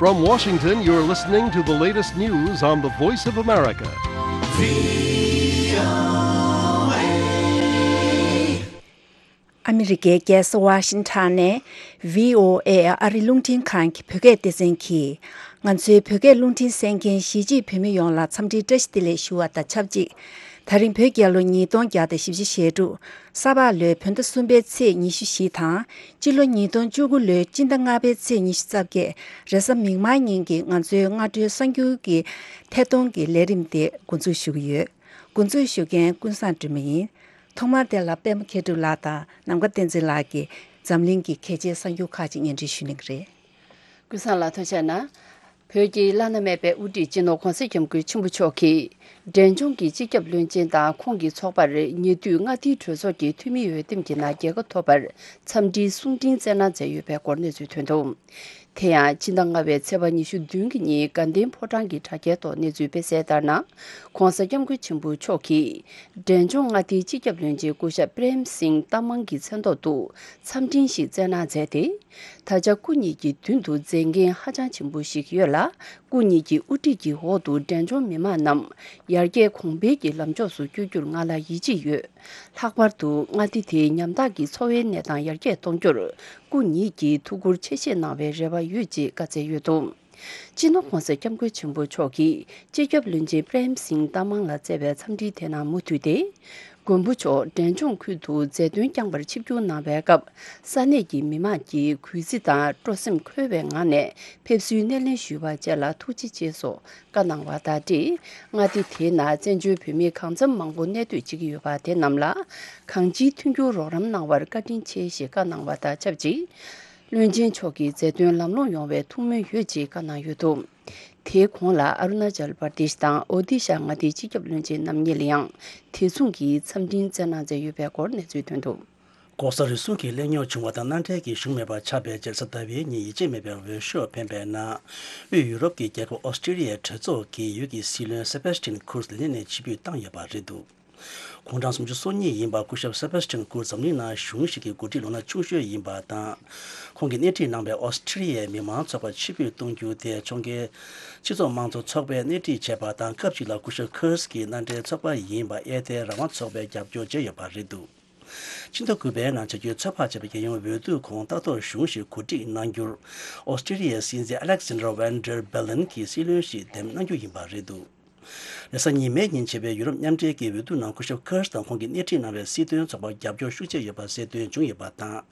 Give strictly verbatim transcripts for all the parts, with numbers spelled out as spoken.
From Washington, you're listening to the latest news on the Voice of America. ཨ་མི་རི་ཀའི་རྒྱལ་ས་ཝ་ཤིང་ཊོན་ནས་བྷི་ཨོ་ཨེ་ཨ་རི་རླུང་འཕྲིན་ཁང་གི་བོད་སྐད་སྡེ་ཚན་གྱིས། ང་ཚོའི་བོད་སྐད་རླུང་འཕྲིན་གསན་མཁན་གཞིས་བྱེས་བོད་མི་ཡོངས་ལ་འཚམས་འདྲིའི་བཀྲ་ཤིས་བདེ་ལེགས་ཞུ་བ་དང་ཆབས་ཅིག། ད་རིང་བོད་རྒྱལ་ལོ་ཉིས་སྟོང་བརྒྱ་དང་བཞི་བཅུ་ཞེ་དྲུག། ས་ཕག་ལོའི་བོད་ཟླ་གསུམ་པའི་ཚེས་ཉི་ཤུ་བཞི་དང་། སྤྱི་ལོ་ཉིས་སྟོང་བཅུ་དགུ་ལོའི་སྤྱི་ཟླ་ལྔ་པའི་ཚེས་ཉི་ཤུ་རྩ་བརྒྱད། རེས་གཟའ་མིག་དམར་ཉིན་གྱི་ང་ཚོའི་སྔ་དྲོའི་གསར་འགྱུར་གྱི་ཐད་གཏོང་གི་ལས་རིམ་དེ་འགོ་འཛུགས་ཞུ་གི་ཡོད། འགོ་འཛུགས་ཞུ་མཁན་ཀུན་བཟང་སྒྲོལ་མ་ཡིན། ཐོག་མར་དེ་ལ་པད་མ་མཁས་གྲུབ་ལགས་དང་ནམ་མཁའ་བསྟན་འཛིན་ལགས་ཀྱིས་འཛམ་གླིང་གི་གལ་ཆེའི་གསར་འགྱུར་ཁག་ཅིག་སྙན་སྒྲོན་ཞུ་གནང་གི་རེད། ཀུན་བཟང་ལགས་ཐུགས་རྗེ་གནང་། བོད་ཀྱི་བླ་ན་མེད་པའི་དབུ་ཁྲིད་སྤྱི་ནོར་༧གོང་ས་༧སྐྱབས་མགོན་ཆེན་པོ་མཆོག་གིས། འབྲས་ལྗོངས་ཀྱི་སྤྱི་ཁྱབ་བློན་ཆེན་དང་ཁོང་གི་ཚོགས་པར་ཉེ་དུས་མངའ་སྡེའི་གྲོས་ཚོགས་ཀྱི་འཐུས་མི་འོས་འདེམས་ཀྱི་ནང་རྒྱལ་ཁ་ཐོབ་པར་འཚམས་འདྲིའི་གསུང་འཕྲིན་བསྩལ་གནང་མཛད་ཡོད་པའི་སྐོར་གནས་ཚུལ་ཐོན་འདུག། དེ་ཡང་སྤྱི་ཟླ་ལྔ་པའི་ཚེས་པ་ཉི་ཤུ་བདུན་གྱི་ཉིན་དགའ་ལྡན་ཕོ་བྲང་གི་དྲ་རྒྱའི་ཐོག་གནས་ཚུལ་སྤེལ་གསལ་ལྟར་ན། ༧གོང་ས་༧སྐྱབས་མགོན་ཆེན་པོ་མཆོག་གིས། འབྲས་ལྗོངས་མངའ་སྡེའི་སྤྱི་ཁྱབ་བློན་ཆེན་སྐུ་ཞབས་པྲེམ་སིང་ཏ་མང་གི་མཚན་ཐོག་ཏུ་འཚམས་འཕྲིན་ཞིག་བསྩལ་གནང་མཛད་དེ། ད་ཆ་སྐུ་ཉིད་ཀྱི་མདུན་དུ་མཛད་འགན་ཧ་ཅང་ཆེན་པོ་ཞིག་ཡོད་ལ། སྐུ་ཉིད་ཀྱི་དབུ་ཁྲིད་ཀྱི་འོག་ཏུ་འབྲས་ལྗོངས་མི་མང་རྣམས་ཡར་རྒྱས་གོང་འཕེལ་གྱི་ལམ་ཕྱོགས་སུ་བསྐྱོད་རྒྱུར་ང་ལ་ཡིད་ཆེས་ཡོད། ལྷག་པར་དུ་མངའ་སྡེ་དེའི་ཉམ་ཐག་གི་འཚོ་བའི་གནས་སྟངས་ཡར་རྒྱས་གཏོང་རྒྱུར་སྐུ་ཉིད་ཀྱིས་ཐུགས་ཁུར་ཆེ་བཞེས་གནང་བའི་རེ་བ་ཡོད་ཅེས་བཀའ་སྩལ་ཡོད་འདུག། སྤྱི་ནོར་༧གོང་ས་༧སྐྱབས་མགོན་ཆེན་པོ་མཆོག་གིས་སྤྱི་ཁྱབ་བློན་ཆེན་པྲེམ་སིང་ཏ་མང་ལ་བསྩལ་བའི་འཚམས་འདྲིའི་དེབ་ནང་མུ་མཐུད་དེ། མགོན་པོ་མཆོག་འབྲས་ལྗོངས་ཁུལ་དུ་མཛད་དོན་བསྐྱངས་པར་ཆིབས་བསྒྱུར་གནང་བའི་སྐབས། ས་གནས་ཀྱི་མི་མང་གིས་གུས་བརྩི་དང་སྤྲོ་སེམས་འཁོལ་བའི་ངང་ནས་ཕེབས་བསུའི་སྣེ་ལེན་ཞུས་པ་བཅས་ལ་ཐུགས་རྗེ་ཆེ་སོགས་བཀའ་གནང་བ་དང་འབྲེལ། མངའ་སྡེ་དེའི་ནང་བཙན་བྱོལ་བོད་མི་གང་འཚམ་མང་པོ་གནས་སྡོད་བྱེད་ཀྱི་ཡོད་པ་དེ་རྣམས་ལ་གང་ཅིའི་མཐུན་འགྱུར་རོགས་རམ་གནང་བར་བཀའ་དྲིན་ཆེ་ཞེས་བཀའ་གནང་བ་དང་ཆབས་ཅིག། བློན་ཆེན་མཆོག་གི་མཛད་དོན་ལམ་ལྷོང་ཡོང་བའི་ཐུགས་སྨོན་ཡོད་ཅེས་བཀའ་གནང་ཡོད་འདུག། དེའི་གོང་ལ་ཨ་རུ་ན་ཅལ་པར་དེཤ་དང་ཨོ་དི་ཤ་མངའ་སྡེའི་སྤྱི་ཁྱབ་བློན་ཆེན་རྣམ་གཉིས་ལ་ཡང་དེ་མཚུངས་ཀྱི་འཚམས་འཕྲིན་བསྩལ་གནང་མཛད་ཡོད་པའི་སྐོར་གནས་ཚུལ་ཐོན་འདུག། ལྐོག་ཟ་རུལ་སུངས་ཀྱི་གླེང་རྙོག་བྱུང་བ་དང་མནའ་འབྲེལ་གྱི་ཞུགས་མེད་པར་ཆགས་པའི་རྗེས་གཟའ་ཟླ་བའི་ཉིན་ཡིད་ཆེས་མེད་པའི་འོས་ཤོག་འཕེན་པའི་ནང་། དབུས་ཡུ་རོབ་ཀྱི་རྒྱལ་ཁབ་ཨོ་སི་ཀྲི་ལི་ཡའི་གྲོས་ཚོགས་ཀྱི་ཡུལ་གྱི་སྲིད་བློན་སེ་བེ་སི་ཊིན་ཁུར་ལི་ནས་ཕྱིར་འབུད་བཏང་ཡོད་པ་རེད་འདུག། དགུང་གྲངས་སུམ་ཅུ་སོ་གཉིས་ཡིན་པ་སྐུ་ཞབས་སེ་བེ་སི་ཊིན་ཁུར་འཛམ་གླིང་ནང་གཞུང་ཞིག་གི་འགོ་ཁྲིད་ལོ་ན་ཆུང་ཤོས་ཡིན་པ་དང་། ཁོང་གིས་སྣེ་ཁྲིད་གནང་བའི་ཨོ་སི་ཀྲི་ལི་ཡའི་མི་མང་ཚོགས་པ་ཕྱིར་འབུད་གཏོང་རྒྱུ་དེ་ཕྱོགས་འགལ་སྤྱི་ཚོགས་དམངས་གཙོ་ཚོགས་པས་སྣེ་ཁྲིད་བྱས་པ་དང་། སྐབས་གཅིག་ལ་སྐུ་ཞབས་ཁུར་གྱི་མནའ་འབྲེལ་ཚོགས་པ་ཡིན་པ་ཨེ་ཐའི་རང་དབང་ཚོགས་པས་རྒྱབ་སྐྱོར་བྱས་ཡོད་པ་རེད་འདུག། ཕྱི་ཟླ་དགུ་པའི་ནང་བྱ་རྒྱུའི་ཚོད་དཔག་བྱས་པའི་རྒྱལ་ཡོངས་འོས་བསྡུ་གོང་ལྟ་རྟོག་གཞུང་ཞིག་གོ་སྒྲིག་གནང་རྒྱུར། ཨོ་སི་ཀྲི་ལི་ཡའི་སྲིད་འཛིན་ཨ་ལེག་སན་ཌར་ཝན་ཌར་བྷེ་ལན་གྱིས་སྲིད་བློན་ཞིག་འདེམས་གནང་རྒྱུ་ཡིན་པ་རེད་འདུག། རེས་གཟའ་ཉི་མའི་ཉིན་བྱས་པའི་ཡུ་རོབ་མཉམ་འབྲེལ་གྱི་འོས་བསྡུ་ནང་སྐུ་ཞབས་ཁེར་དང་ཁོང་གིས་སྣེ་ཁྲིད་གནང་བའི་སྲིད་དོན་ཚོགས་པར་རྒྱབ་སྐྱོར་ཤུགས་ཆེ་ཡོད་པ་གསལ་སྟོན་བྱུང་ཡོད་པ་དང་།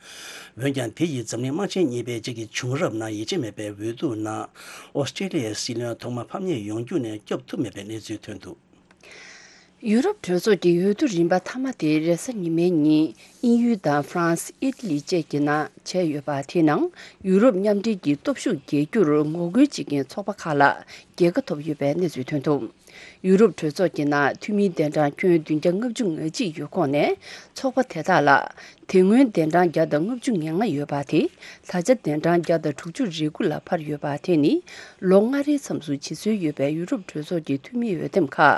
འོན་ཀྱང་དེ་ཡིས་འཛམ་གླིང་དམག་ཆེན་གཉིས་པའི་རྗེས་ཀྱི་བྱུང་རབས་ནང་ཡིད་ཆེས་མེད་པའི་འོས་བསྡུ་ནང་ཨོ་སི་ཀྲི་ལི་ཡའི་སྲིད་བློན་ཐོག་མ་ཕམ་ཉེས་ཡོང་རྒྱུ་ནས་སྐྱོབ་ཐུབ་མེད་པའི་གནས་ཚུལ་ཐོན་འདུག། ཡུ་རོབ་གྲོས་ཚོགས་ཀྱི་འོས་བསྡུ་རིམ་པ་མཐའ་མ་དེ་རེས་གཟའ་ཉི་མའི་ཉིན་དབྱིན་ཡུལ་དང་ཧྥ་རན་སི། ཨི་ཊ་ལི་བཅས་ཀྱི་ནང་བྱས་ཡོད་པ་དེའི་ནང་ཡུ་རོབ་མཉམ་འབྲེལ་གྱི་སྟོབས་ཤུགས་རྒྱས་རྒྱུར་ངོ་རྒོལ་བྱེད་མཁན་ཚོགས་པ་ཁག་ལ་རྒྱལ་ཁ་ཐོབ་ཡོད་པའི་གནས་ཚུལ་ཐོན་འདུག། ཡུ་རོབ་གྲོས་ཚོགས་ཀྱི་ནང་འཐུས་མིའི་གདན་གྲངས་ཁྱོན་བདུན་བརྒྱ་ལྔ་བཅུ་ང་གཅིག་ཡོད་ཁོངས་ནས་ཚོགས་པ་དེ་དག་ལ། དེ་སྔོན་གདན་གྲངས་བརྒྱ་དང་ལྔ་བཅུ་ང་ལྔ་ཡོད་པ་དེ། ད་ཆ་གདན་གྲངས་བརྒྱ་དང་དྲུག་ཅུ་རེ་དགུ་ལ་འཕར་ཡོད་པ་དེ་ནི། ལོ་ལྔ་རེའི་མཚམས་སུ་བྱེད་སྲོལ་ཡོད་པའི་ཡུ་རོབ་གྲོས་ཚོགས་ཀྱི་འཐུས་མི་འོས་འདེམས་ཁག་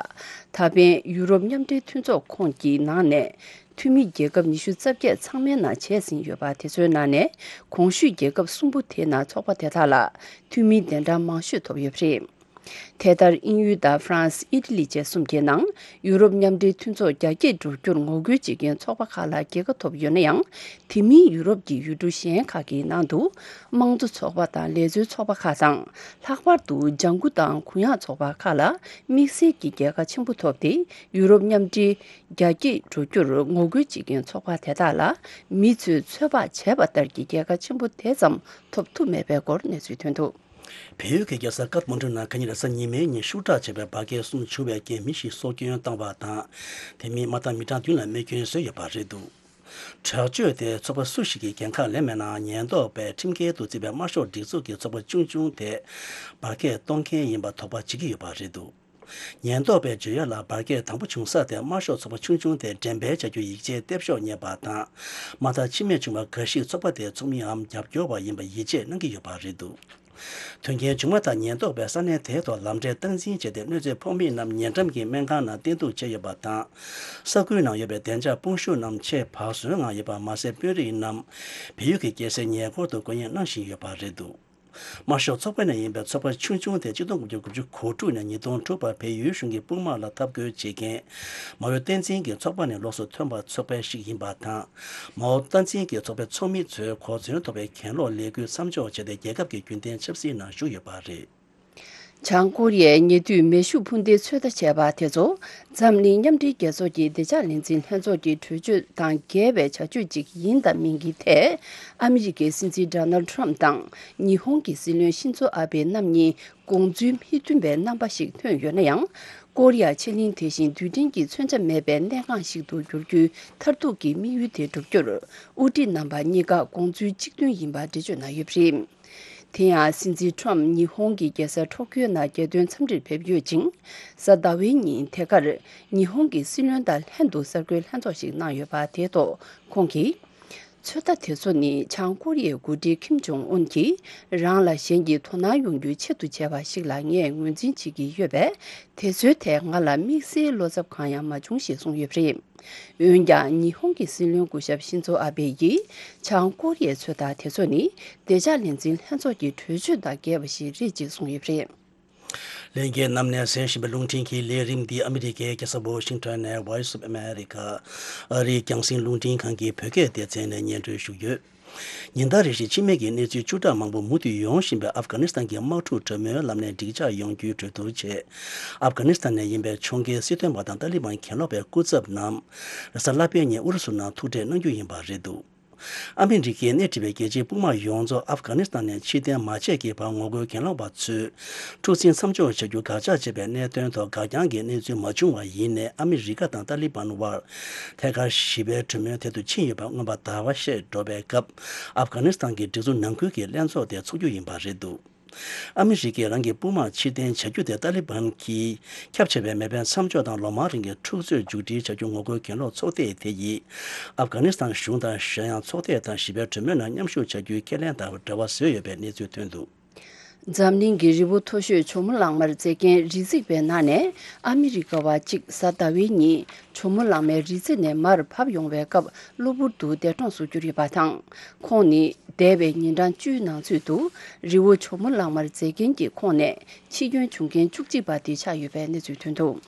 ད་ཕན་ཡུ་རོབ་མཉམ་འབྲེལ་མཐུན་ཚོགས་ཁོངས་ཀྱི་ནང་ནས། འཐུས་མི་རྒྱལ་ཁབ་ཉི་ཤུ་རྩ་བརྒྱད་ཚང་མའི་ནང་བྱས་ཟིན་ཡོད་པ་དེ་ཚོའི་ནང་ནས། གོང་ཞུས་རྒྱལ་ཁབ་གསུམ་པོ་དེའི་ནང་ཚོགས་པ་དེ་དག་ལ་འཐུས་མིའི་གདན་གྲངས་མང་ཤོས་ཐོབ་ཡོད་པ་རེད། དེ་ལྟར་དབྱིན་ཡུལ་དང་ཧྥ་རན་སི། ཨི་ཊ་ལི་བཅས་གསུམ་གྱི་ནང་ཡུ་རོབ་མཉམ་འབྲེལ་མཐུན་ཚོགས་རྒྱ་སྐྱེད་འགྲོ་རྒྱུར་ངོ་རྒོལ་བྱེད་མཁན་ཚོགས་པ་ཁག་ལ་རྒྱལ་ཁ་ཐོབ་ཡོད་ན་ཡང་། དེ་མིན་ཡུ་རོབ་ཀྱི་ཡུལ་གྲུ་གཞན་ཁག་གི་ནང་དུ་དམངས་གཙོ་ཚོགས་པ་དང་ལས་བཟོའི་ཚོགས་པ་ཁག་དང་། ལྷག་པར་དུ་ལྗང་ཁུ་དང་གུ་ཡངས་ཚོགས་པ་ཁག་ལ་དམིགས་བསལ་གྱི་རྒྱལ་ཁ་ཆེན་པོ་ཐོབ་སྟེ། ཡུ་རོབ་མཉམ་འབྲེལ་རྒྱ་སྐྱེད་འགྲོ་རྒྱུར་ངོ་རྒོལ་བྱེད་མཁན་ཚོགས་པ་དེ་དག་ལ་མི་ཚོས་ཚོད་དཔག་བྱས་པ་ལྟར་གྱི་རྒྱལ་ཁ་ཆེན་པོ་དེ་ཙམ་ཐོབ་ཐུབ་མེད་པའི་སྐོར་གནས་ཚུལ་ཐོན་འདུག། བལ་ཡུལ་གྱི་རྒྱལ་ས་ཀཏ་མན་ཌུ་ནང་ཁ་ཉིན་རེས་གཟའ་ཉི་མའི་ཉིན་ཤུགས་དྲག་བྱས་པའི་འབར་གས་གསུམ་བྱུང་བའི་རྐྱེན་མི་བཞི་སྲོག་སྐྱོན་བཏང་བ་དང་། དེ་མིན་དམག་དང་མི་གྲངས་བདུན་ལ་རྨས་སྐྱོན་བཟོས་ཡོད་པ་རེད་འདུག། དྲག་སྤྱོད་དེ་ཚོགས་པ་སུ་ཞིག་གིས་འགན་ཁག་ལེན་མེད་ནའང་། ཉེན་རྟོག་པས་ཁྲིམས་འགལ་དུ་བརྩིས་པའི་དམར་ཤོག་སྒྲིག་འཛུགས་ཀྱི་ཚོགས་པ་ཆུང་ཆུང་དེ་འབར་གས་གཏོང་མཁན་ཡིན་པ་དོགས་པ་བྱེད་ཀྱི་ཡོད་པ་རེད་འདུག། ཉེན་རྟོག་པས་བརྗོད་ཡ་ལ། འབར་གས་དང་པོ་བྱུང་ས་དེ་དམར་ཤོག་ཚོགས་པ་ཆུང་ཆུང་དེ་འགྲེམས་སྤེལ་བྱ་རྒྱུ་ཡིག་ཆའི་ལྟེབ་ཤོག་རྙེད་པ་དང་། དམག་དང་འཆི་རྨས་བྱུང་བ་འགའ་ཞིག་ཚོགས་པ་དེའི་ཚོགས་མིའམ་རྒྱབ་སྐྱོར་བ་ཡིན་པ་ཡིད་ཆེས་གནང་གི་ཡོད་པ་རེད་འདུག། དོན་རྐྱེན་བྱུང་བ་དང་ཉེན་རྟོག་པས་ས་གནས་དེའི་ཐོག་ལམ་འབྲས་སྟངས་འཛིན་བྱས་ཏེ། གནོད་འཚེ་ཕོག་མི་རྣམས་ཉེ་འགྲམ་གྱི་སྨན་ཁང་ནང་བསྟེན་གཏུག་བྱས་ཡོད་པ་དང་། ས་ཁུལ་ནང་ཡོད་པའི་བདེ་འཇགས་དཔུང་ཤུགས་རྣམས་ཆེས་བག་ཟོན་ངང་ཡོད་པ་མ་ཟད། དཔོན་རིགས་རྣམས་བལ་ཡུལ་གྱི་རྒྱལ་སའི་ཉེ་འཁོར་དུ་སྐུ་ངལ་གནང་བཞིན་ཡོད་པ་རེད་འདུག། དམར་ཤོག་ཚོགས་པ་ནས་ཡིན་པའི་ཚོགས་པ་ཆུང་ཆུང་དེ་གཅིག་སྟོང་དགུ་བརྒྱ་དགུ་བཅུ་གོ་དྲུག་ནས་ཉིས་སྟོང་དྲུག་བར་བལ་ཡུལ་གཞུང་གི་དཔུང་དམག་ལ་འཐབ་རྒོལ་བྱེད་མཁན་མའོ་བསྟན་འཛིན་གྱི་ཚོགས་པ་ནས་ལོགས་སུ་ཐོན་པའི་ཚོགས་པ་ཞིག་ཡིན་པ་དང་། མའོ་བསྟན་འཛིན་གྱི་ཚོགས་པའི་ཚོགས་མི་ཚོས་གོ་མཚོན་ཐོབ་པའི་གྱེན་ལོག་ལས་འགུལ་མཚམས་འཇོག་བྱས་ཏེ། རྒྱལ་ཁབ་ཀྱི་རྒྱུན་ལྡན་ཆབ་སྲིད་ནང་ཞུགས་ཡོད་པ་རེད། བྱང་ཀོ་རི་ཡས་ཉེ་དུས་མེ་ཤུགས་འཕུར་མདེལ་ཚོད་ལྟ་བྱས་པ་དེ་ཚོ་འཛམ་གླིང་མཉམ་འབྲེལ་རྒྱལ་ཚོགས་ཀྱི་བདེ་འཇགས་ལས་འཛིན་ལྷན་ཚོགས་ཀྱི་གྲོས་ཆོད་དང་འགལ་བའི་བྱ་སྤྱོད་ཅིག་ཡིན་དང་མིན་གྱི་ཐད། ཨ་མི་རི་ཀའི་སྲིད་འཛིན་ཌོ་ནལ་ཌི་ཊརམ་དང་ཉི་ཧོང་གི་སྲིད་བློན་ཤིན་ཛོ་ཨ་བྷེ་རྣམ་གཉིས་དགོངས་ཚུལ་མི་མཐུན་པའི་རྣམ་པ་ཞིག་ཐོན་ཡོད་ན་ཡང་། ཀོ་རི་ཡ་ཕྱེད་གླིང་དེ་བཞིན་རྡུལ་ཕྲན་གྱི་མཚོན་ཆ་མེད་པའི་གནས་འགངས་ཤིག་ཏུ་འགྱུར་རྒྱུའི་མཐར་ཐུག་གི་དམིགས་ཡུལ་དེ་བསྒྲུབ་རྒྱུར། དབུ་ཁྲིད་རྣམ་པ་གཉིས་ཀ་དགོངས་ཚུལ་གཅིག་མཐུན་ཡིན་པ་འགྲེལ་བརྗོད་གནང་ཡོད་པ་རེད། དེ་ཡང་སྲིད་འཛིན་ཊརམ་ཉི་ཧོང་གི་རྒྱལ་སར་ཊོ་ཀིའོ་ནང་རྒྱལ་དོན་འཚམས་འདྲིར་ཕེབས་ཡོད་ཅིང་། གཟའ་ཟླ་བའི་ཉིན་དེ་གར་ཉི་ཧོང་གི་སྲིད་བློན་དང་ལྷན་དུ་གསར་འགོད་ལྷན་ཚོགས་ཤིག་གནང་ཡོད་པ་དེའི་ཐོག་ཁོང་གིས། ཚོད་ལྟ་དེ་ཚོ་ནི་བྱང་ཀོ་རི་ཡའི་འགོ་ཁྲིད་ཁིམ་ཇོང་ཨུན་གྱིས་རང་ལ་གཞན་གྱིས་དོ་སྣང་ཡོང་རྒྱུའི་ཆེད་དུ་བྱས་པ་ཞིག་ལ་ངས་ངོས་འཛིན་བྱེད་ཀྱི་ཡོད་པས། དེ་ཚོའི་ཐད་ང་ལ་དམིགས་བསལ་བློ་འཚབ་གང་ཡང་མ་བྱུང་ཞེས་གསུངས་ཡོད་པ་རེད། འོན་ཀྱང་ཉི་ཧོང་གི་སྲིད་བློན་སྐུ་ཞབས་ཤིན་ཛོ་ཨ་བྷེ་ཡིས་བྱང་ཀོ་རི་ཡའི་ཚོད་ལྟ་དེ་ཚོ་ནི་བདེ་འཇགས་ལས་འཛིན་ལྷན་ཚོགས་ཀྱི་གྲོས་ཆོད་དང་འགལ་བ་ཞིག་རེད་ཅེས་གསུངས་ཡོད་པ་རེད། ལྷན་རྒྱས་རྣམས་ནས་གསན་བཞིན་པའི་རླུང་འཕྲིན་གྱི་ལས་རིམ་འདི་ཨ་མི་རི་ཀའི་རྒྱལ་ས་ཝོ་ཤིང་ཊོན་ནས་Voice of America ཨ་རིའི་རྒྱང་སྲིང་རླུང་འཕྲིན་ཁང་གི་བོད་སྐད་སྡེ་ཚན་ནས་སྙན་སྒྲོན་ཞུས་ཡོད། ཉིན་ལྟར་རེ་བཞིན་འཆི་རྨས་ཀྱི་གནས་ཚུལ་བཅུ་ཕྲག་མང་པོ་མུ་མཐུད་ཡོང་བཞིན་པའི་ཨབ་གྷ་ནི་སི་ཐན་གྱི་དམག་འཁྲུག་གྲོས་མོལ་ལམ་ནས་འགྲིག་འཇགས་ཡོང་རྒྱུའི་གྲོས་བསྡུར་ཆེད། ཨབ་གྷ་ནི་སི་ཐན་ནས་ཡིན་པའི་ཕྱོགས་འགལ་སྲིད་དོན་པ་དང་ཏཱ་ལི་བན་གྱེན་ལོག་པའི་སྐུ་ཚབ་རྣམས་རེས་གཟའ་ལྷག་པའི་ཉིན་ཨུ་རུ་སུ་ནང་ཐུག་འཕྲད་གནང་རྒྱུ་ཡིན་པ་རེད་འདུག་ཨ་མི་རི་ཀས་སྣེ་ཁྲིད་པའི་རྒྱལ་སྤྱིའི་དཔུང་དམག་ཡོངས་རྫོགས་ཨབ་གྷ་ནི་སི་ཐན་ནས་ཕྱིར་འཐེན་མ་བྱས་ཀྱི་བར་ངོ་རྒོལ་གྱེན་ལོག་པ་ཚོས་འཁྲུག་འཛིང་མཚམས་འཇོག་བྱ་རྒྱུ་དགག་བྱ་བྱས་པའི་གནད་དོན་ཐོག་འགའ་རྐྱང་གི་གནས་ཚུལ་མ་བྱུང་བ་ཡིན་ནའི། ཨ་མི་རི་ཀ་དང་ཏཱ་ལི་བན་དབར་ཐད་ཀར་ཞི་བའི་གྲོས་མོལ་དེ་ཐོག་ཕྱིན་ཡོད་པ་མངོན་པ་ཟླ་བ་ཤས་འགྲོ་བའི་སྐབས། ཨབ་གྷ་ནི་སི་ཐན་གྱི་སྒྲིག་འཛུགས་ནང་ཁུལ་གྱི་ལྷན་ཚོགས་དེ་ཚོགས་རྒྱུ་ཡིན་པ་རེད་འདུག་ཨ་མི་རི་ཀས་རང་གི་དཔུང་དམག་ཕྱིར་འཐེན་བྱ་རྒྱུ་དེ་ཏཱ་ལི་བན་གྱིས་ཁྱབ་ཆེ་བའི་མེ་འཕེན་མཚམས་འཇོག་དང་ལོ་མང་རིང་གི་འཁྲུག་རྩོད་མཇུག་སྒྲིལ་བྱ་རྒྱུ་ངོ་རྒོལ་གྱེན་ལོག་ཚོགས་སྡེ་དེ་ཡིས་ཨབ་གྷ་ནི་སི་ཐན་གཞུང་དང་གཞན་ཡང་ཚོགས་སྡེ་དང་ཞི་བའི་གྲོས་མོལ་ནང་མཉམ་ཞུགས་བྱ་རྒྱུའི་ཁས་ལེན་དང་འབྲེལ་བ་བཟོས་ཡོད་པའི་གནས་ཚུལ་ཐོན་འདུག་འཛམ་གླིང་གི་རི་བོ་མཐོ་ཤོས་ཇོ་མོ་གླང་མར་འཛེགས་མཁན་རི་འཛེག་པའི་ནང་ནས་ཨ་མི་རི་ཀ་བ་གཅིག་གཟའ་ཟླ་བའི་ཉིན་ཇོ་མོ་གླང་མའི་རི་རྩེ་ནས་མར་བབས་ཡོང་བའི་སྐབས་གློ་བུར་དུ་འདས་གྲོངས་སུ་གྱུར་ཡོད་པ་དང་། ཁོང་ནི་འདས་པའི་ཉིན་གྲངས་བཅུའི་ནང་ཚུད་དུ་རི་བོ་ཇོ་མོ་གླང་མར་འཛེགས་མཁན་གྱི་ཁོངས་ནས་འཆི་སྐྱོན་བྱུང་མཁན་བཅུ་གཅིག་པ་དེ་ཆགས་ཡོད་པའི་གནས་ཚུལ་ཐོན་འདུག་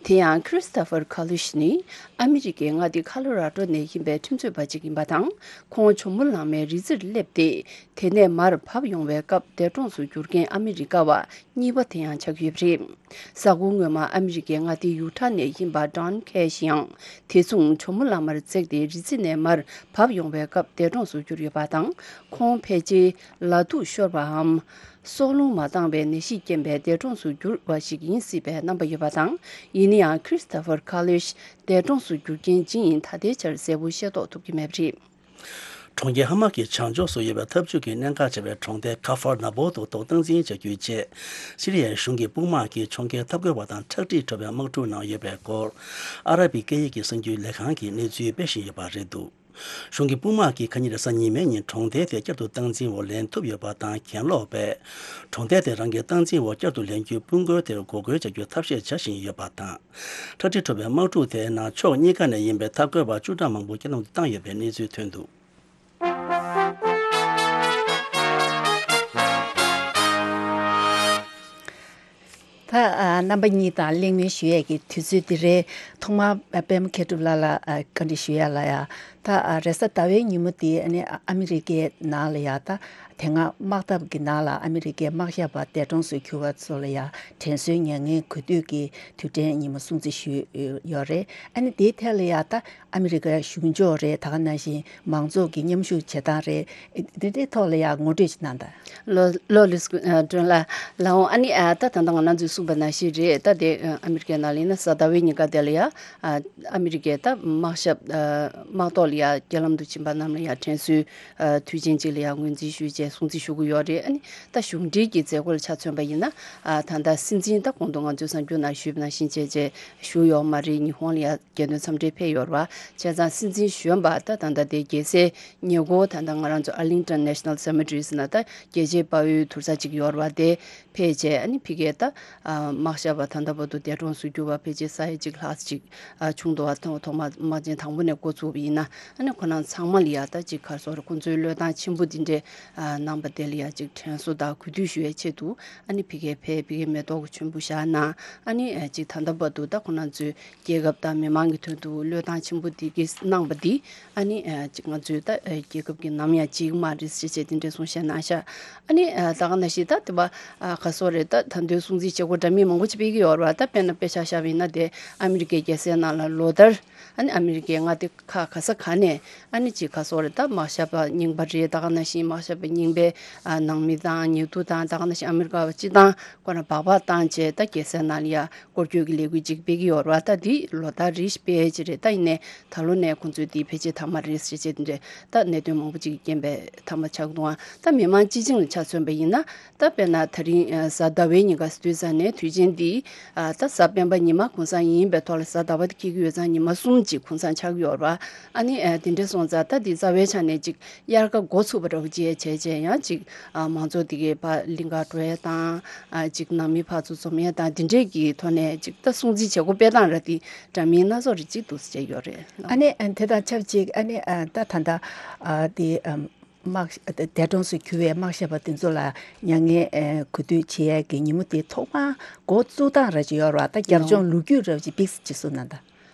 དེ་ཡང་Christopher Kalush ནི་ཨ་མི་རི་ཀའི་མངའ་སྡེ་ཁ་ལོ་ར་ཌོ་ནས་ཡིན་པའི་ཁྲིམས་རྩོད་པ་ཅིག་ཡིན་པ་དང་། ཁོང་ཇོ་མོ་གླང་མའི་རི་རྩེར་སླེབས་ཏེ། དེ་ནས་མར་བབས་ཡོང་བའི་སྐབས་འདས་གྲོངས་སུ་གྱུར་མཁན་ཨ་མི་རི་ཀ་བ་གཉིས་པ་དེ་ཡང་ཆགས་ཡོད་པ་རེད། གཟའ་འཁོར་སྔོན་མ་ཨ་མི་རི་ཀའི་མངའ་སྡེ་ཡུ་ཊ་ནས་ཡིན་པ་Don Cash ཡང་དེ་མཚུངས་ཇོ་མོ་གླང་མར་འཛེགས་ཏེ་རི་རྩེ་ནས་མར་བབས་ཡོང་བའི་སྐབས་འདས་གྲོངས་སུ་གྱུར་ཡོད་པ་དང་། ཁོང་ཕལ་ཆེར་ལ་དུག་ཤོར་བའམ། སྲོག་རླུང་མ་འདང་བའི་ནད་གཞིས་རྐྱེན་པས་འདས་གྲོངས་སུ་གྱུར་བ་ཞིག་ཡིན་སྲིད་པའི་རྣམ་པ་ཡོད་པ་དང་། ཡིན་ན་ཡང་Christopher Kalush འདས་གྲོངས་སུ་གྱུར་རྐྱེན་ཇི་ཡིན་ད་ལྟའི་ཆར་གསལ་པོ་ཤེས་རྟོགས་ཐུབ་ཀྱི་མེད་པ་རེད། གྲོང་ཁྱེར་ཧ་མ་གི་བྱང་ཕྱོགས་སུ་ཡོད་པའི་འཐབ་ཇུས་ཀྱི་གནད་འགག་ཆེ་བའི་གྲོང་རྡལ་ཁ་ཧྥར་ན་བོ་དུ་ཐོག་སྟངས་འཛིན་བྱ་རྒྱུའི་ཆེད། སི་རི་ཡའི་གཞུང་གི་དཔུང་དམག་གིས་ཕྱོགས་འགལ་འཐབ་རྒོལ་བ་དང་ཁྲག་དྲི་བྲོ་བའི་དམག་འཁྲུག་ནང་ཡོད་པའི་སྐོར། ཨ་ར་བི་སྐད་ཡིག་གི་གསར་འགྱུར་ལས་ཁང་གིས་གནས་ཚུལ་སྤེལ་བཞིན་ཡོད་པ་རེད་འདུག་གཞུང་གི་དཔུང་དམག་གིས་ཁ་ཉིན་རེས་གཟའ་ཉི་མའི་ཉིན་གྲོང་རྡལ་དེ་བསྐྱར་དུ་སྟངས་འཛིན་འོག་ལེན་ཐུབ་ཡོད་པ་དང་། གྱེན་ལོག་པས་གྲོང་རྡལ་དེ་རང་གི་སྟངས་འཛིན་འོག་བསྐྱར་དུ་ལེན་རྒྱུའི་དཔུང་རྒོལ་དེར་འགོག་རྒོལ་བྱ་རྒྱུའི་ཐབས་ཤེས་བྱ་བཞིན་ཡོད་པ་དང་། ཁྲག་དྲི་བྲོ་བའི་དམག་འཁྲུག་དེའི་ནང་ཕྱོགས་གཉིས་ཀ་ནས་ཡིན་པའི་འཐབ་རྒོལ་བ་བཅུ་ཕྲག་མང་པོ་རྐྱེན་ལམ་དུ་བཏང་ཡོད་པའི་གནས་ཚུལ་ཐོན་འདུག་ད་ཨ་རྣམ་པ་གཉིས་དང་གླེང་མོལ་ཞུ་ཡས་ཀྱི་དུས་ཚོད་འདི་རེད། ཐོག་མར་ཨ་པད་མ་མཁས་གྲུབ་ལགས་ལ་ཨ་བཀའ་འདྲི་ཞུ་ཡ་ལ་ཡ། ད་ཨ་རེས་གཟའ་ཟླ་བའི་ཉིན་མོ་འདི་ཨ་ནི་ཨ་མི་རི་ཀའི་ནང་ལ་ཡ། ད་དེ་སྔ་དམག་འཐབ་ཀྱི་ནང་ལ་ཨ་མི་རི་ཀའི་དམག་ཞབས་པ་འདས་གྲོངས་སུ་གྱུར་བ་ཚོ་ལ་ཡ་དྲན་གསོའི་མྱ་ངན་གུས་འདུད་ཀྱི་དུས་དྲན་ཉིན་མོ་སྲུང་བརྩི་ཞུས་ཡོད་རེད། ཨ་ནི་དེའི་ཐད་ལ་ཡ་ད་ཨ་མི་རི་ཀའི་གཞུང་ཕྱོགས་རེད། ད་ག་ནང་བཞིན་མང་ཚོགས་ཀྱི་མཉམ་ཞུགས་བྱེད་སྟངས་རེད། འདི་འདྲའི་ཐོག་ལ་ཡང་ངོ་སྤྲོད་ཅིག་གནང་དང་། ལོ་ལོ་ལིས་ཀུ་ཨ་ཀྲོན་ལགས་ལགས་འོང་། ཨ་ནི་ཨ་ད་ད་ལྟ་ང་རང་ཚོས་གསུངས་པ་ནང་བཞིན་རེད། ད་དེ་ཨ་ཨ་མི་རི་ཀའི་ནང་ལ་ཡིན་ན་གཟའ་ཟླ་བའི་ཉིན་ཀ་དེ་ལ་ཡང་ཨ་ཨ་མི་རི་ཀའི་ད་དམག་ཞབས་ཨ་དམག་ཐོག་ལ་ཡང་རྒྱལ་ལམ་དུ་ཕྱིན་པ་རྣམས་ལ་ཡང་དྲན་གསོའི་ཨ་དུས་ཆེན་ཅིག་ལ་ཡང་ངོས་འཛིན་ཞུས་བྱས་སྲུང་བརྩི་ཞུ་གི་ཡོད་རེད། ཨ་ནི་ད་གཞུང་འབྲེལ་གྱི་མཛད་སྒོ་ལ་ཆ་མཚོན་པ་ཡིན་ན་ཨ་ད་ལྟ་སྲིད་འཛིན་ད་གོང་དུ་ང་ཚོས་གསར་འགྱུར་ནང་ཞུས་པ་ནང་བཞིན་བྱས་བྱས་བཞུགས་ཡོད་མ་རེད། ཉི་ཧོང་ལ་ཡང་རྒྱལ་དོན་འཚམས་འདྲིར་ཕེབས་ཡོད་རེད་བ། བྱས་ཙང་སྲིད་འཛིན་གཞོན་པ་ད་ད་ལྟ་དེ་རྒྱལ་སའི་ཉེ་འཁོར་ད་ལྟ་ང་རང་ཚོ་Arlington National Cemetery ཟེར་ན་ད་རྒྱལ་གཅེས་དཔའ་བོའི་དུར་ས་ཅིག་ཡོད་རེད་བ། དེ་ཕེབས་བྱས་ཨ་ནི་ཕ་གིའི་ད་ཨ་དམག་ ཤ་བ་ད་ལྟ་བར་དུ་འདས་གྲོངས་སུ་གྱུར་བ་ཕལ་ཆེར་ས་ཡ་གཅིག་ལྷག་ཅིག་ཨ་བྱུང་འདུག་བ། ཐོག་ཐོག་མ་དམག་ཆེན་དང་པོ་ནས་འགོ་ཚུགས་པ་ཡིན་ན། ཨ་ནི་ཁོ་རང་ཚང་མ་ལ་ཡ་ད་ཅིག་ག་རེ་ཟེར་རེད། ཁོང་ཚོའི་བློས་བཏང་ཆེན་པོ་འདི་འདྲས་ཨ་གནང་པ་དེ་ལ་ཡ་ཅིག་དྲན་གསོ་དང་གུས་འདུད་ཞུ་བའི་ཆེད་དུ། ཨ་ནི་ཕ་གིར་ཕེབས། ཕ་གིར་མེ་ཏོག་གི་མཆོད་འབུལ་བཞག་གནང་། ཨ་ནི་ཨ་ཅིག་ད་ལྟ་བར་དུ་ད་ཁོ་རང་ཚོའི་རྒྱལ་ཁབ་དང་མི་མང་གི་དོན་དུ་བློས་བཏང་ཆེན་པོ་འདི་གིས་གནང་པ་འདི། ཨ་ནི་ཨ་ཅིག་ང་ཚོའི་ད་ཨ་རྒྱལ་ཁབ་ཀྱིས་ནམ་ཡང་བརྗེད་ཀྱི་མ་རེད་ཟེར་བྱས་དེ་འདྲའི་གསུང་བཤད་གནང་ཤག་ཨ་ནི་ཨ་ད་ག་ནང་བཞིན་ད་དེ་བ་ཨ་ག་རེ་ཟེར་རེད། ད་ད་དུང་སྲུང་བརྩི་བྱེད་སྒོ་འདྲ་མིན་མང་པོ་ཅིག་སྤེལ་གྱི་ཡོད་རེད་བ། ད་དཔེར་ན་དཔེ་ཆ་བཞག་པ་ཡིན་ན། དེ་ཨ་མི་རི་ཀའི་རྒྱལ་སའི་ནང་ལ་ལོ་ལྟར། ཨ་ནི་ཨ་མི་རི་ཀའི་མངའ་སྡེ་ཁག་ག་ས་ག་ནས། ཨ་ནི་ཅིག་ག་རེ་ཟེར་རེད། ད་དམག་ཞབས་པ་རྙིང་པ་རེད། ད་ག་ནང་བཞིན་དམག་ཞབས་པ་རྙིང་པའི་ཨ་ནང་མི་དང་ཉེ་དུ་དང་། ད་ག་ནང་བཞིན་ཨ་མི་རི་ཀ་བ་སྤྱི་བཏང་ཁོ་རང་སྦག་སྦག་བཏང་བྱས། ད་རྒྱལ་སའི་ནང་ལ་ཡ་སྐོར་སྐྱོད་ཀྱི་ལས་འགུལ་ཅིག་སྤེལ་གྱི་ཡོད་རེད་བ། ད་འདི་ལོ་ལྟར་རེ་བཞིན་སྤེལ་ཡས་ཅིག་རེད། ད་ཡིན་ནའི་ད་ལོ་ནས་ཁོང་ཚོས་འདི་ཕལ་ཆེར་མཐའ་མ་རེད་ཟེར་བྱས་དེ་འདྲས་ད་གནད་དོན་མང་པོ་ཅིག་གི་རྐྱེན་པས་མཐའ་མ་ཆགས་འདུག་ཨ། ད་མི་མང་སྤྱི་བྱིངས་ལ་ཆ་མཚོན་པ་ཡིན་ན། ད་དཔེར་ན་ད་རིང་ཨ་གཟའ་ཟླ་བའི་ཉིན་ཀ་དུས་ཚོད་ནས་དུས་ཆེན་འདི་ཨ་ད་གཟའ་སྤེན་པ་ཉི་མ་གུང་སེང་ཡིན་པའི་ཐོག་ལ། གཟའ་ཟླ་བ་དེ་འཁེལ་གྱི་ཡོད་ཙང་ཉི་མ་གསུམ་ཅིག་གུང་སེང་ཆགས་ཀྱི་ཡོད་རེད་བ། ཨ་ནི་ཨ་དེ་འདྲས་སོང་ཙང་ད་འདི་རྩ་བའི་ཆ་ནས་ཅིག་དབྱར་ཁ་འགོ་ཚུགས་པ་འདྲ་བོ་བྱས་བྱས་བྱས། ཡང་ཅིག་ཨ་མང་ཚོགས་དེ་གའི་ཕར་གླིང་གར་འགྲོ་ཡས་དང་། ཨ་ཅིག་ནང་མི་ཕར་ཚུར་འཛོམས་ཡས་དང་། དེ་འདྲས་ཀྱི་ཐོག་ནས་ཅིག་ད་སྲུང་བརྩི་བྱེད་སྒོ་སྤེལ་སྟངས་ར་དེ་འདྲ་མིན་སྣ་ཚོགས་རེ་ཅིག་འདུག་ཟེར་བྱས་ཡོད་རེད། ཨ་ནི་ཨ་དེ་དང་ཆབས་ཅིག་ཨ་ནི་ཨ་ད་ད་ལྟ་ཨ་དེ་ཨམ་དམག་འདས་གྲོངས་སུ་གྱུར་བའི་དམག་ཞབས་པ་དེ་ཚོ་ལ་མྱ་ངན་ཨ་གུས་འདུད་བྱེད་ཡས་ཀྱི་ཉིན་མོ་དེ་ཐོག་མར་འགོ་བཙུགས་སྟངས་ར་ཅིག་ཡོད་རེད་བ། ད་རྒྱབ་ལྗོངས་ལོ་རྒྱུས་ར་ཅིག་ཕྱེ་ཅིག་གསུངས་ན་ད།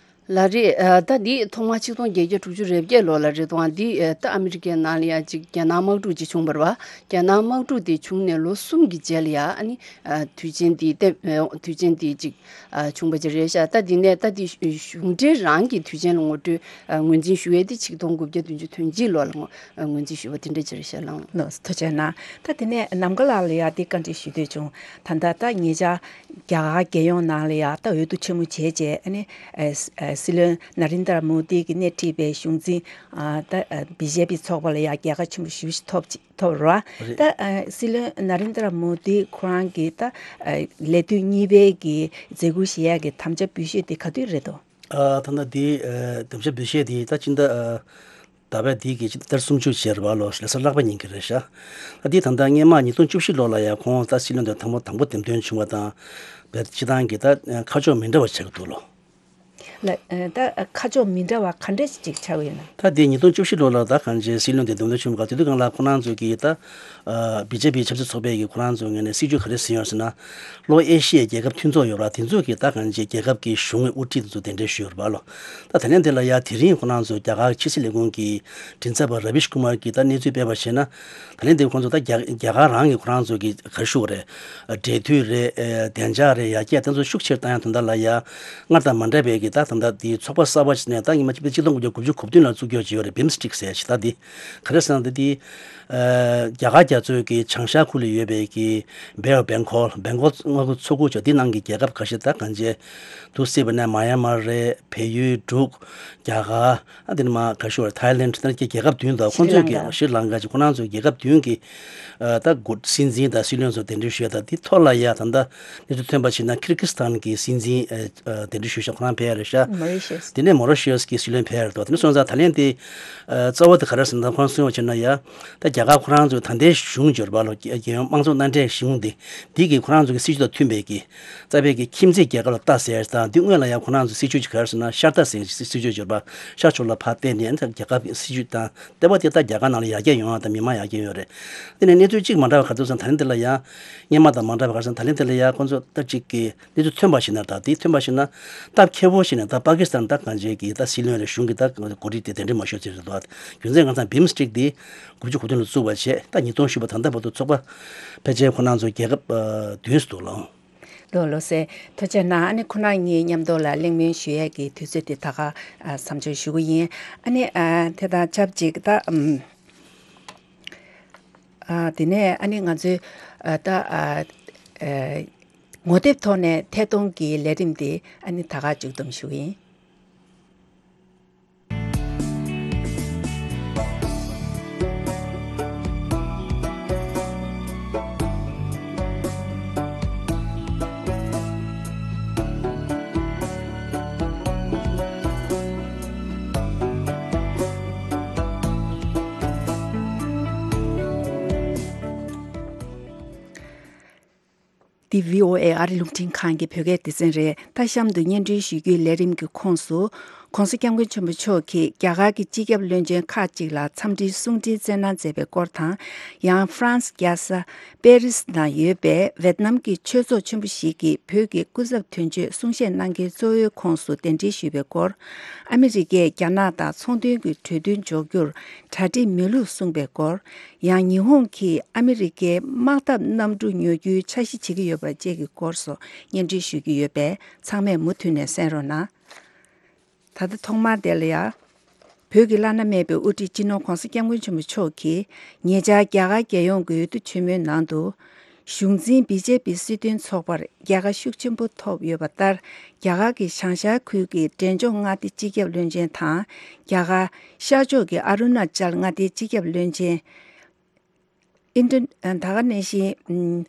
ལགས་རེད། ཨ་ད་འདི་ཐོག་མར་ཆིག་སྟོང་བརྒྱད་བརྒྱ་དྲུག་ཅུ་རེ་བརྒྱད་ལོ་ལ་རེད་འདུག་ཨ། འདི་ཨ་ད་ཨ་མི་རི་ཀའི་ནང་ལ་ཡ་ཅིག་རྒྱ་ནག་དམག་འཁྲུག་ཅིག་བྱུང་བ་རེད་བ། རྒྱ་ནག་དམག་འཁྲུག་དེ་བྱུང་ནས་ལོ་གསུམ་གྱི་རྗེས་ལ་ཡ། ཨ་ནི་ཨ་དུས་ཆེན་འདི་ཏེ་ཨ་དུས་ཆེན་འདི་ཅིག་ཨ་བྱུང་བ་ཅིག་རེད་ཤག་ད་འདི་ནས་ད་འདི་གཞུང་འབྲེལ་རང་གི་དུས་ཆེན་ལ་ངོ་སྤྲོད་ཨ་ངོས་འཛིན་ཞུ་ཡས་དེ་ཆིག་སྟོང་དགུ་བརྒྱ་བདུན་ཅུ་དོན་གཅིག་ལོ་ལ་ངོ་ཨ་ངོས་འཛིན་ཞུས་པ་དེ་འདྲ་ཅིག་རེད་ཤག་ལགས། ལགས་སོ། ཐུགས་རྗེ་གནང་། ད་དེ་ནས་ནམ་མཁའ་ལགས་ལ་ཡ་དེ་བཀའ་འདྲི་ཞུ་འདོད་བྱུང་། ད་ལྟ་ད་ཉེ་ཆར་རྒྱ་གར་རྒྱལ་ཡོངས་ནང་ལ་ཡ་ད་འོས་བསྡུ་ཆེན་མོ་བྱས་རྗེས། ཨ་ནི་ཨ་སྲིད་བློན་ན་རིན་དར་མོ་དི་གིས་སྣེ་ཁྲིད་པའི་གཞུང་འཛིན་ཨ་ད་ཨ་བི་ཇེ་པི་ཚོགས་པ་ལ་ཡ་རྒྱལ་ཁ་ཆེན་པོ་ཞེ་པོ་ཞིག་ཐོབ་ཅིག་ཐོབ་རེད་བ། རེད། ད་ཨ་སྲིད་བློན་ན་རིན་དར་མོ་དི་ཁོ་རང་གིས་ད་ཨ་ལས་དུས་གཉིས་པའི་གི་མཛད་ཁུར་བཞེས་ཡ་གི་དམ་བཅའ་འབུལ་ཞུས་དེ་ག་དུས་རེད་དོ། ཨ་ད་ལྟ་དེ་ཨ་དམ་བཅའ་འབུལ་བཞེས་དེ་ད་ཕྱི་ཟླ་ཨ་ཟླ་བའི་དེ་གི་ཕྱི་ཟླ་ཟླ་སུམ་ཅུ་བྱས་རེད་བ། ལོ་ལོ་གསར་ལྷག་པའི་ཉིན་གྱི་རེད་ཤག་ཨ་དེ་ད་ལྟ་སྔོན་མ་ཉིས་སྟོང་བཅུ་བཞི་ལོ་ལ་ཡ་ཁོང་ད་སྲིད་བློན་དུ་དང་པོ་དང་པོ་འདེམས་ཐོན་བྱུང་བ་དང་། བས་སྤྱི་བཏང་གི་ད་ཁ་ཕྱོགས་མི་འདྲ་བ་ཆགས་ཀྱི་འདུག་ལོ། ལ་ཨ་ད་ཁ་ཕྱོགས་མི་འདྲ་བ་ག་འདྲ་ཞིག་ཆགས་ཡོད་ན། ད་དེ་ཉིས་སྟོང་བཅུ་བཞི་ལོ་ལ་ད་གང་ཅི་སྲིད་བློན་དེ་འདེམས་ཐོན་བྱུང་བ། དེ་དུས་སྒང་ལ་ཁོ་རང་ཚོ་གི་ད་ཨ་བི་ཇེ་པི་ཆབ་སྲིད་ཚོགས་པའི་གི་ཁོ་རང་ཚོ་ངོས་ནས་སྲིད་ཇུས་ག་རེ་ཟིན་ཡོད་ཟེར་ན། ལྷོ་ཨེ་ཤི་ཡའི་རྒྱལ་ཁབ་མཐུན་ཚོགས་ཡོད་ར། དེ་ཚོ་གི་ད་གང་ཅི་རྒྱལ་ཁབ་ཀྱི་གཞུང་གི་དབུ་ཁྲིད་དེ་ཚོ་གདན་འདྲེན་ཞུས་ཡོད་རེད་པ་ལོ། ད་ད་ལན་དེ་ལ་ཡ་དེ་རིང་ཁོ་རང་ཚོ་རྒྱ་གར་ཕྱི་སྲིད་ལས་ཁུངས་ཀྱི་མགྲིན་ཚབ་པ་ར་བིཤ་ཀུ་མར་གྱིས་ད་གནས་ཚུལ་སྤེལ་བར་བྱས་ན། ད་ལན་དེ་ཁོང་ཚོ་ད་རྒྱ་རྒྱ་གར་རང་གི་ཁོ་རང་ཚོ་གི་ག་རེ་ཞུ་དགོས་རེད། འབྲེལ་མཐུད་རེད། ཨེ་བདེ་འཇགས་རེད། ཡར་རྒྱས་དེ་ཚོ་ཤུགས་ཆེར་བཏང་ཡ་དོན་དག་ལ་ཡ། སྔར་དང་མ་འདྲ་བའི་གི་ད་ད་ལྟ་དེ་ཚོགས་པ་གསར་པ་ཞིག་ནས་ད་སྔོན་མ་ཆིག་སྟོང་དགུ་བརྒྱ་དགུ་བཅུ་གོ་བདུན་ལ་བཙུགས་རྒྱུ་ཅིག་ཡོད་རེད། བིམ་སི་ཊིག་ཟེར་ཡ་ཞིག་ད་དེ་ག་རེ་ཟེར་ན། ད་དེ་ཨ་རྒྱ་གར་རྒྱ་མཚོའི་གི་བྱང་ཤར་ཁུལ་ལ་ཡོད་པའི་གི་བེ་ཨོཕ་བེང་གོལ། བེང་གོལ་མངའ་ཁུལ་ཚོ་ཁག་ཅིག་དེ་ནང་གི་རྒྱལ་ཁབ་ཁ་ཤས། ད་གང་ཅི་འདུག་སེ་བྱས་ན་མཱ་ཡན་མར་རེད། བལ་ཡུལ། འབྲུག་རྒྱ་གར། ཨ་དེ་ནས་མར་ག་ཞུ་བ། ཐའི་ལེན། ད་གི་རྒྱལ་ཁབ་བདུན་དང་། ཁོང་ཚོས་ཀྱི་ཤྲི་ལངྐ། ཤྲི་ལངྐ་ཅིག་ཁོ་རང་ཚོའི་རྒྱལ་ཁབ་བདུན་གྱི་ཨ་ད་འགོ་སྲིད་འཛིན་དང་སྲིད་བློན་ཚོ་གདན་འདྲེན་ཞུས་ཡ། ད་དེ་ཐོག་ལ་ཡ་ད་ལྟ་གནས་ཚུལ་ཐོན་པ་ཞིག་ན། ཁིར་ཀི་སི་ཐན་གྱི་སྲིད་འཛིན་ཨ་ཨ་གདན་འདྲེན་ཞུས་ཤག་ཁོ་རང་ཕེབས་ཡ་རེད་ཤག་མོ་རི་ཤི་ཡས། དེ་ནས་མོ་རི་ཤི་ཡས་ཀྱི་སྲིད་བློན་ཕེབས་ཡ་རེད་དོ། དེ་ནས་སོང་ཙང་ད་ལན་དེ་ཨ་རྩ་བ་དེ་ག་རེ་ཟེར་ན། ཁོ་རང་གསུངས་པ་བྱས་ན་ཡ། ད་རྒྱ་གར་ཁོ་རང་ཚོའི་ད་ལྟའི་གཞུང་འབྱོར་པ་ལོ། རྒྱལ་ཡོངས་དམངས་གཙོ་མནའ་འབྲེལ་གཞུང་འདི། འདི་གིས་ཁོ་རང་ཚོ་གི་སྲིད་ཇུས་དང་མཐུན་པའི་གི། རྩ་བའི་གི་ཁྱིམ་མཚེས་རྒྱལ་ཁབ་ལ་ལྟ་ཟེར་དང་། འདི་སྔོན་ལ་ཡང་ཁོ་རང་ཚོ་སྲིད་ཇུས་ཅིག་ག་རེ་ཟེར་ན། ཤར་ལྟ་ཟེར་སྲིད་ཇུས་ཅིག་ཡོད་པ། ཤར་ཕྱོགས་ལ་ཕར་བལྟས་ནས་རྒྱ་གར་གྱི་སྲིད་ཇུས་དང་ལྟེ་བ་དེ་ད་རྒྱ་གར་ནང་ལ་ཡར་རྒྱས་ཡོང་བ་དང་མི་མང་ཡར་རྒྱས་ཡོང་བ་རེད། དེ་ནས་གནས་ཚུལ་གཅིག་མ་འདྲ་བ་ག་རེ་འདུག་ཟེར་ན། ད་ལན་དེ་ལ་ཡང་སྔོན་མ་དང་མ་འདྲ་བ་ག་རེ་ཟེར་ན། ད་ལན་དེ་ལ་ཡང་ཁོང་ཚོ་ད་ཅིག་གི་གནས་ཚུལ་ཐོན་པ་ཞིག་ན། ད་དེ་ཐོན་པ་ཞིག་ན་སྟབས་མཁས་པོ་ཞིག་ནས་ད་པ་ཀི་སི་ཐན་ད་གང་ཅིའི་གི་ད་སྲིད་བློན་རེད། གཞུང་གི་ད་འགོ་ཁྲིད་དེ་གདན་འདྲེན་མ་ཞུས་ཚུལ་རེད་འདུག་རྒྱུ་མཚན་ང་ཚང་བིམ་སི་ཊིག་དེ་དགུ་བཅུ་གོ་བདུན་ལ་བཙུགས་པ་བྱས། ད་ཉིས་སྟོང་བཞི་བར་ད་ལྟ་བར་དུ་ཚོགས་པ་ཕལ་ཆེར་ཁོ་རང་ཚོ་རྒྱལ་ཁབ་ཨ་བདུན་ཙམ་འདུག་ལགས། ལགས་ལགས་སེ། ཐུགས་རྗེ་གནང་། ཨ་ནི་ཁོ་རང་གཉིས་མཉམ་དུ་ལ་གླེང་མོལ་ཞུ་ཡས་ཀྱི་དུས་ཚོད་དེ་ད་ག་ཨ་མཚམས་འཇོག་ཞུ་གི་ཡིན། ཨ་ནི་ཨ་དེ་དང་ཆབས་ཅིག་ད་ཨམ་ཨ་དེ་ནས་ཨ་ནི་ང་ཚོའི་ཨ་ད་ཨ་ཨ་ངོ་དེབ་ཐོག་ནས་ཐད་གཏོང་གི་ལས་རིམ་དེ་ཨ་ནི་ད་ག་མཇུག་བསྡོམས་ཞུ་གི་ཡིན། འདི་བྷི་ཨོ་ཨེ་ཨ་རི་རླུང་འཕྲིན་ཁང་གི་བོད་སྐད་སྡེ་ཚན་རེད། ད་གཤམ་དུ་སྙན་སྒྲོན་ཞུ་རྒྱུའི་ལས་རིམ་གྱི་ཁོངས་སུ། ྋགོང་ས་ྋསྐྱབས་མགོན་ཆེན་པོ་མཆོག་གིས་རྒྱ་གར་གྱི་སྤྱི་ཁྱབ་བློན་ཆེན་ཁག་ཅིག་ལ་འཚམས་འདྲིའི་གསུང་འཕྲིན་བསྩལ་གནང་མཛད་པའི་སྐོར་དང་། ཡང་ཧྥ་རན་སི་རྒྱལ་ས་པེ་རི་སི་ནང་ཡོད་པའི་ཝེད་ནམ་གྱི་ཆོས་ཚོགས་ཆེན་པོ་ཞིག་གིས་བོད་ཀྱི་སྐུ་ཚབ་དོན་གཅོད་གསུང་བཤད་གནང་མཁན་གཙོ་བོའི་ཁོངས་སུ་གདན་འདྲེན་ཞུས་པའི་སྐོར། ཨ་མི་རི་ཀས་རྒྱ་ནག་དང་ཚོང་དོན་གྱི་གྲོས་མཐུན་འཇོག་རྒྱུར་གྲ་སྒྲིག་མེད་ལུགས་གསུངས་པའི་སྐོར། ཡང་ཉི་ཧོང་གིས་ཨ་མི་རི་ཀའི་དམག་འཐབ་གནམ་གྲུ་ཉོ་རྒྱུའི་འཆར་གཞི་བྱེད་ཀྱི་ཡོད་པ་བཅས་ཀྱི་སྐོར་སོགས་སྙན་སྒྲོན་ཞུ་རྒྱུ་ཡོད་པས། ཚང་མས་མུ་མཐུད་ནས་གསན་རོགས་གནང་། ད་ལྟ་ཐོག་མར་དེ་ལ་ཡ། བོད་ཀྱི་བླ་ན་མེད་པའི་དབུ་ཁྲིད་སྤྱི་ནོར་ྋགོང་ས་ྋསྐྱབས་མགོན་ཆེན་པོ་མཆོག་གིས་ཉེ་ཆར་རྒྱ་གར་རྒྱལ་ཡོངས་ཀྱི་འོས་བསྡུ་ཆེན་མོའི་ནང་དུ། གཞུང་འཛིན་བི་ཇེ་པི་སྲིད་དོན་ཚོགས་པར་རྒྱལ་ཁ་ཤུགས་ཆེན་པོ་ཐོབ་ཡོད་པ་ལྟར། རྒྱ་གར་གྱི་བྱང་ཤར་ཁུལ་གྱི་འབྲས་ལྗོངས་མངའ་སྡེ་སྤྱི་ཁྱབ་བློན་ཆེན་དང་། རྒྱ་གར་ཤར་ཕྱོགས་ཀྱི་ཨ་རུ་ན་ཅལ་མངའ་སྡེའི་སྤྱི་ཁྱབ་བློན་ཆེན། ཨིན་ཏྲ། ད་ག་ནང་བཞིན།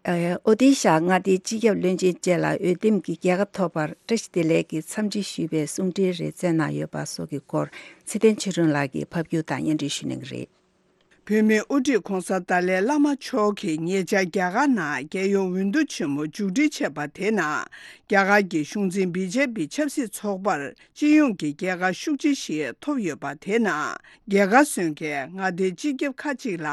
ཨོ་ཏི་ཤ་མངའ་སྡེའི་སྤྱི་ཁྱབ་བློན་ཆེན་བཅས་ལ་འོས་འདེམས་ཀྱི་རྒྱལ་ཁ་ཐོབ་པར་བཀྲ་ཤིས་བདེ་ལེགས་ཀྱི་འཚམས་འདྲི་ཞུས་པའི་གསུང་འཕྲིན་རེ་བསྩལ་གནང་ཡོད་པ་སོགས་ཀྱི་སྐོར། ཚེ་བརྟན་ཆོས་སྒྲོན་ལགས་ཀྱིས་ཕབ་སྒྱུར་དང་སྙན་སྒྲོན་ཞུ་གནང་གི་རེད། བོད་མིའི་དབུ་ཁྲིད་ྋགོང་ས་ཏཱ་ལའི་བླ་མ་མཆོག་གིས་ཉེ་ཆར་རྒྱ་གར་ནང་རྒྱལ་ཡོངས་འོས་བསྡུ་ཆེན་མོ་མཇུག་སྒྲིལ་བྱས་པ་དེ་ནང་། རྒྱ་གར་གྱི་གཞུང་འཛིན་བི་ཇེ་པི་ཆབ་སྲིད་ཚོགས་པར་སྤྱི་ཡོངས་ཀྱི་རྒྱལ་ཁ་ཤུགས་ཆེ་ཞིག་ཐོབ་ཡོད་པ་དེ་ནང་། རྒྱལ་ཁ་སོན་མཁན་མངའ་སྡེའི་སྤྱི་ཁྱབ་ཁག་ཅིག་ལ་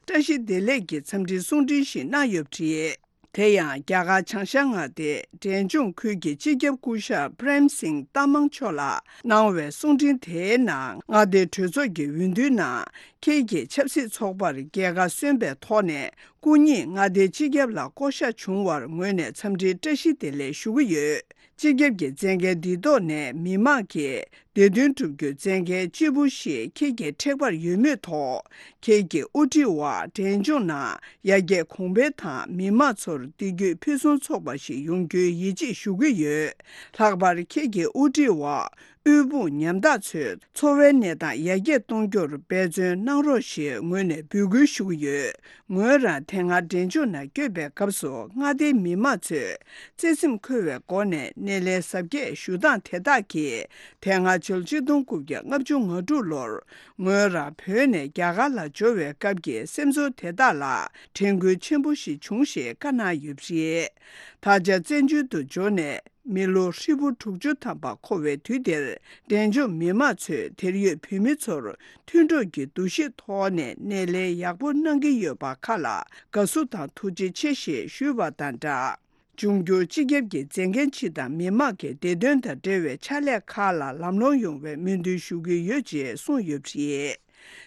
བཀྲ་ཤིས་བདེ་ལེགས་ཀྱི་འཚམས་འདྲིའི་གསུང་འཕྲིན་ཞིག་གནང་ཡོད་པ་རེད། དེ་ཡང་རྒྱ་གར་བྱང་ཤར་མངའ་སྡེའི་འབྲས་ལྗོངས་ཁུལ་གྱི་སྤྱི་ཁྱབ་སྐུ་ཞབས་པྲེམ་སིང་ཏ་མང་མཆོག་ལ་གནང་བའི་གསུང་འཕྲིན་དེའི་ནང་། མངའ་སྡེའི་གྲོས་ཚོགས་ཀྱི་འོས་བསྡུའི་ནང་ཁྱེད་ཀྱིས་ཆབ་སྲིད་ཚོགས་པར་རྒྱལ་ཁ་སོན་པའི་ཐོག་ནས། སྐུ་ཉིད་མངའ་སྡེའི་སྤྱི་ཁྱབ་ལ་བསྐོ་གཞག་བྱུང་བར་ངོས་ནས་འཚམས་འདྲིའི་བཀྲ་ཤིས་བདེ་ལེགས་ཞུ་གི་ཡོད། སྤྱི་ཁྱབ་ཀྱི་མཛད་འགན་འདི་ཐོག་ནས་མི་མང་གི་བདེ་དོན་སྒྲུབ་རྒྱུའི་མཛད་འགན་ལྕི་པོ་ཞིག་ཁྱེད་ཀྱི་ཐེག་པར་ཡོད་མུས་ཐོག་ཁྱེད་ཀྱི་དབུ་ཁྲིད་འོག་འབྲས་ལྗོངས་ནང་ཡར་རྒྱས་གོང་འཕེལ་དང་མི་མང་ཚོར་བདེ་སྐྱིད་ཕུན་སུམ་ཚོགས་པ་ཞིག་ཡོང་རྒྱུའི་ཡིད་ཆེས་ཞུ་གི་ཡོད། ལྷག་པར་ཁྱེད་ཀྱི་དབུ་ཁྲིད་འོག་དབུལ་ཕོངས་ཉམ་ཐག་ཚོའི་འཚོ་བའི་གནས་སྟངས་ཡར་རྒྱས་གཏོང་རྒྱུར་འབད་བརྩོན་གནང་རོགས་ཞེས་ངོས་ནས་འབོད་སྐུལ་ཞུ་གི་ཡོད། ངོས་རང་དེ་སྔ་འབྲས་ལྗོངས་ནང་བསྐྱོད་པའི་སྐབས་སུ་མངའ་སྡེའི་མི་མང་ཚོས་བརྩེ་སེམས་འཁོལ་བའི་སྒོ་ནས་སྣེ་ལེན་གཟབ་རྒྱས་ཞུ་སྟངས་དེ་དག་གིས། དེ་སྔ་ཕྱི་ལོ་ཆིག་སྟོང་དགུ་བརྒྱ་ལྔ་བཅུ་ང་དྲུག་ལོར་ངོས་རང་བོད་ནས་རྒྱ་གར་ལ་འབྱོར་བའི་སྐབས་ཀྱི་སེམས་ཚོར་དེ་དག་ལ་དྲན་སྐུལ་ཆེན་པོ་ཞིག་བྱུང་ཞེས་བཀའ་གནང་ཡོད་པ་རེད། ད་ཆ་བཙན་བྱོལ་དུ་འབྱོར་ནས། མི་ལོ་ཧྲིལ་པོ་དྲུག་ཅུ་ཐམ་པ་འཁོར་བའི་དུས་འདིར། འབྲས་ལྗོངས་མི་མང་ཚོས་དེར་ཡོད་བོད་མི་ཚོར་མཐུན་གྲོགས་ཀྱི་འདུ་ཤེས་ཐོག་ནས་སྣེ་ལེན་ཡག་པོ་གནང་གི་ཡོད་པ་ཁག་ལ་དགའ་བསུ་དང་ཐུགས་རྗེ་ཆེ་ཞེས་ཞུས་པ་དང་སྦྲགས། འབྱུང་འགྱུར་སྤྱི་ཁྱབ་ཀྱི་མཛད་འགན་སྤྱི་དང་མི་མང་གི་བདེ་དོན་དང་འབྲེལ་བའི་ཕྱག་ལས་ཁག་ལ་ལམ་ལྷོང་ཡོང་བའི་སྨོན་འདུན་ཞུ་གི་ཡོད་ཅེས་གསུངས་ཡོད་པ་རེད།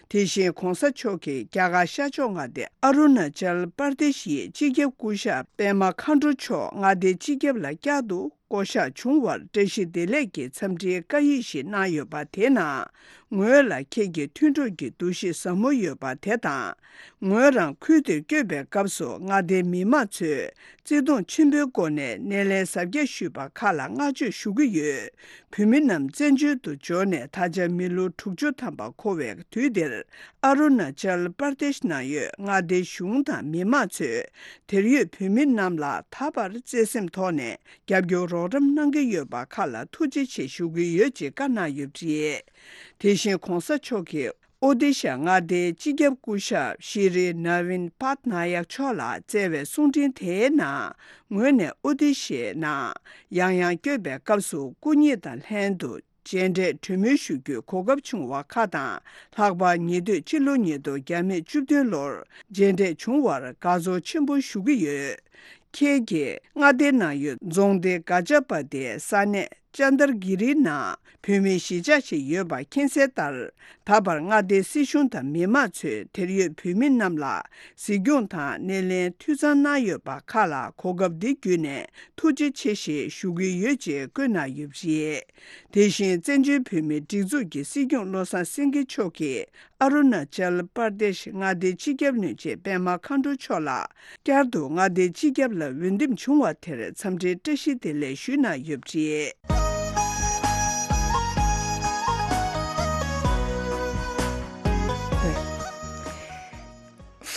དེ་བཞིན་༧གོང་ས་མཆོག་གིས་རྒྱ་གར་ཤར་ཕྱོགས་མངའ་སྡེ་ཨ་རུ་ན་ཅལ་པར་དེ་ཤིའི་སྤྱི་ཁྱབ་སྐུ་ཞབས་པད་མ་མཁའ་འགྲོ་མཆོག་མངའ་སྡེའི་སྤྱི་ཁྱབ་ལ་བསྐྱར་དུ་བསྐོ་གཞག་བྱུང་བར་བཀྲ་ཤིས་བདེ་ལེགས་ཀྱི་འཚམས་འདྲིའི་བཀའ་ཡིག་ཞིག་གནང་ཡོད་པ་དེའི་ནང་། ངོས་ལ་ཁྱེད་ཀྱི་མཐུན་གྲོགས་ཀྱི་འདུ་ཤེས་ཟབ་མོ་ཡོད་པ་དེ་དང་། ངོས་རང་ཁུལ་དེར་བསྐྱོད་པའི་སྐབས་སུ་མངའ་སྡེའི་མི་མང་ཚོས་བརྩེ་དུང་ཆེན་པོའི་སྒོ་ནས་སྣེ་ལེན་གཟབ་རྒྱས་ཞུས་པ་ཁག་ལ་བསྔགས་བརྗོད་ཞུ་གི་ཡོད། བོད་མི་རྣམས་བཙན་བྱོལ་དུ་འབྱོར་ནས་ད་ཆ་མི་ལོ་དྲུག་ཅུ་ཐམ་པ་འཁོར་བའི་དུས་འདིར། ཨ་རུ་ན་ཅལ་པར་དེཤ་ནང་ཡོད་མངའ་སྡེའི་གཞུང་དང་མི་མང་ཚོས་དེར་ཡོད་བོད་མི་རྣམས་ལ་ད་བར་བརྩེ་སེམས་ཐོག་ནས་རྒྱབ་སྐྱོར་རོགས་རམ་གནང་གི་ཡོད་པ་ཁག་ལ་ཐུགས་རྗེ་ཆེ་ཞུ་གི་ཡོད་ཅེས་བཀའ་གནང་ཡོད་པ་རེད། དེ་བཞིན་༧གོང་ས་མཆོག་གིས་ཨོ་ཏི་ཤ་མངའ་སྡེའི་སྤྱི་ཁྱབ་སྐུ་ཞབས་ཤི་རི་ན་ཝིན་པཱད་ན་ཡག་མཆོག་ལ་བསྩལ་བའི་གསུང་འཕྲིན་དེའི་ནང་། ངོས་ནས་ཨོ་ཏི་ཤའི་ནང་ཡང་ཡང་བསྐྱོད་པའི་སྐབས་སུ་སྐུ་ཉིད་དང་ལྷན་དུ་མཇལ་འཕྲད་གྲོས་མོལ་ཞུ་རྒྱུའི་གོ་སྐབས་བྱུང་བ་ཁག་དང་། ལྷག་པར་ཉེ་དུས་ཕྱི་ལོ་ཉིས་སྟོང་བརྒྱ་མེད་བཅུ་བདུན་ལོར་མཇལ་འཕྲད་བྱུང་བར་དགའ་ཚོར་ཆེན་པོ་ཞུ་གི་ཡོད། ཁྱེད་ཀྱིས་མངའ་སྡེའི་ནང་ཡོད་རྫོང་སྡེ་ག་ཅ་པ་ཏའི་ས་གནས་ཅན་དར་གི་རི་ནང་བོད་མིའི་གཞིས་ཆགས་ཤིག་ཡོད་པ་མཁྱེན་གསལ་ལྟར། ད་བར་མངའ་སྡེའི་སྲིད་གཞུང་དང་མི་མང་ཚོས་དེར་ཡོད་བོད་མི་རྣམས་ལ་གཟིགས་སྐྱོང་དང་སྣེ་ལེན་འཐུས་ཚང་གནང་ཡོད་པ་ཁག་ལ་གོ་སྐབས་འདི་བརྒྱུད་ནས་ཐུགས་རྗེ་ཆེ་ཞེས་ཞུ་གི་ཡོད་ཅེས་བཀོད་གནང་ཡོད་པ་རེད། དེ་བཞིན་བཙན་བྱོལ་བོད་མིའི་སྒྲིག་འཛུགས་ཀྱི་སྲིད་སྐྱོང་བློ་བཟང་སེང་གེ་མཆོག་གིས་ཨ་རུ་ན་ཅལ་པར་དེཤ་མངའ་སྡེའི་སྤྱི་ཁྱབ་བློན་ཆེན་པད་མ་མཁའ་འགྲོ་མཆོག་ལ་བསྐྱར་དུ་མངའ་སྡེའི་སྤྱི་ཁྱབ་ལ་འོས་འདེམས་བྱུང་བ་དེར་འཚམས་འདྲིའི་བཀྲ་ཤིས་བདེ་ལེགས་ཞུས་གནང་ཡོད་པ་རེད།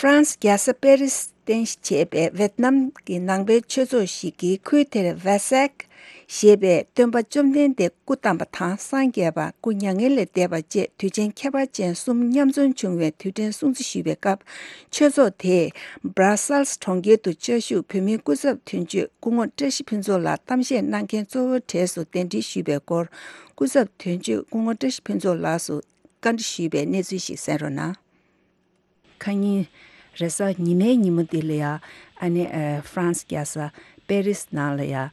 ཧྥ་རན་སི་རྒྱལ་ས་པེ་རི་སི་རྟེན་གཞི་བྱས་པའི་ཝེད་ནམ་གྱི་ནང་པའི་ཆོས་ཚོགས་ཤིག་གིས་ཁུལ་དེར་ཝེ་སེག་ ཞེས་པས་སྟོན་པ་བཅོམ་ལྡན་འདས་སྐུ་བལྟམས་པ་དང་སངས་རྒྱས་པ་སྐུ་མྱ་ངན་ལས་འདས་པ་བཅས་དུས་ཆེན་ཁྱད་པར་ཅན་གསུམ་མཉམ་འཛོམས་བྱུང་བའི་དུས་དྲན་སྲུང་བརྩི་ཞུས་པའི་སྐབས། ཆོས་ཚོགས་དེས་སྦྲ་སལ་སི་གྲོང་ཁྱེར་དུ་བཅའ་བཞུགས་བོད་མིའི་སྐུ་ཚབ་དོན་གཅོད་སྐུ་ངོ་བཀྲ་ཤིས་ཕུན་ཚོགས་ལགས་གཏམ་བཤད་གནང་མཁན་གཙོ་བོའི་གྲས་སུ་གདན་འདྲེན་ཞུས་པའི་སྐོར། སྐུ་ཚབ་དོན་གཅོད་སྐུ་ངོ་བཀྲ་ཤིས་ཕུན་ཚོགས་ལགས་སུ་བཀའ་འདྲི་ཞུས་པའི་གནས་ཚུལ་ཞིག་གསན་རོགས་གནང་། ཁ་ཉིན་རེས་གཟའ་ཉི་མའི་ཉིན་མོ་འདི་ལ་ཡ། ཨ་ནི་ཨ་ཧྥ་རན་སི་རྒྱལ་ས་པེ་རིས་ནང་ལ་ཡ།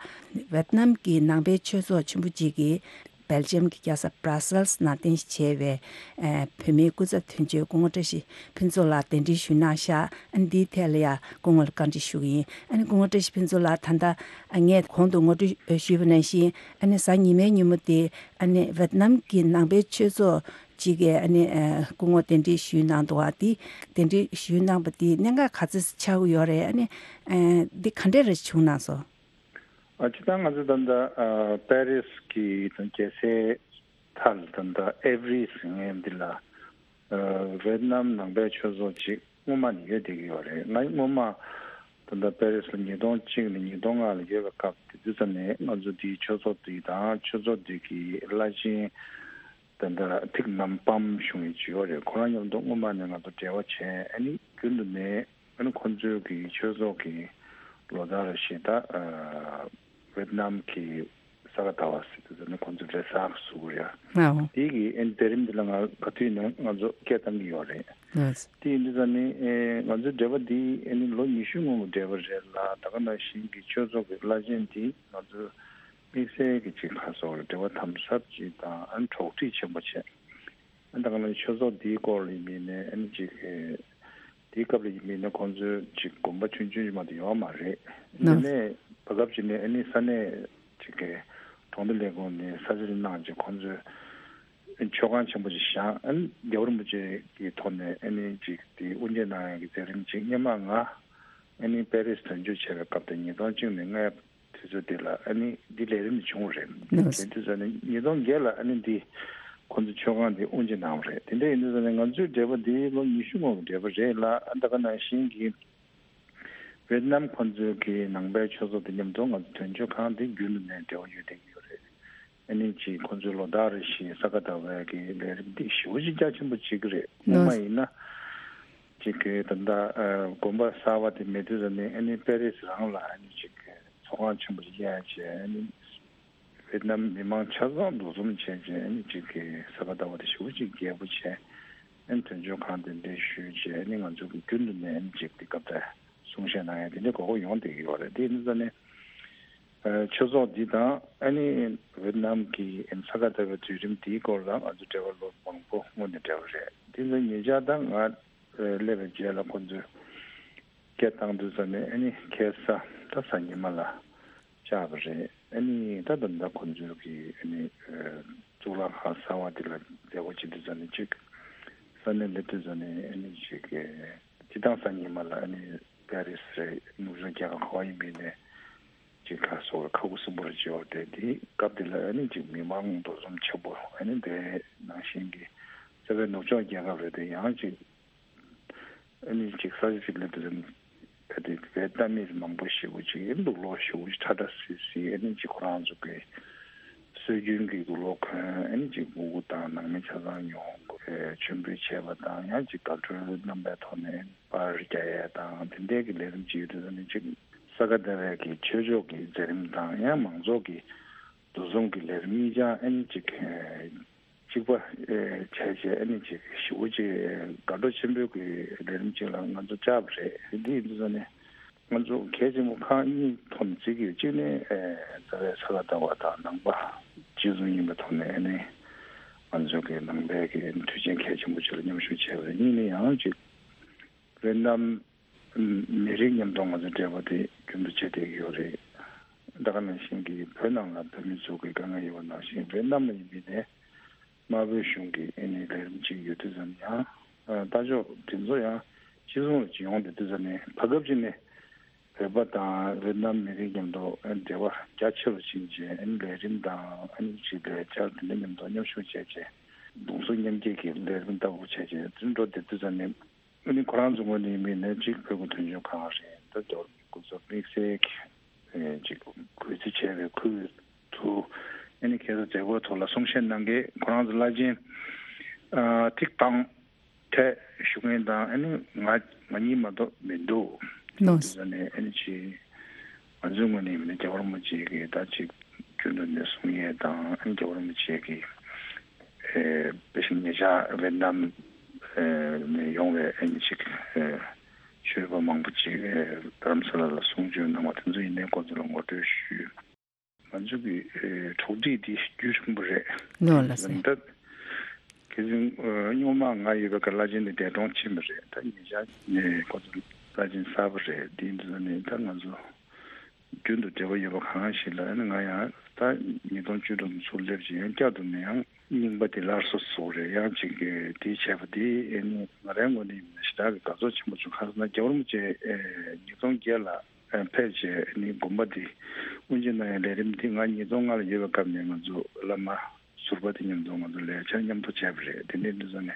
ཝེད་ནམ་གྱི་ནང་པའི་ཆོས་ཚོགས་ཆེན་པོ་གཅིག་གིས་སྦེལ་ཇམ་གྱི་རྒྱལ་ས་བྷ་ར་སལ་སི་ནང་རྟེན་གཞི་བྱས་པའི་ཨ་བོད་མིའི་སྐུ་ཚབ་དོན་གཅོད་སྐུ་ངོ་བཀྲ་ཤིས་ཕུན་ཚོགས་ལགས་གདན་འདྲེན་ཞུས་གནང་ཤག་ཨ་ནི་འདིའི་ཐད་ལ་ཡ་སྐུ་ངོ་ལ་བཀའ་འདྲི་ཞུ་གི་ཡིན། ཨ་ནི་སྐུ་ངོ་བཀྲ་ཤིས་ཕུན་ཚོགས་ལགས། ད་ལྟ་ཨ་ངས་གོང་དུ་ངོ་སྤྲོད་ཞུས་པ་ནང་བཞིན། ཨ་ནི་གཟའ་ཉི་མའི་ཉིན་མོ་དེ་ཨ་ནི་ཝེད་ནམ་གྱི་ནང་པའི་ཆོས་ཚོགས་གཅིག་གིས་ཨ་ནི་ཨ་སྐུ་ངོ་གདན་འདྲེན་ཞུས་གནང་འདུག་བ། དེ་གདན་འདྲེན་ཞུས་གནང་བ་དེ་གནད་འགག་ག་ཚོད་ཆགས་ཀྱི་ཡོད་རེད། ཨ་ནི་ཨ་འདི་ག་འདྲས་རེ་བྱུང་གནང་སོང་། ཨ་སྤྱིར་བཏང་ང་ཚོ་ད་ལྟ་ཨ་པེ་རིས་ཀྱི་ད་རྒྱལ་སའི་མཐའ་ལ་ད་ལྟ་ཨེ་བྷི་རི་ཟེར་མཁན་འདི་ལ་ཨ་ཝེད་ནམ་ནང་པའི་ཆོས་ཚོགས་ཅིག་སྔོན་མ་ནས་ཡོད་བསྡད་ཀྱི་ཡོད་རེད། ང་སྔོན་མ་ད་ལྟ་པེ་རིས་ལ་ཉིས་སྟོང་གཅིག་ནས་ཉིས་སྟོང་ལྔ་ལ་ཡོད་པའི་སྐབས་དེ་དུས་ཙམ་ནས་ང་ཚོ་འདིའི་ཆོས་ཚོགས་འདི་དང་ཆོས་ཚོགས་འདི་གི་བླ་ཆེན་དེ་འདྲ་ཐིག་ནམ་པམ་གཞུང་གི་ཇི་ཡོད་རེད། ཁོ་རང་མཉམ་དུ་སྔོན་མ་ནས་ང་ཚོ་འབྲེལ་བ་བྱས། ཨ་ནི་རྒྱུན་དུ་ནས་ཨ་ནི་ཁོ་ཚོའི་གི་ཆོས་ཚོགས་ཀྱི་ལོ་ལྟར་རེ་བཞིན་ད་ཝེད་ནམ་གྱི་ས་ག་ཟླ་བ་ཟེར་དུས་ཙམ་ནས་ཁོ་ཚོ་རེས་གཟའ་གི་གཟུགས་རེད། ཨའོ། དེ་གི་ཨ་ནི་མཛད་རིམ་འདི་ལ་ང་ག་དུས་ནས་ང་ཚོ་སྐད་བཏང་གི་ཡོད་རེད། ལགས། དེ་ཡིན་དུས་ཙམ་ནས་ཨེ་ང་ཚོའི་འབྲེལ་བ་འདི་ཨ་ནི་ལོ་ཉི་ཤུ་སྔོན་གྱི་འབྲེལ་བ་རེད་ལ། ད་ག་ནང་བཞིན་གྱི་ཆོས་ཚོགས་ཀྱི་བླ་ཆེན་འདི་ང་ཚོའི་དམིགས་བསལ་གྱི་ཅིག་ཁ་སོགས་ལ་འབྲེལ་བ་དམ་ཟབ་ཅིག་དང་ཨ་ནི་གྲོགས་འདྲིས་ཆེན་པོ་བྱས། ཨ་ནི་ད་ག་ནང་ཆོས་ཚོགས་འདིའི་སྐོར་ལ་ཡིན་མིན་ནས་ཨ་ནི་ཅིག་ཨེ་དེའི་སྐབས་ལ་ཡིན་མིན་ནས་ཁོང་ཚོའི་ཅིག་དགོངས་པ་ཆུང་ཆུང་ཅིག་མ་གཏོགས་ཡོད་མ་རེད། དེ་ནས་བར་སྐབས་ཅིག་ནས་ཨ་ནི་ས་གནས་ཅིག་གི་གྲོང་སྡེ་ལས་ཁུངས་ནས་ས་ཆ་ཅིག་གནང་ཅིག་ཁོང་ཚོས་མཆོད་ཁང་ཆེན་པོ་ཅིག་བཞེངས། ཨ་ནི་རྒྱལ་བ་རིན་པོ་ཆེ་གི་ཐོག་ནས་ཨ་ནི་ཅིག་དེ་དབུ་འབྱེད་གནང་ཡག་གི་མཛད་རིམ་ཅིག་སྔོན་མ་ང་ཨ་ནི་པེ་རིས་དོན་གཅོད་བྱས་པའི་སྐབས་དེ་ཉིས་སྟོང་གཅིག་ནས་ལྔའི་དུས་ཚོད་དེ་ལ་ཨ་ནི་འདི་ལས་རིམ་འདི་བྱུང་བ་རེད། ལགས། དེ་དུས་ཚོད་ནི་ཉིས་སྟོང་བརྒྱད་ལ་ཨ་ནི་འདི་ཁོང་ཚོ་མཆོད་ཁང་འདི་དབུ་འབྱེད་གནང་བ་རེད། དེ་འདྲ་ཡིན་དུས་ཙམ་ནས་ང་ཚོའི་འབྲེལ་བ་འདི་ལོ་ཉི་ཤུ་སྔོན་གྱི་འབྲེལ་བ་རེད་ལ། ཨ་ད་ག་ནང་བཞིན་གྱི་ཝེད་ནམ་ཁོང་ཚོའི་གི་ནང་པའི་ཆོས་ཚོགས་དེ་མཉམ་དུ་ང་ཚོ་དོན་གཅོད་ཁང་འདི་རྒྱུན་དུ་ནས་འབྲེལ་བ་ཡོད་བསྡད་ཀྱི་ཡོད་རེད། ཨ་ནི་ཅིག་ཁོང་ཚོའི་ལོ་ལྟར་རེ་བཞིན་ས་ག་ཟླ་བའི་གི་ལས་རིམ་འདི་ཞེ་པོ་ཅིག་རྒྱ་ཆེན་པོ་བྱེད་ཀྱི་རེད། སྔོན་མ་ཡིན་ན་ཅིག་གི་ད་ལྟ་ཨ་དགོན་པ་གསར་པ་དེ་མེད་དུས་ཙམ་ནས་ཨ་ནི་པེ་རིས་རང་ལ་ཨ་ནི་ཅིག་གི་ཚོགས་ཁང་ཆེན་པོ་ཅིག་གཡར་བྱས། ཨ་ནི་ཝེད་ནམ་མི་མང་ཆ་ཚང་འདུ་འཛོམས་བྱས་བྱས། ཨ་ནི་ཅིག་གི་ས་ག་ཟླ་བ་དེ་ཞེ་པོ་ཅིག་རྒྱས་པོ་བྱས། ཨ་ནི་དོན་གཅོད་ཁང་དེ་འདྲ་ཞུས་བྱས། ཨ་ནི་ང་ཚོ་གི་རྒྱུན་དུ་ནས་ཨ་ནི་ཅིག་དེ་སྐབས་དེ་གསུང་བཤད་གནང་ཡ་དེ་འདྲ་གོ་གོ་ཡོང་བསྡད་ཀྱི་ཡོད་རེད། དེ་ཡིན་དུས་ཙམ་ནས་ཨ་ཆོས་ཚོགས་འདི་དང་ཨ་ནི་ཝེད་ནམ་གྱི་ཨ་ནི་ས་ག་ཟླ་བའི་དུས་རིམ་འདིའི་སྐོར་ལ་ང་ཚོ་འབྲེལ་བ་ལོ་མང་པོ་སྔོན་ནས་འབྲེལ་བ་རེད། དེ་ཚོ་ཉེ་ཆར་ད་ང་སླེབས་པའི་རྗེས་ལ་ཁོང་ཚོས་སྐད་བཏང་དུས་ཙམ་ནས་ཨ་ནི་ཁ་སང་ད་གཟའ་ཉི་མ་ལ་བཅར་བ་རེད། ཨ་ནི་ད་ད་ལྟ་ཁོང་ཚོའི་གི་ཨ་ནི་ཨ་གཙུག་ལག་ཁང་གསར་པ་དེ་ལ་མཛད་སྒོ་བྱེད་དུས་ཙམ་ནས་ཅིག་ས་གནས་སླེབས་དུས་ཙམ་ནས་ཨ་ནི་ཅིག་གི་སྤྱིར་བཏང་གཟའ་ཉི་མ་ལ་ཨ་ནི་པེ་རི་སི་རེད། ནུབ་ཕྱོགས་རྒྱལ་ཁབ་ག་པར་ཡིན་པ་ཡིན་ནའི་ཅིག་ཁ་སོགས་ཁ་ཁུ་སིམ་པོ་རེ་བྱེད་པ་རེད། དེ་སྐབས་དེ་ལ་ཨ་ནི་ཅིག་མི་མང་འདུ་འཛོམས་ཆེན་པོ། ཨ་ནི་དེ་ནང་བཞིན་གྱི་ས་པའི་ནུབ་ཕྱོགས་རྒྱལ་ཁབ་རེད་དེ་ཡང་ཅིག་ཨ་ནི་ཅིག་ས་ཆ་ཅིག་སླེབས་དུས་ཙམ་ནས་གལ་ཏེ་བོད་ལྟ་མི་མང་པོ་ཞེ་པོ་ཅིག་ལུག་ལོག་ཞེ་པོ་ཅིག་ཁྲ་ཁྲ་སིལ་སིལ། ཨ་ནི་ཅིག་ཁོ་རང་ཚོ་གི་སྲོལ་རྒྱུན་གྱི་ལུག་ལོག་གོན། ཨ་ནི་ཅིག་སྨུ་གུ་དང་ནང་མི་ཆ་ཚང་ཡོང་དགོས། མཆོད་འབུལ་བྱས་པ་དང་ཡང་ཅིག་དགའ་སྤྲོའི་རྣམ་པའི་ཐོག་ནས་པར་རྒྱག་ཡས་དང་དེ་འདྲའི་གི་ལས་རིམ་ཅིག་ཡོད་དུས་ཙམ་ནས་ཅིག་ས་ག་ཟླ་བའི་གི་ཆོས་ཕྱོགས་ཀྱི་མཛད་རིམ་དང་ཡང་མང་ཚོགས་ཀྱི་འདུ་འཛོམས་ཀྱི་ལས་རིམ་གཉིས་ཆ་ཨ་ནི་ཅིག་གཅིག་པ་ཨེ་བྱས་བྱས་ཨ་ནི་ཅིག་ཞེ་པོ་ཅིག་དགའ་སྤྲོ་ཆེན་པོའི་གི་ལས་རིམ་ཅིག་ལ་ང་ཚོ་བཅར་བ་རེད། འདི་ཡིན་དུས་ཙམ་ནས་ང་ཚོ་གལ་ཆེན་པོ་ཁག་གཉིས་ཐོག་ནས་བརྩི་གི་ཡོད། གཅིག་ནི་ཨེ་རྩ་བའི་ས་ག་ཟླ་བ་དང་ནང་པ་གཅིག་མཚུངས་ཡིན་པའི་ཐོག་ནས་ཨ་ནི་ང་ཚོ་གི་ནང་པའི་གི་དུས་ཆེན་གལ་ཆེན་པོ་ཅིག་ལ་མཉམ་ཞུགས་བྱས་པ་རེད། གཉིས་ནི་ཡང་ཅིག་ཝེ་ཏི་ནམ་མི་རིགས་མཉམ་དུ་ང་ཚོ་འབྲེལ་བ་དེ་རྒྱུན་དུ་བྱེད་བསྡད་ཀྱི་ཡོད་རེད། ད་ག་ནང་བཞིན་གྱི་བོད་ནང་ལ་བོད་མི་ཚོ་གི་དཀའ་ངལ་ཡོད་པ་ནང་བཞིན་ཝེ་ཏི་ནམ་ལ་ཡིན་པའི་ནས་དམར་པོའི་གཞུང་གི་ཨ་ནི་ལས་རིམ་ཅིག་ཡོད་དུས་ཙམ་ཡང་ཨ་ལྟ་ཕྱོགས་དེ་ཚོ་ཡང་གཅིག་མཚུངས་ལ་ཅིག་ཡོང་བསྡད་དུས་ཙམ་ནས་བར་སྐབས་ཅིག་ནས་བོད་པ་དང་ཝེ་ཏི་ནམ་མི་རིགས་མཉམ་དུ་ཨ་ནི་འབྲེལ་བ་རྒྱ་ཆེ་རུ་ཕྱིན་བྱས་ཨ་ནི་ལས་རིམ་དང་ཨ་ནི་ཅིག་ལས་འཆར་དེ་འདྲ་མཉམ་དུ་མཉམ་ཞུགས་བྱས་བྱས་གདུང་སེམས་མཉམ་སྐྱེད་ཀྱི་ལས་རིམ་ལྟ་བུ་བྱས་བྱས་དེ་འགྲོ་བསྡད་དུས་ཙམ་ནས། ཨ་ནི་ཁོ་རང་ཚོ་ངོས་ནས་ཡིན་པ་ཡིན་ན་གཅིག་བོད་ཀྱི་དོན་གཅོད་ཁང་རེད། ད་རྒྱལ་བ་རིན་པོ་ཆེ་སྐུ་ཚབ་དམིགས་བསལ་གྱི་ཨེ་གཅིག་གུས་བརྩི་བྱས་པའི་ཁུལ་ དུ་ཨ་ནི་ཁ་སང་མཛད་སྒོའི་ཐོག་ལ་གསུང་བཤད་གནང་མཁན་ཁོ་རང་ཚོ་བླ་ཆེན་ཨ་ཐིག་ཐང་ཐད་ཞུ་མཁན་དང་ཨ་ནི་ང་ང་གཉིས་མ་གཏོགས་མི་འདུག་ནོ། དེ་ནས་ཨ་ནི་ཅི་ང་ཚོའི་ངོས་ནས་མི་རྒྱལ་བ་རིན་པོ་ཆེ་གི་ད་ཅིག་རྒྱུན་དུ་ནས་གསུང་ཡས་དང་ཨ་ནི་རྒྱལ་བ་རིན་པོ་ཆེ་གི་ཨེ་དཔེ་ཞིག་ཉེ་ཆར་ཝེ་ཏི་ནམ་ནས་ཡོང་བའི་ཨ་ནི་ཅིག་ཆོས་པ་མང་པོ་ཅིག་རྡ་རམ་ས་ལ་ལ་གསུང་ཆོས་གནང་བ་དེ་ཚོ་ཡིན་ནའི་ཁོ་ཚོ་ལ་ངོ་སྤྲོད་ཞུས། ང་ཚོ་གི་གྲོགས་འདྲིས་འདི་རྒྱུན་རིང་པོ་རེད། ལོ་ལ་སེ། ད་ཁེ་ཟིང་སྔོན་མ་ང་ཡོད་པའི་སྐབས་བླ་ཆེན་འདི་འདས་གྲོངས་ཕྱིན་པ་རེད། ད་ཉེ་ཆར་ནས་ཁོ་ཚོ་བླ་ཆེན་གསར་པ་རེད། འདི་འདི་ཚོ་ནས་ད་ང་ཚོ་རྒྱུན་དུ་འབྲེལ་བ་ཡོད་པ་གང་ཞིག་ལ་ཨ་ནི་ང་ཡང་ད་ཉིས་སྟོང་བཅུ་དྲུག་ཚུར་སླེབས་ཀྱི་ཡང་བསྐྱར་དུ་ནས་ཡང་རྙིང་པ་དེ་སླར་གསོ་བཟོ་རེད། ཡང་ཅིག་གི་དེ་བྱས་པ་དེ་ཨ་ནི་ང་རའི་ངོས་ནས་ཞེ་དྲག་གི་དགའ་ཚོར་ཆེན་པོ་བྱུང་། ག་རེ་ཟེར་ན་རྒྱལ་བ་རིན་པོ་ཆེ་ཉིས་སྟོང་བརྒྱད་ལ་ཕེབས་བྱས་ཨ་ནི་དགོན་པ་དེ་དབུ་འབྱེད་གནང་ཡའི་ལས་རིམ་དེ་ང་ཉིས་སྟོང་ལྔ་ལ་ཡོད་པའི་སྐབས་ནས་ང་ཚོ་བླ་མ་ཟུར་པ་དེ་མཉམ་དུ་ང་ཚོ་ལས་འཆར་མཉམ་དུ་བྱས་པ་རེད། དེ་འདྲའི་འདི་ཚོ་ནས་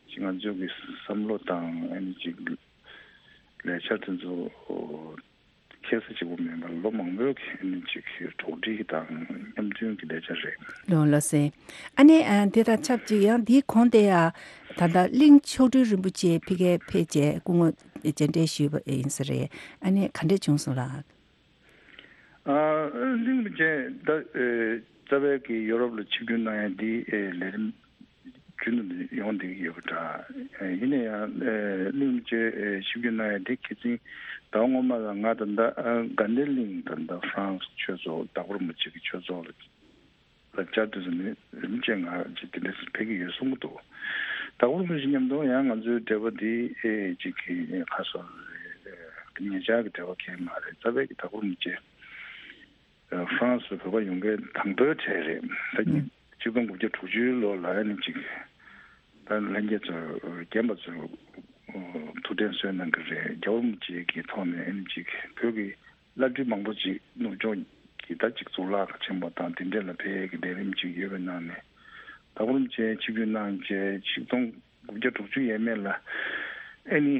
ཅིག་ང་ཚོ་གི་བསམ་བློ་དང་ཨ་ནི་ཅིག་ལས་འཆར་དེ་ཚོ་ཁྱད་མཚར་གཅིག་པུ་མིན་པར་ལོ་མང་པོའི་གི་ཨ་ནི་ཅིག་གི་གྲོགས་འདྲིས་དང་མཉམ་མཐུན་གྱི་ལས་འཆར་རེད། ལོ་ལ་སེ། ཨ་ནི་ཨ་དེ་དང་ཆབས་ཅིག་ཡང་དེའི་གོང་དེ་ཡང་ད་ལྟ་གླིང་མཆོག་སྤྲུལ་རིན་པོ་ཆེ་ཕ་གིར་ཕེབས་བྱས་སྐུ་ངོ་མཇལ་འཕྲད་ཞུས་པ་ཡིན་ས་རེད། ཨ་ནི་ག་འདྲས་བྱུང་སོང་ལགས། ཨ་གླིང་རིན་པོ་ཆེ་ད་ཨེ་རྩ་བའི་གི་ཡོ་རོབ་ལ་ཆིབས་བསྒྱུར་གནང་ཡ་འདི་ཨེ་ལས་རིམ་རྒྱུན་དུ་ཡོང་བསྡད་ཀྱི་ཡོད་པ་འདྲ། ཡིན་ན་ཡང་གླིང་རྗེ་ཆིབས་བསྒྱུར་གནང་ཡ་དེ་ཁ་སང་ཟླ་བ་སྔོན་མ་ལ་ང་ད་ལྟ་དགའ་ལྡན་གླིང་ད་ལྟ་ཧྥ་རན་སི་ཆོས་ཚོགས་དྭགས་པོ་རིན་པོ་ཆེ་གི་ཆོས་ཚོགས་ལ་ལ་བཅར་དུས་ཙམ་ནས་རིམ་བྱས་ང་ཅིག་དེ་འདྲ་ཕེབས་ཀྱི་ཡོད་གསུང་གི་འདུག་དྭགས་པོ་རིན་པོ་ཆེ་མཉམ་དུ་ཡང་ང་ཚོའི་འབྲེལ་བ་འདི་ཅིག་གི་ཁ་སོ་ཉེ་ཆར་གྱི་འབྲེལ་བ་གང་མ་རེད། རྩ་བའི་གི་དྭགས་པོ་རིན་པོ་ཆེ་ཧྥ་རན་སི་བོད་པ་ཡོང་མཁན་དང་པོའི་གྲས་རེད། ད་ཉིས་ཆིག་སྟོང་དགུ་བརྒྱ་དྲུག་ཅུའི་ལོ་ལ་ཨ་ནི་ཅིག་ད་ལྷན་རྒྱས་ཚོ་རྒན་པ་ཚོ་ཐུགས་དྲན་གསོ་གནང་གི་རེད། རྒྱལ་བ་རིན་པོ་ཆེ་གི་ཐོག་ནས་ཨ་ནི་ཅིག་བོད་ཀྱི་བླ་སྤྲུལ་མང་པོ་ཅིག་ནུབ་ཕྱོགས་ཀྱི་ད་ཅིག་གཙུག་ལག་ཁང་ཆེན་པོ་དང་དེ་འདྲ་ལ་ཕེབས་ཀྱི་ལས་རིམ་ཅིག་ཡོད་པའི་ནང་ནས་དྭགས་པོ་རིན་པོ་ཆེ་ཆིབས་བསྒྱུར་གནང་རྗེས་ཆིག་སྟོང་དགུ་བརྒྱ་དྲུག་ཅུ་ཡས་མས་ལ་ཨ་ནི་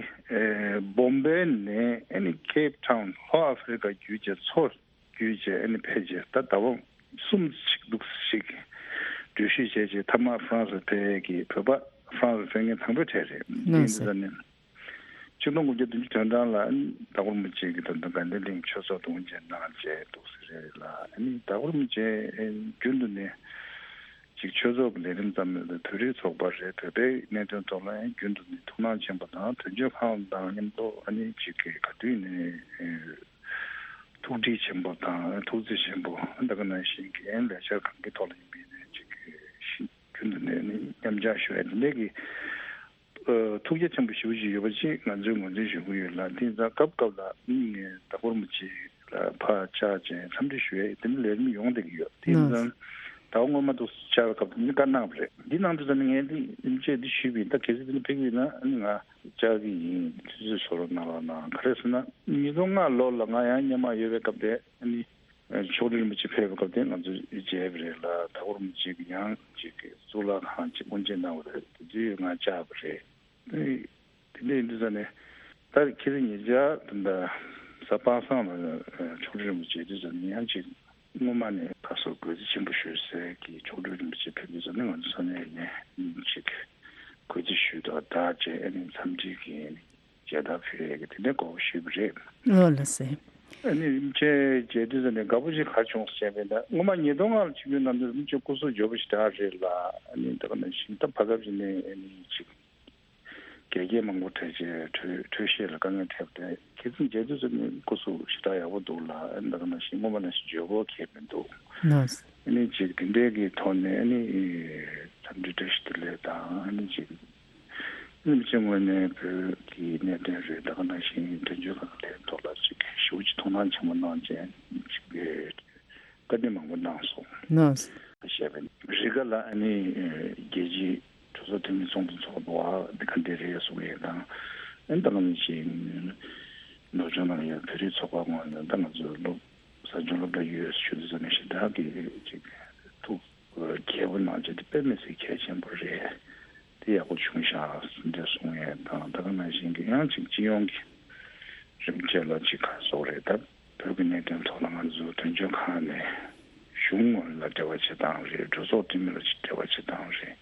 བོམ་བེ་ནས་ཨ་ནི་ཁེབ་ཊའུན་ལྷོ་ཨ་ཧྥེ་རི་ཀ་བརྒྱུད་བྱས་མཚོ་བརྒྱུད་བྱས་ཨ་ནི་ཕེབས་བྱས་ད་ཟླ་བ་གསུམ་ཅིག་འདུག་ཞིག་འགྲུལ་བཞུད་བྱས་རྗེས་མཐའ་མ་ཧྥ་རན་སི་ཕེབས་ཀྱི་བོད་པ་ཧྥ་རན་སི་ཕེབས་མཁན་དང་པོའི་གྲས་རེད། ཡིན་ཙང་ནི་ཆིག་སྟོང་དགུ་བརྒྱ་བདུན་ཅུ་དོན་གྲངས་ལ་དྭགས་པོ་རིན་པོ་ཆེ་གི་ད་ལྟ་དགའ་ལྡན་གླིང་ཆོས་ཚོགས་དུ་དབུ་འབྱེད་གནང་རྗེས་འདུག་ཟེར་རེད་ལ། ཨ་ནི་དྭགས་པོ་རིན་པོ་ཆེ་རྒྱུན་དུ་ནས་ཅིག་ཆོས་ཚོགས་ཀྱི་ལས་རིམ་ཙམ་མིན་པར་བོད་རིགས་ཚོགས་པ་རེད། བོད་པའི་གནད་དོན་ཐོག་ལ་ཡང་རྒྱུན་དུ་ནས་ཐུགས་སྣང་ཆེན་པོ་དང་དོན་གཅོད་ཁང་དང་མཉམ་དུ་ཨ་ནི་ཅིག་གི་ག་དུས་ནས་ཐུགས་འདྲིས་ཆེན་པོ་དང་ཐུགས་བརྩེ་ཆེན་པོ་ད་ག་ནང་བཞིན་གྱི་ལས་འཆར་གང་གི་ཐོག་ལ་ཡིན་པའི་ནས་ཅིག་གི་རྒྱུན་དུ་ནས་ནི་མཉམ་ཞུགས་ཞུ་ཡ་དེ་འདྲས་ཀྱི་ཨ་ཐུགས་རྗེ་ཆེན་པོ་ཞེ་པོ་ཅིག་ཡོད་པ་ཅིག་ང་ཚོས་ངོས་འཛིན་ཞུ་གི་ཡོད་ལ། དེ་ཡིན་ཙང་སྐབས་སྐབས་ལ་ངས་དྭགས་པོ་རིན་པོ་ཆེ་ལ་ཕར་བཅར་བྱས་འཚམས་འདྲི་ཞུ་ཡས་དེ་འདྲ་ལས་རིམ་ཡོང་བསྡད་ཀྱི་ཡོད། དེ་ཡིན་ཙང་ཟླ་བ་སྔོན་མ་དུ་བཅར་བའི་སྐབས་དེ་འདྲ་བཀའ་གནང་བ་རེད། འདི་གནང་དུས་ཙམ་ནས་ངས་འདི་རིན་པོ་ཆེ་འདི་ཞུས་པ་ཡིན། ད་གལ་སྲིད་འདི་འདྲ་ཕེབས་ཀྱི་ཡོད་ན་ཨ་ནི་ང་བཅར་གྱི་ཡིན། དུས་ཚོད་བཟོ་རོགས་གནང་རོགས་གནང་། ག་རེ་ཟེར་ན་ཉིས་སྟོང་ལྔ་ལོ་ལ་ང་ཡང་སྔོན་མ་ཡོད་པའི་སྐབས་དེ་ཨ་ནི་མཆོག་སྤྲུལ་རིན་པོ་ཆེ་ཕེབས་པའི་སྐབས་དེ་ང་ཚོ་མཇལ་བ་རེད་ལ། དྭགས་པོ་རིན་པོ་ཆེ་གི་ཡང་ཅིག་གི་གཙུག་ལག་ཁང་ཅིག་དབུ་འབྱེད་གནང་བ་རེད། དེ་དུས་ང་བཅར་བ་རེད། དེ་དེ་འདྲ་ཡིན་དུས་ཙང་ནས་ད་ཁྱེད་ཚོ་ཉེ་ཆར་ད་ལྟ་གཟའ་པ་སངས་ལ་མཆོག་སྤྲུལ་རིན་པོ་ཆེ་དུས་ཙང་ནས་ཡང་ཅིག་སྔོན་མ་ནས་ཁ་སོ་གུས་བརྩི་ཆེན་པོ་ཞུ་སའི་གི་མཆོག་སྤྲུལ་རིན་པོ་ཆེ་ཕེབས་དུས་ཙང་ནས་ང་ཚོ་ས་གནས་ནས་ཅིག་གུས་བརྩི་ཞུས་དང་ད་བཅས་ཨ་ནི་འཚམས་འདྲི་གི་མཇལ་དར་ཕུལ་ཡས་ཀྱི་དེ་འདྲའི་གོ་སྐབས་ཞུས་པ་རེད། ཨོ་ལགས་སེ། ཨ་ནི་རིན་པོ་ཆེ་མཇལ་དུས་ཙམ་ནས་དགའ་པོ་ཞིག་ག་རེ་བྱུང་ཟེར་བྱས་པས་ན་སྔོན་མ་ཉིས་སྟོང་ལྔ་ལ་ཆིབས་བསྒྱུར་གནང་དུས་རིན་པོ་ཆེ་སྐུ་གཟུགས་མགྱོགས་པོ་ཞེ་དྲག་རེད་ལ། ཨ་ནི་ད་ག་ནང་བཞིན་ད་བར་སྐབས་ཅིག་ནས་ཨ་ནི་ཅིག་འགལ་རྐྱེན་མང་པོ་འཕྲད་བྱས་འཕྲོད་འཕྲོད་བཞེས་ལ་དཀའ་ངལ་འཕྲད་པ་རེད། ཁྱེད་ཚོ་མཇལ་དུས་ཙམ་ནས་སྐུ་གཟུགས་ཞེ་དྲག་ཡག་པོ་འདུག་ལ། ཨ་ནི་ད་ག་ནང་བཞིན་སྔོན་མ་ནང་བཞིན་འཇོན་པོ་གང་ཡང་མི་འདུག་ལགས། ཨ་ནི་ཅིག་དེ་འདྲའི་གི་ཐོག་ནས་ཨ་ནི་འཚམས་འདྲི་བཀྲ་ཤིས་བདེ་ལེགས་དང་ཨ་ནི་ཅིག་རིན་པོ་ཆེ་ངོས་ནས་བོད་ཀྱི་གནད་དོན་རེད། ད་ག་ནང་བཞིན་དོན་གཅོད་ཁང་ལས་ཐོག་ལ་ཅིག་ཞེ་པོ་ཅིག་ཐུགས་སྣང་ཆེན་པོ་གནང་བྱས་ཅིག་བཀའ་འདྲི་མང་པོ་གནང་སོང་། ལགས། བཤད་པའི་རི་ག་ལ་ཨ་ནི་རྒྱལ་སྤྱིའི་གྲོས་ཚོགས་འཐུས་མི་ཚོགས་འདུ་ཚོགས་འདུག་ཨ་འདི་ག་འདྲ་རེད་གསུང་ཡས་དང་། ཨ་ནི་ད་ག་ནང་བཞིན་ནུབ་ཕྱོགས་ནང་ཡོད་བོད་རིགས་ཚོགས་པ་ངོས་ནས་ད་ང་ཚོའི་སློབ་གསར་བྱུང་སློབ་གྲྭ་ཡོད་ཞུ་དུས་ཙམ་ནས་ཞེ་དྲག་གི་ཅིག་ཐུགས་མཁས་པོ་གནང་བྱས་དེ་དཔེ་མི་སྲིད་གལ་ཆེན་པོ་རེད། དེ་ཡག་པོ་བྱུང་ཤག་འདྲ་གསུང་ཡས་དང་། ད་ག་ནང་བཞིན་གྱི་ཡང་ཅིག་སྤྱི་ཡོངས་ཀྱི་རིམ་བྱས་ལ་ཅིག་ག་རེ་ཟེར་དགོས་རེད། ད་བོད་ཀྱི་གནད་དོན་ཐོག་ལ་ང་ཚོ་དོན་གཅོད་ཁང་ནས་ཞུ་ གཞུང་ལ་འབྲེལ་བ་བྱེད་སྟངས་རེད། གྲོས་ཚོགས་འཐུས་མི་ལ་འབྲེལ་བ་བྱེད་སྟངས་རེད།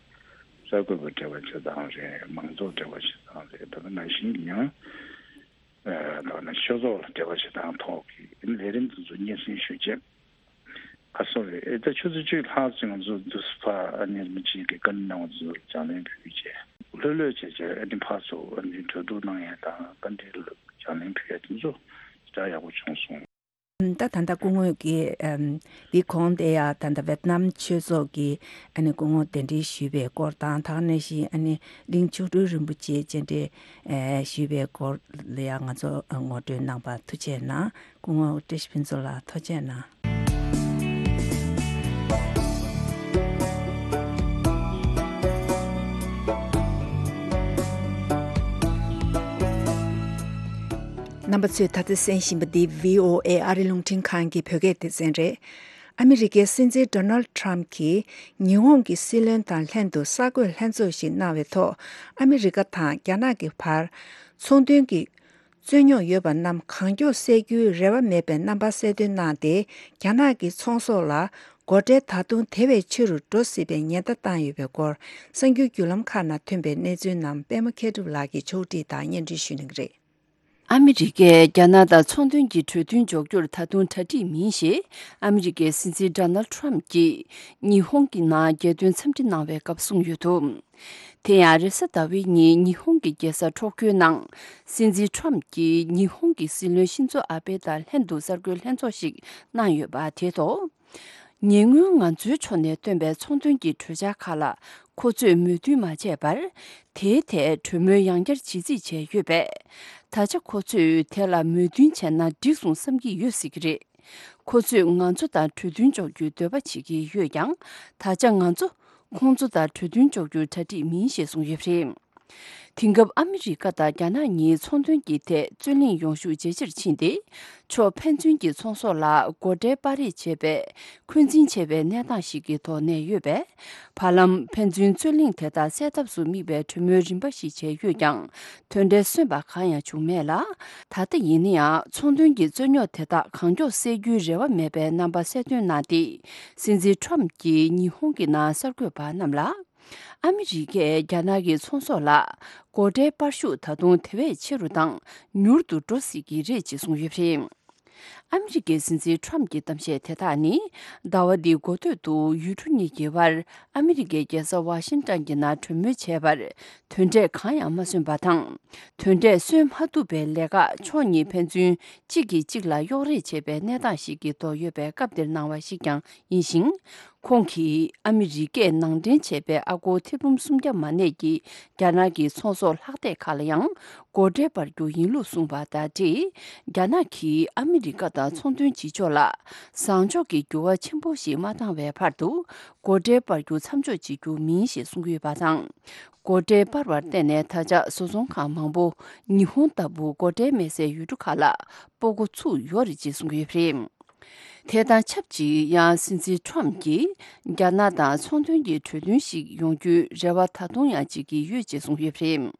གསར་འགོད་པ་འབྲེལ་བ་བྱེད་སྟངས་རེད། མང་ཚོགས་འབྲེལ་བ་བྱེད་སྟངས་རེད། ད་ལྟ་ནང་བཞིན་གྱི་ཡང་ད་ནི་ཆོས་ཚོགས་ལ་འབྲེལ་བ་བྱེད་སྟངས་ཐོག་གི་ལས་རིམ་དེ་ཚོ་སྙན་སེང་ཞུ་ཆེད། ཁ་སང་རེད། ཨེ་ད་ཆུ་ཚོད་བཅུ་ལྷག་ཙམ་ང་ཚོ་འདུག་སེ་ཕར་ཨ་ནེ་རིན་པོ་ཆེ་གི་བཀའ་འདྲི་གནང་བ་ཚོ་ལ་ལྗགས་ལན་ཕུལ་རྗེས། ལྷོད་ལྷོད་བྱས་བྱས་ཨ་ནི་ཕར་ཚུར་ཨ་ནི་གྲོས་བསྡུར་གནང་ཡས་དང་བཀའ་འདྲི་ལ་ལྗགས་ལན་ཕུལ་ཡས་དེ་ཚོ་ཞེ་དྲག་ཡག་པོ་བྱུང་སོང་། ད་ད་ལྟ་སྐུ་ངོ་གིས་ཨམ་འདི་གོང་དེ་ཡང་ད་ལྟ་ཝེ་ཏི་ནམ་ཆོས་ཚོགས་ཀྱི་ཨ་ནི་སྐུ་ངོ་གདན་འདྲེན་ཞུས་པའི་སྐོར་དང་། ད་ག་ནང་བཞིན་ཨ་ནི་གླིང་མཆོག་སྤྲུལ་རིན་པོ་ཆེ་བཅར་འདྲི་ཨེ་ཞུས་པའི་སྐོར་ལ་ཡང་ང་ཚོ་ངོ་སྤྲོད་གནང་བར་ཐུགས་རྗེ་གནང་། སྐུ་ངོ་བཀྲ་ཤིས་ཕུན་ཚོགས་ལགས་ཐུགས་རྗེ་གནང་། རྣམ་པ་ཚོས་ད་ལྟ་གསན་བཞིན་པ་འདི་བྷི་ཨོ་ཨེ་ཨ་རི་རླུང་འཕྲིན་ཁང་གི་བོད་སྐད་སྡེ་ཚན་རེད། ཨ་མི་རི་ཀའི་སྲིད་འཛིན་ཌོ་ནལ་ཌི་ཊརམ་ཕི་གྱིས་ཉི་ཧོང་གི་སྲིད་བློན་དང་ལྷན་དུ་གསར་འགོད་ལྷན་ཚོགས་ཤིག་གནང་བའི་ཐོག་ཨ་མི་རི་ཀ་དང་རྒྱ་ནག་གི་བར་ཚོང་དོན་གྱི་རྩོད་རྙོག་ཡོད་པ་རྣམས་གང་མགྱོགས་སེལ་རྒྱུའི་རེ་བ་མེད་པའི་རྣམ་པ་གསལ་སྟོན་གནང་སྟེ། རྒྱ་ནག་གི་ཚོང་ཟོག་ལ་སྒོ་ཁྲལ་ད་དུང་དེ་བས་ཆེ་རུ་འགྲོ་སྲིད་པའི་ཉེན་བརྡ་བཏང་ཡོད་པའི་སྐོར། གསར་འགྱུར་བརྒྱུད་ལམ་ཁག་ནང་ཐོན་པའི་གནས་ཚུལ་རྣམས་པད་མ་མཁས་གྲུབ་ལགས་ཀྱིས་ཕྱོགས་སྒྲིག་དང་སྙན་སྒྲོན་ཞུ་གནང་གི་རེད། ཨ་མི་རི་ཀས་རྒྱ་ནག་དང་ཚོང་དོན་གྱི་གྲོས་མཐུན་འཇོག་རྒྱུར་ད་དུང་གྲ་སྒྲིག་མིན་ཞེས་ཨ་མི་རི་ཀའི་སྲིད་འཛིན་ཌོ་ནལ་ཌི་ཊརམ་ཕིས་ཉི་ཧོང་གི་ནང་རྒྱལ་དོན་འཚམས་འདྲི་གནང་བའི་སྐབས་གསུངས་ཡོད་འདུག་དེ་ཡང་རེས་གཟའ་ཟླ་བའི་ཉིན་ཉི་ཧོང་གི་རྒྱལ་ས་ཊོ་ཀྱོའི་ནང་སྲིད་འཛིན་ཊརམ་ཕིས་ཉི་ཧོང་གི་སྲིད་བློན་ཤིན་ཛོ་ཨ་བྷེ་དང་ལྷན་དུ་གསར་འགོད་ལྷན་ཚོགས་ཤིག་གནང་ཡོད་པ་དེའི་ཐོག་ཉེ་སྔོན་ང་ཚོའི་ཕྱོགས་ནས་བཏོན་པའི་ཚོང་དོན་གྱི་གྲོས་འཆར་ཁག་ལ་ཁོ་ཚོས་མོས་མཐུན་མ་བྱས་པར། དེའི་ཐད་གྲོས་མོལ་ཡང་བསྐྱར་བྱེད་རྩིས་བྱས་ཡོད་པས། ད་ཆ་ཁོ་ཚོས་དེ་ལ་མོས་མཐུན་བྱས་ན་འགྲིག་སོང་བསམ་གྱི་ཡོད་སྲིད་ཀྱི་རེད། ཁོ་ཚོས་ང་ཚོ་དང་གྲོས་མཐུན་འཇོག་རྒྱུའི་འདོད་པ་བྱེད་ཀྱི་ཡོད་ཀྱང་། ད་ཆ་ང་ཚོ་ཁོང་ཚོ་དང་གྲོས་མཐུན་འཇོག་རྒྱུར་གྲ་སྒྲིག་མིན་ཞེས་གསུངས་ཡོད་པ་རེད། དེང་སྐབས་ཨ་མི་རི་ཀ་དང་རྒྱ་ནག་གཉིས་ཚོང་དོན་གྱི་ཐད་རྩོད་གླེང་ཡོང་ཤུགས་ཇེ་ཆེར་ཕྱིན་ཏེ། ཕྱོགས་ཕན་ཚུན་གྱི་ཚོང་ཟོག་ལ་སྒོ་ཁྲལ་སྤར་རེས་བྱེད་པའི་འཁོན་འཛིན་ཆེ་བའི་གནས་སྟངས་ཤིག་གི་ཐོག་གནས་ཡོད་པས། བར་ལམ་ཕན་ཚུན་རྩོད་གླེང་དེ་དག་སེལ་ཐབས་སུ་དམིགས་པའི་གྲོས་མོལ་རིམ་པ་ཞིག་བྱས་ཡོད་ཀྱང་། དོན་འབྲས་སོན་པ་གང་ཡང་བྱུང་མེད་ལ། ད་ལྟ་ཡིན་ན་ཡང་ཚོང་དོན་གྱི་རྩོད་རྙོག་དེ་དག་གང་མགྱོགས་སེལ་རྒྱུའི་རེ་བ་མེད་པའི་རྣམ་པ་གསལ་སྟོན་གནང་སྟེ། སྲིད་འཛིན་ཊརམ་ཕིས་ཉི་ཧོང་གི་ནང་གསར་འགོད་པ་རྣམས་ལ། ཨ་མི་རི་ཀས་རྒྱ་ནག་གི་ཚོང་ཟོག་ལ་སྒོ་ཁྲལ་སྤར་ཤུགས་ད་དུང་དེ་བས་ཆེ་རུ་དང་མྱུར་དུ་འགྲོ་སྲིད་ཀྱི་རེད་ཅེས་གསུངས་ཡོད་པ་རེད། ཨ་མི་རི་ཀའི་སྲིད་འཛིན་ཊརམ་ཕིའི་གཏམ་བཤད་དེ་དག་ནི། ཟླ་བ་འདིའི་འགོ་སྟོད་དུ་ཡུལ་གྲུ་གཉིས་ཀྱི་དབར་ཨ་མི་རི་ཀའི་རྒྱལ་ས་ཝ་ཤིང་ཊོན་གྱི་ནང་གྲོས་མོལ་བྱས་པར་དོན་འབྲས་གང་ཡང་མ་སོན་པ་དང་། དོན་འབྲས་སོན་མ་ཐུབ་པའི་ལས་ཀ་ཕྱོགས་གཉིས་ཕན་ཚུན་གཅིག་གིས་གཅིག་ལ་གཡོག་རེས་བྱེད་པའི་གནས་སྟངས་ཤིག་གི་ཐོག་ཡོད་པའི་སྐབས་འདིར་གནང་བ་ཞིག་ཀྱང་ཡིན་ཞིང་། ཁོང་གིས་ཨ་མི་རི་ཀས་ནང་འདྲེན་བྱས་པའི་ཨ་སྒོར་ཐེར་འབུམ་སུམ་བརྒྱ་མ་གནས་ཀྱི་རྒྱ་ནག་གི་ཚོང་ཟོག་ལྷག་བསྡད་ཁག་ལ་ཡང་སྒོ་ཁྲལ་སྤར་རྒྱུ་ཡིན་ལུགས་གསུངས་པ་དང་འབྲེལ། རྒྱ་ནག་གིས་ཨ་མི་རི་ཀ་དང་ཚོང་དོན་བྱེད་ཕྱོགས་ལ་བཟང་ཕྱོགས་ཀྱི་འགྱུར་བ་ཆེན་པོ་ཞིག་མ་བཏང་བའི་བར་དུ་སྒོ་ཁྲལ་སྤར་རྒྱུ་མཚམས་འཇོག་བྱེད་རྒྱུ་མིན་ཞེས་གསུངས་ཡོད་པ་དང་། སྒོ་ཁྲལ་སྤར་བར་བརྟེན་ནས་ད་ཆ་བཟོ་ཚོང་ཁང་མང་པོ་ཉི་ཧོང་ལྟ་བུ་སྒོ་ཁྲལ་མེད་སའི་ཡུལ་གྲུ་ཁག་ལ་སྤོ་འགོ་ཚུགས་ཡོད་རེད་ཅེས་གསུངས་ཡོད་པ་རེད། དེ་དང་ཆབས་ཅིག་ཡང་སྲིད་འཛིན་ཊརམ་ཕིས་རྒྱ་ནག་དང་ཚོང་དོན་གྱི་གྲོས་མཐུན་ཞིག་ཡོང་རྒྱུའི་རེ་བ་ད་དུང་ཡང་བྱེད་ཀྱི་ཡོད་ཅེས་གསུངས་ཡོད་པ་རེད།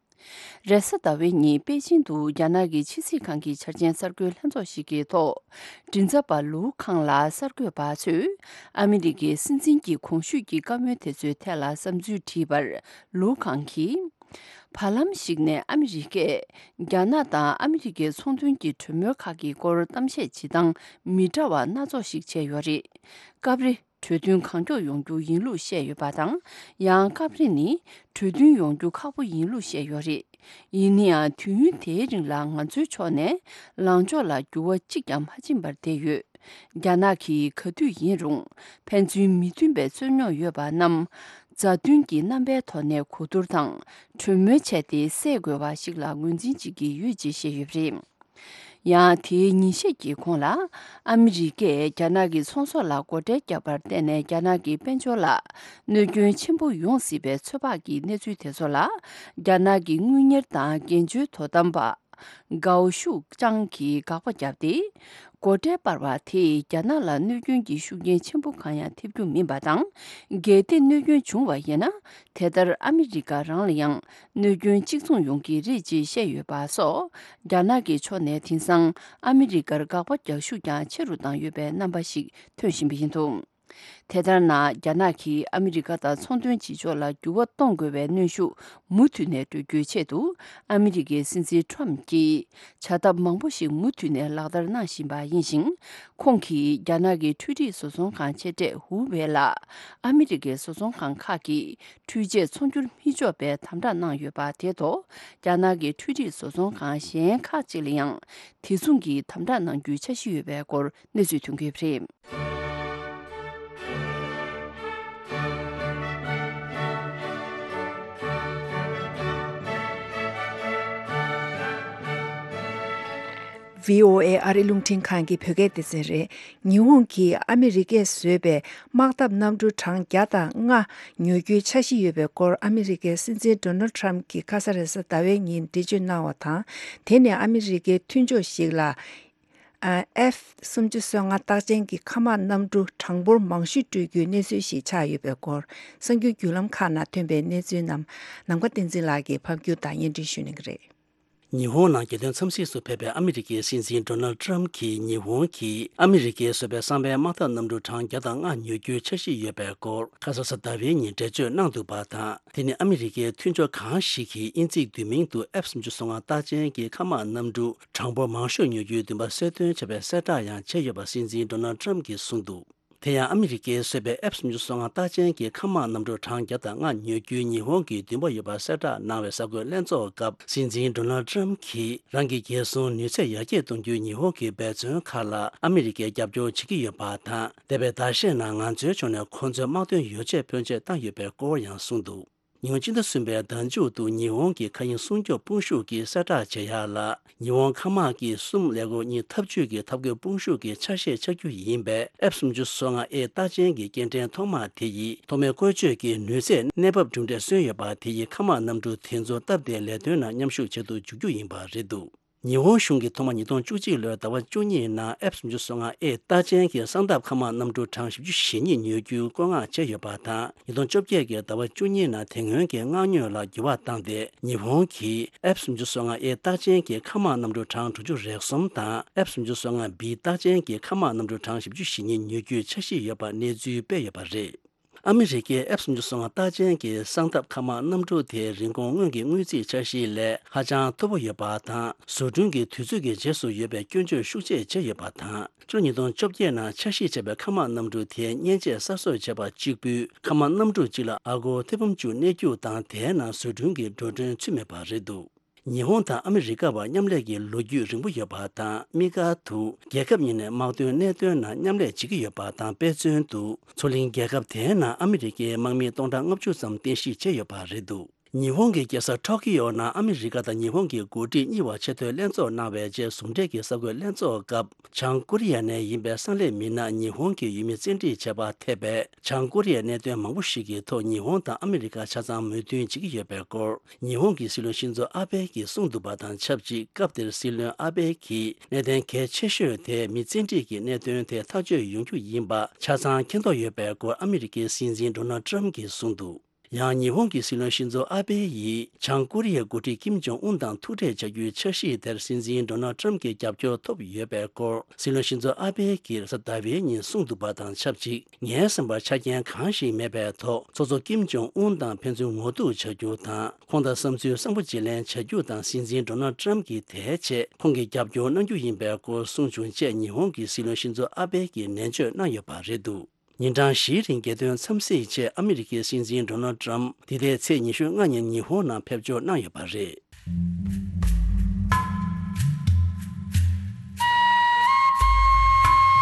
རེས་གཟའ་ཟླ་བའི་ཉིན་པེ་ཅིང་དུ་རྒྱ་ནག་གི་ཕྱི་སྲིད་ཁང་གི་འཆར་ཅན་གསར་འགོད་ལྷན་ཚོགས་ཤིག་གི་ཐོག་མགྲིན་ཚབ་པ་ལུའུ་ཁང་ལ་གསར་འགོད་པ་ཚོས་ཨ་མི་རི་ཀའི་སྲིད་འཛིན་གྱི་གོང་ཞུས་ཀྱི་བཀའ་མོལ་དེ་ཚོའི་ཐད་ལ་བསམ་ཚུལ་དྲིས་པར། ལུའུ་ཁང་གིས། བར་ལམ་ཞིག་ནས་ཨ་མི་རི་ཀས་རྒྱ་ནག་དང་ཨ་མི་རི་ཀའི་ཚོང་དོན་གྱི་གྲོས་མོལ་ཁག་གི་སྐོར་གཏམ་བཤད་བྱེད་སྟངས་མི་འདྲ་བ་སྣ་ཚོགས་ཤིག་བྱས་ཡོད་རེད། སྐབས་རེ་གྲོས་མཐུན་གང་མགྱོགས་ཡོང་རྒྱུ་ཡིན་ལུགས་བཤད་ཡོད་པ་དང་། ཡང་སྐབས་རེ་ནི་གྲོས་མཐུན་ཡོང་རྒྱུ་ཁག་པོ་ཡིན་ལུགས་བཤད་ཡོད་རེད། ཡིན་ན་ཡང་དུས་ཡུན་དེའི་རིང་ལ་ང་ཚོའི་ཕྱོགས་ནས་ལངས་ཕྱོགས་ལ་འགྱུར་བ་གཅིག་ཀྱང་མ་ཕྱིན་པར་བསྡད་ཡོད། རྒྱ་ནག་གིས་ག་དུས་ཡིན་རུང་ཕན་ཚུན་མི་མཐུན་པའི་རྩོད་རྙོག་ཡོད་པ་རྣམས་མཛའ་མཐུན་གྱི་རྣམ་པའི་ཐོག་ནས་གོ་བསྡུར་དང་གྲོས་མོལ་བྱས་ཏེ་སེལ་དགོས་པ་ཞིག་ལ་ངོས་འཛིན་བྱེད་ཀྱི་ཡོད་ཅེས་བཤད་ཡོད་པ་རེད། ཡང་དེའི་ཉིན་ཤས་ཀྱི་གོང་ལ་ཨ་མི་རི་ཀས་རྒྱ་ནག་གི་ཚོང་ཟོག་ལ་སྒོ་ཁྲལ་བརྒྱབ་པར་བརྟེན་ནས་རྒྱ་ནག་གི་དཔལ་འབྱོར་ལ་གནོད་སྐྱོན་ཆེན་པོ་ཡོང་སྲིད་པའི་ཚོད་དཔག་གི་གནས་ཚུལ་དེ་ཚོ་ལ་རྒྱ་ནག་གི་དངུལ་གཉེར་དང་འགན་བཅོལ་དོ་དམ་པ། ཀའོ་ཤུའུ་ཅང་གིས་དགག་པ་བརྒྱབ་སྟེ། སྒོ་ཁྲལ་སྤར་བ་དེས་རྒྱ་ནག་ལ་གནོད་སྐྱོན་གྱི་ཤུགས་རྐྱེན་ཆེན་པོ་གང་ཡང་ཐེབས་རྒྱུ་མིན་པ་དང་། གལ་ཏེ་གནོད་སྐྱོན་བྱུང་བ་ཡིན་ན། དེ་ལྟར་ཨ་མི་རི་ཀ་རང་ལ་ཡང་གནོད་སྐྱོན་གཅིག་མཚུངས་ཡོང་གི་རེད་ཅེས་བཤད་ཡོད་པ་སོགས། རྒྱ་ནག་གི་ཕྱོགས་ནས་དེང་སང་ཨ་མི་རི་ཀར་དགག་པ་རྒྱག་ཤུགས་ཀྱང་ཆེ་རུ་བཏང་ཡོད་པའི་རྣམ་པ་ཞིག་ཐོན་བཞིན་པ་ཡིན་འདུག་དེ་ལྟར་ན། རྒྱ་ནག་གིས་ཨ་མི་རི་ཀ་དང་ཚོང་དོན་བྱེད་ཕྱོགས་ལ་འགྱུར་བ་གཏོང་དགོས་པའི་གནོན་ཤུགས་མུ་མཐུད་ནས་སྤྲོད་རྒྱུའི་ཆེད་དུ། ཨ་མི་རི་ཀའི་སྲིད་འཛིན་ཁྲོམ་གྱིས་བྱ་ཐབས་མང་པོ་ཞིག་མུ་མཐུད་ནས་ལག་བསྟར་གནང་བཞིན་པ་ཡིན་ཞིང་། ཁོང་གིས་རྒྱ་ནག་གི་འཕྲུལ་རིག་བཟོ་ཚོང་ཁང་ཆེ་གྲས་ཧུ་ཝེ་ལ། ཨ་མི་རི་ཀའི་བཟོ་ཚོང་ཁང་ཁག་གིས་འཕྲུལ་ཆས་ཚོང་སྒྱུར་མི་ཆོག་པའི་དམ་དྲག་གནང་ཡོད་པ་དེ་ཐོག་རྒྱ་ནག་གི་འཕྲུལ་རིག་བཟོ་ཚོང་ཁང་གཞན་ཁག་ཅིག་ལ་ཡང་དེ་མཚུངས་ཀྱི་དམ་དྲག་གནང་རྒྱུའི་འཆར་གཞི་ཡོད་པའི་སྐོར་གནས་ཚུལ་ཐོན་གྱི་ཡོད་པ་རེད། ཝི་ཨོ་ཨེ་ཨ་རི་རླུང་འཕྲིན་ཁང་གི་བོད་སྐད་སྡེ་ཚན་རེད། ཉི་ཧོང་གིས་ཨ་མི་རི་ཀས་བཟོས་པའི་དམག་འཐབ་གནམ་གྲུ་གྲངས་བརྒྱ་དང་ལྔ་ཉོ་རྒྱུའི་འཆར་གཞི་ཡོད་པའི་སྐོར་ཨ་མི་རི་ཀའི་སྲིད་འཛིན་ཌོ་ནལ་ཊམ་གྱིས་ཁ་ས་རེ་ས་ཟླ་བའི་ཉིན་འགྲེལ་བརྗོད་གནང་བ་དང་། དེ་ནི་ཨ་མི་རི་ཀའི་མཐུན་ཕྱོགས་ཤིག་ལ། ཨེཕ་སུམ་ཅུ་སོ་ལྔ་རྟགས་ཅན་གྱི་མཁའ་དམག་གནམ་གྲུ་གྲངས་འབོར་མང་ཤོས་སྤྲོད་རྒྱུའི་གནས་ཚུལ་ཞིག་ཆགས་ཡོད་པའི་སྐོར། གསར་འགྱུར་བརྒྱུད་ལམ་ཁག་ནང་ཐོན་པའི་གནས་ཚུལ་རྣམས་ནམ་མཁའ་བསྟན་འཛིན་ལགས་ཀྱིས་ཕབ་སྒྱུར་དང་སྙན་སྒྲོན་ཞུ་གནང་གི་རེད། ཉི་ཧོང་ནང་རྒྱལ་དོན་འཚམས་གཟིགས་སུ་ཕེབས་པའི་ཨ་མི་རི་ཀའི་སྲིད་འཛིན་ཌོ་ནལ་ཊམ་གྱིས་ཉི་ཧོང་གིས་ཨ་མི་རི་ཀས་བཟོས་པའི་གསང་བའི་དམག་འཐབ་གནམ་གྲུ་གྲངས་བརྒྱ་དང་ལྔ་ཉོ་རྒྱུའི་འཆར་གཞི་ཡོད་པའི་སྐོར་ཁ་ས་རེ་ས་ཟླ་བའི་ཉིན་འགྲེལ་བརྗོད་གནང་འདུག་པ་དང་། དེ་ནི་ཨ་མི་རི་ཀའི་མཐུན་ཕྱོགས་གང་ཞིག་གིས་དབྱིན་ཚིག་བསྡུས་མིང་དུ་ཨེཕ་སུམ་ཅུ་སོ་ལྔ་རྟགས་ཅན་གྱི་མཁའ་དམག་གནམ་གྲུ་གྲངས་འབོར་མང་ཤོས་ཉོ་རྒྱུའི་འདུན་པ་གསལ་སྟོན་བྱས་པའི་གསལ་བསྒྲགས་ཡང་བྱས་ཡོད་པ་སྲིད་འཛིན་ཌོ་ནལ་ཊམ་གྱིས་གསུངས་འདུག་དེ་ཡང་ཨ་མི་རི་ཀས་བཟོས་པའི་ཨེཕ་སུམ་ཅུ་སོ་ལྔ་རྟགས་ཅན་གྱི་མཁའ་དམག་གནམ་གྲུ་གྲངས་བརྒྱ་དང་ལྔ་ཉོ་རྒྱུའི་ཉི་ཧོང་གི་འདུན་པ་ཡོད་པ་གསལ་བསྒྲགས་གནང་བའི་གསར་འགོད་ལྷན་ཚོགས་སྐབས་སྲིད་འཛིན་ཌོ་ནལ་ཊམ་གྱིས་རང་གི་རྒྱལ་སྲུང་ནུས་ཚད་ཡར་རྒྱས་གཏོང་རྒྱུའི་ཉི་ཧོང་གི་འབད་བརྩོན་ཁག་ལ་ཨ་མི་རི་ཀས་རྒྱབ་སྐྱོར་བྱེད་ཀྱི་ཡོད་པ་དང་། འདས་པའི་ཟླ་ཤས་ནང་ང་ཚོའི་ཕྱོགས་ནས་ཁོང་ཚོའི་དམག་དོན་ཡོ་བྱད་ཕོན་ཆེ་བཏང་ཡོད་པའི་སྐོར་ཡང་གསུངས་འདུག་ཉིས་སྟོང་ཉི་ཤུ་ཟླ་མཇུག་ཏུ་ཉི་ཧོང་གི་མཁའ་དབྱིངས་སྲུང་སྐྱོབ་དཔུང་ཤུགས་ཀྱིས་གསལ་བསྒྲགས་བྱེད་ཡག་ལ། ཉི་ཧོང་མཁའ་དམག་གི་གསུམ་ཀླད་ཀོར་གཉིས་འཐབ་ཇུས་ཀྱི་འཐབ་རྒོལ་དཔུང་ཤུགས་ཀྱི་ཆ་ཤས་ཆགས་རྒྱུ་ཡིན་པས། ཨེཕ་སུམ་ཅུ་སོ་ལྔ་ཨེ་རྟགས་ཅན་གྱི་སྐྱེལ་འདྲེན་ཐོག་མ་དེ་ཡིས་ཐོག་མའི་བཀོལ་སྤྱོད་ཀྱི་ནུས་ཚད་གནས་བབ་གྲུབ་འབྲས་སོན་ཡོད་པ་དེ་ཡིས་མཁའ་དམག་གནམ་གྲུ་དེ་ཚོ་སྟབས་བདེའི་ལས་དོན་ནང་མཉམ་ཞུགས་བྱེད་དུ་འཇུག་རྒྱུ་ཡིན་པ་རེད་འདུག་ཉི་ཧོང་གཞུང་གིས་ཐོག་མར་ཉིས་སྟོང་བཅུ་གཅིག་ལོའི་ཟླ་བ་བཅུ་གཉིས་ནང་ཨེཕ་སུམ་ཅུ་སོ་ལྔ་ཨེ་རྟགས་ཅན་གྱི་གསང་ཐབས་མཁའ་དམག་གནམ་གྲུ་གྲངས་བཞི་བཅུ་ཞེ་གཉིས་ཉོ་རྒྱུའི་བཀོད་མངགས་བྱས་ཡོད་པ་དང་། ཉིས་སྟོང་བཅོ་བརྒྱད་ཀྱི་ཟླ་བ་བཅུ་གཉིས་ནང་དེ་སྔོན་གྱི་མངགས་ཉོ་ལ་འགྱུར་བ་བཏང་སྟེ། ཉི་ཧོང་གིས་ཨེཕ་སུམ་ཅུ་སོ་ལྔ་ཨེ་རྟགས་ཅན་གྱི་མཁའ་དམག་གནམ་གྲུ་གྲངས་དྲུག་ཅུ་རེ་གསུམ་དང་། ཨེཕ་སུམ་ཅུ་སོ་ལྔ་བི་རྟགས་ཅན་གྱི་མཁའ་དམག་གནམ་གྲུ་གྲངས་བཞི་བཅུ་ཞེ་གཉིས་ཉོ་རྒྱུའི་འཆར་གཞི་ཡོད་པ་གནས་ཚུལ་སྤེལ་ཡོད་པ་རེད། ཨ་མི་རི་ཀའི་ཨེཕ་སུམ་ཅུ་སོ་ལྔ་རྟགས་ཅན་གྱི་གསང་ཐབས་མཁའ་དམག་གནམ་གྲུ་དེའི་རིན་གོང་སྔོན་གྱི་དངུལ་རྩིས་འཆར་གཞིའི་ལས་ཧ་ཅང་མཐོ་པོ་ཡོད་པ་དང་། བཟོ་སྐྲུན་གྱི་དུས་ཚོད་ཀྱི་རྗེས་སུ་ཡོད་པའི་སྐྱོན་བརྗོད་ཤུགས་ཆེ་བྱས་ཡོད་པ་དང་། ཕྱི་ལོ་ཉིས་སྟོང་བཅོ་བརྒྱད་ནང་འཆར་གཞི་བྱས་པའི་མཁའ་དམག་གནམ་གྲུ་དེའི་མཉེན་ཆས་གསར་བཟོ་བྱས་པ་གཅིག་པུས་མཁའ་དམག་གནམ་གྲུ་གཅིག་ལ་ཨ་སྒོར་ཐེར་འབུམ་བཅུ་གནས་རྒྱུ་དང་། དེའི་ནང་བཟོ་སྐྲུན་གྱི་འགྲོ་གྲོན་ཚུད་མེད་པ་རེད་འདུག་ཉི་ཧོང་དང་ཨ་མི་རི་ཀ་བར་མཉམ་ལས་ཀྱི་ལོ་རྒྱུས་རིང་པོ་ཡོད་པ་དང་། དམིགས་བཀར་དུ་རྒྱལ་ཁབ་གཉིས་ནས་དམག་དོན་གནད་དོན་ནང་མཉམ་ལས་བྱེད་ཀྱི་ཡོད་པ་དང་། དཔེ་མཚོན་དུ་མཚོ་གླིང་རྒྱལ་ཁབ་དེའི་ནང་ཨ་མི་རི་ཀའི་དམག་མི་སྟོང་ཕྲག་ལྔ་བཅུ་ཙམ་རྟེན་གཞི་བྱས་ཡོད་པ་རེད་འདུག་ཉི་ཧོང་གི་རྒྱལ་ས་ཊོ་ཀི་ཡོ་ནང་ཨ་མི་རི་ཀ་དང་ཉི་ཧོང་གི་འགོ་ཁྲིད་གཉིས་བར་ཆེས་མཐོའི་ལྷན་ཚོགས་གནང་བའི་རྗེས་ཟུང་འབྲེལ་གྱི་གསར་འགོད་ལྷན་ཚོགས་སྐབས། བྱང་ཀོ་རི་ཡ་ནས་ཡིན་པའི་གསང་ལས་མི་སྣ་ཉི་ཧོང་གི་ཡུལ་མི་བཙན་ཁྲིད་བྱས་པ་ཐེ་བའི་བྱང་ཀོ་རི་ཡའི་གནད་དོན་མང་པོ་ཞིག་གི་ཐོག་ཉི་ཧོང་དང་ཨ་མི་རི་ཀ་ཆ་ཚང་མོས་མཐུན་བྱེད་ཀྱི་ཡོད་པའི་སྐོར། ཉི་ཧོང་གི་སྲིད་བློན་ཤིན་ཛོ་ཨ་བྷེ་ཡིས་གསུངས་འདུག་པ་དང་ཆབས་ཅིག་སྐབས་དེར་སྲིད་བློན་ཨ་བྷེ་ཡིས་གནད་དོན་གལ་ཆེ་ཤོས་དེ་མི་བཙན་ཁྲིད་ཀྱི་གནད་དོན་དེ་ཐག་གཅོད་ཡོང་རྒྱུ་ཡིན་པ་ཆ་ཚང་མཁྱེན་རྟོགས་ཡོད་པའི་སྐོར་ཨ་མི་རི་ཀའི་སྲིད་འཛིན་ཌོ་ནལ་ཊམ་གྱིས་གསུངས་འདུག་ཡང་ཉི་ཧོང་གི་སྲིད་བློན་ཤིན་ཛོ་ཨ་བྷེ་ཡིས་བྱང་ཀོ་རི་ཡའི་འགོ་ཁྲིད་ཀིམ་ཇོང་ཨུན་དང་ཐུག་འཕྲད་བྱ་རྒྱུའི་འཆར་གཞི་དེར་སྲིད་འཛིན་ཌོ་ནལ་ཊམ་གྱི་རྒྱབ་སྐྱོར་ཐོབ་ཡོད་པའི་སྐོར། སྲིད་བློན་ཤིན་ཛོ་ཨ་བྷེ་ཡིས་རེས་གཟའ་ཟླ་བའི་ཉིན་གསུངས་འདུག་པ་དང་ཆབས་ཅིག་ངའི་བསམ་པར་ཆ་རྐྱེན་གང་ཞིག་མེད་པའི་ཐོག་ཚོགས་གཙོ་ཀིམ་ཇོང་ཨུན་དང་ཕན་ཚུན་ངོ་ཐུག་བྱ་རྒྱུ་དང་། ཁོང་དང་བསམ་ཚུལ་བཟང་པོ་བརྗེ་ལེན་བྱ་རྒྱུ་དང་། སྲིད་འཛིན་ཌོ་ནལ་ཊམ་གྱིས་དེའི་ཆེད་ཁོང་གི་རྒྱབ་སྐྱོར་གནང་རྒྱུ་ཡིན་པའི་སྐོར་གསུངས་བྱུང་ཅེས་ཉི་ཧོང་གི་སྲིད་བློན་ཤིན་ཛོ་ཨ་བྷེ་ཡིས་ནན་བརྗོད་གནང་ཡོད་པ་རེད་འདུག་ཉིན་གྲངས་བཞིའི་རིང་རྒྱལ་དོན་འཚམས་གཟིགས་ཆེད་ཨ་མི་རི་ཀའི་སྲིད་འཛིན་ཌོ་ནལ་ཏྲམ་འདི་ཟླའི་ཚེས་ཉི་ཤུ་ལྔ་ཉིན་ཉི་ཧོང་ནང་ཕེབས་འབྱོར་གནང་ཡོད་པ་རེད།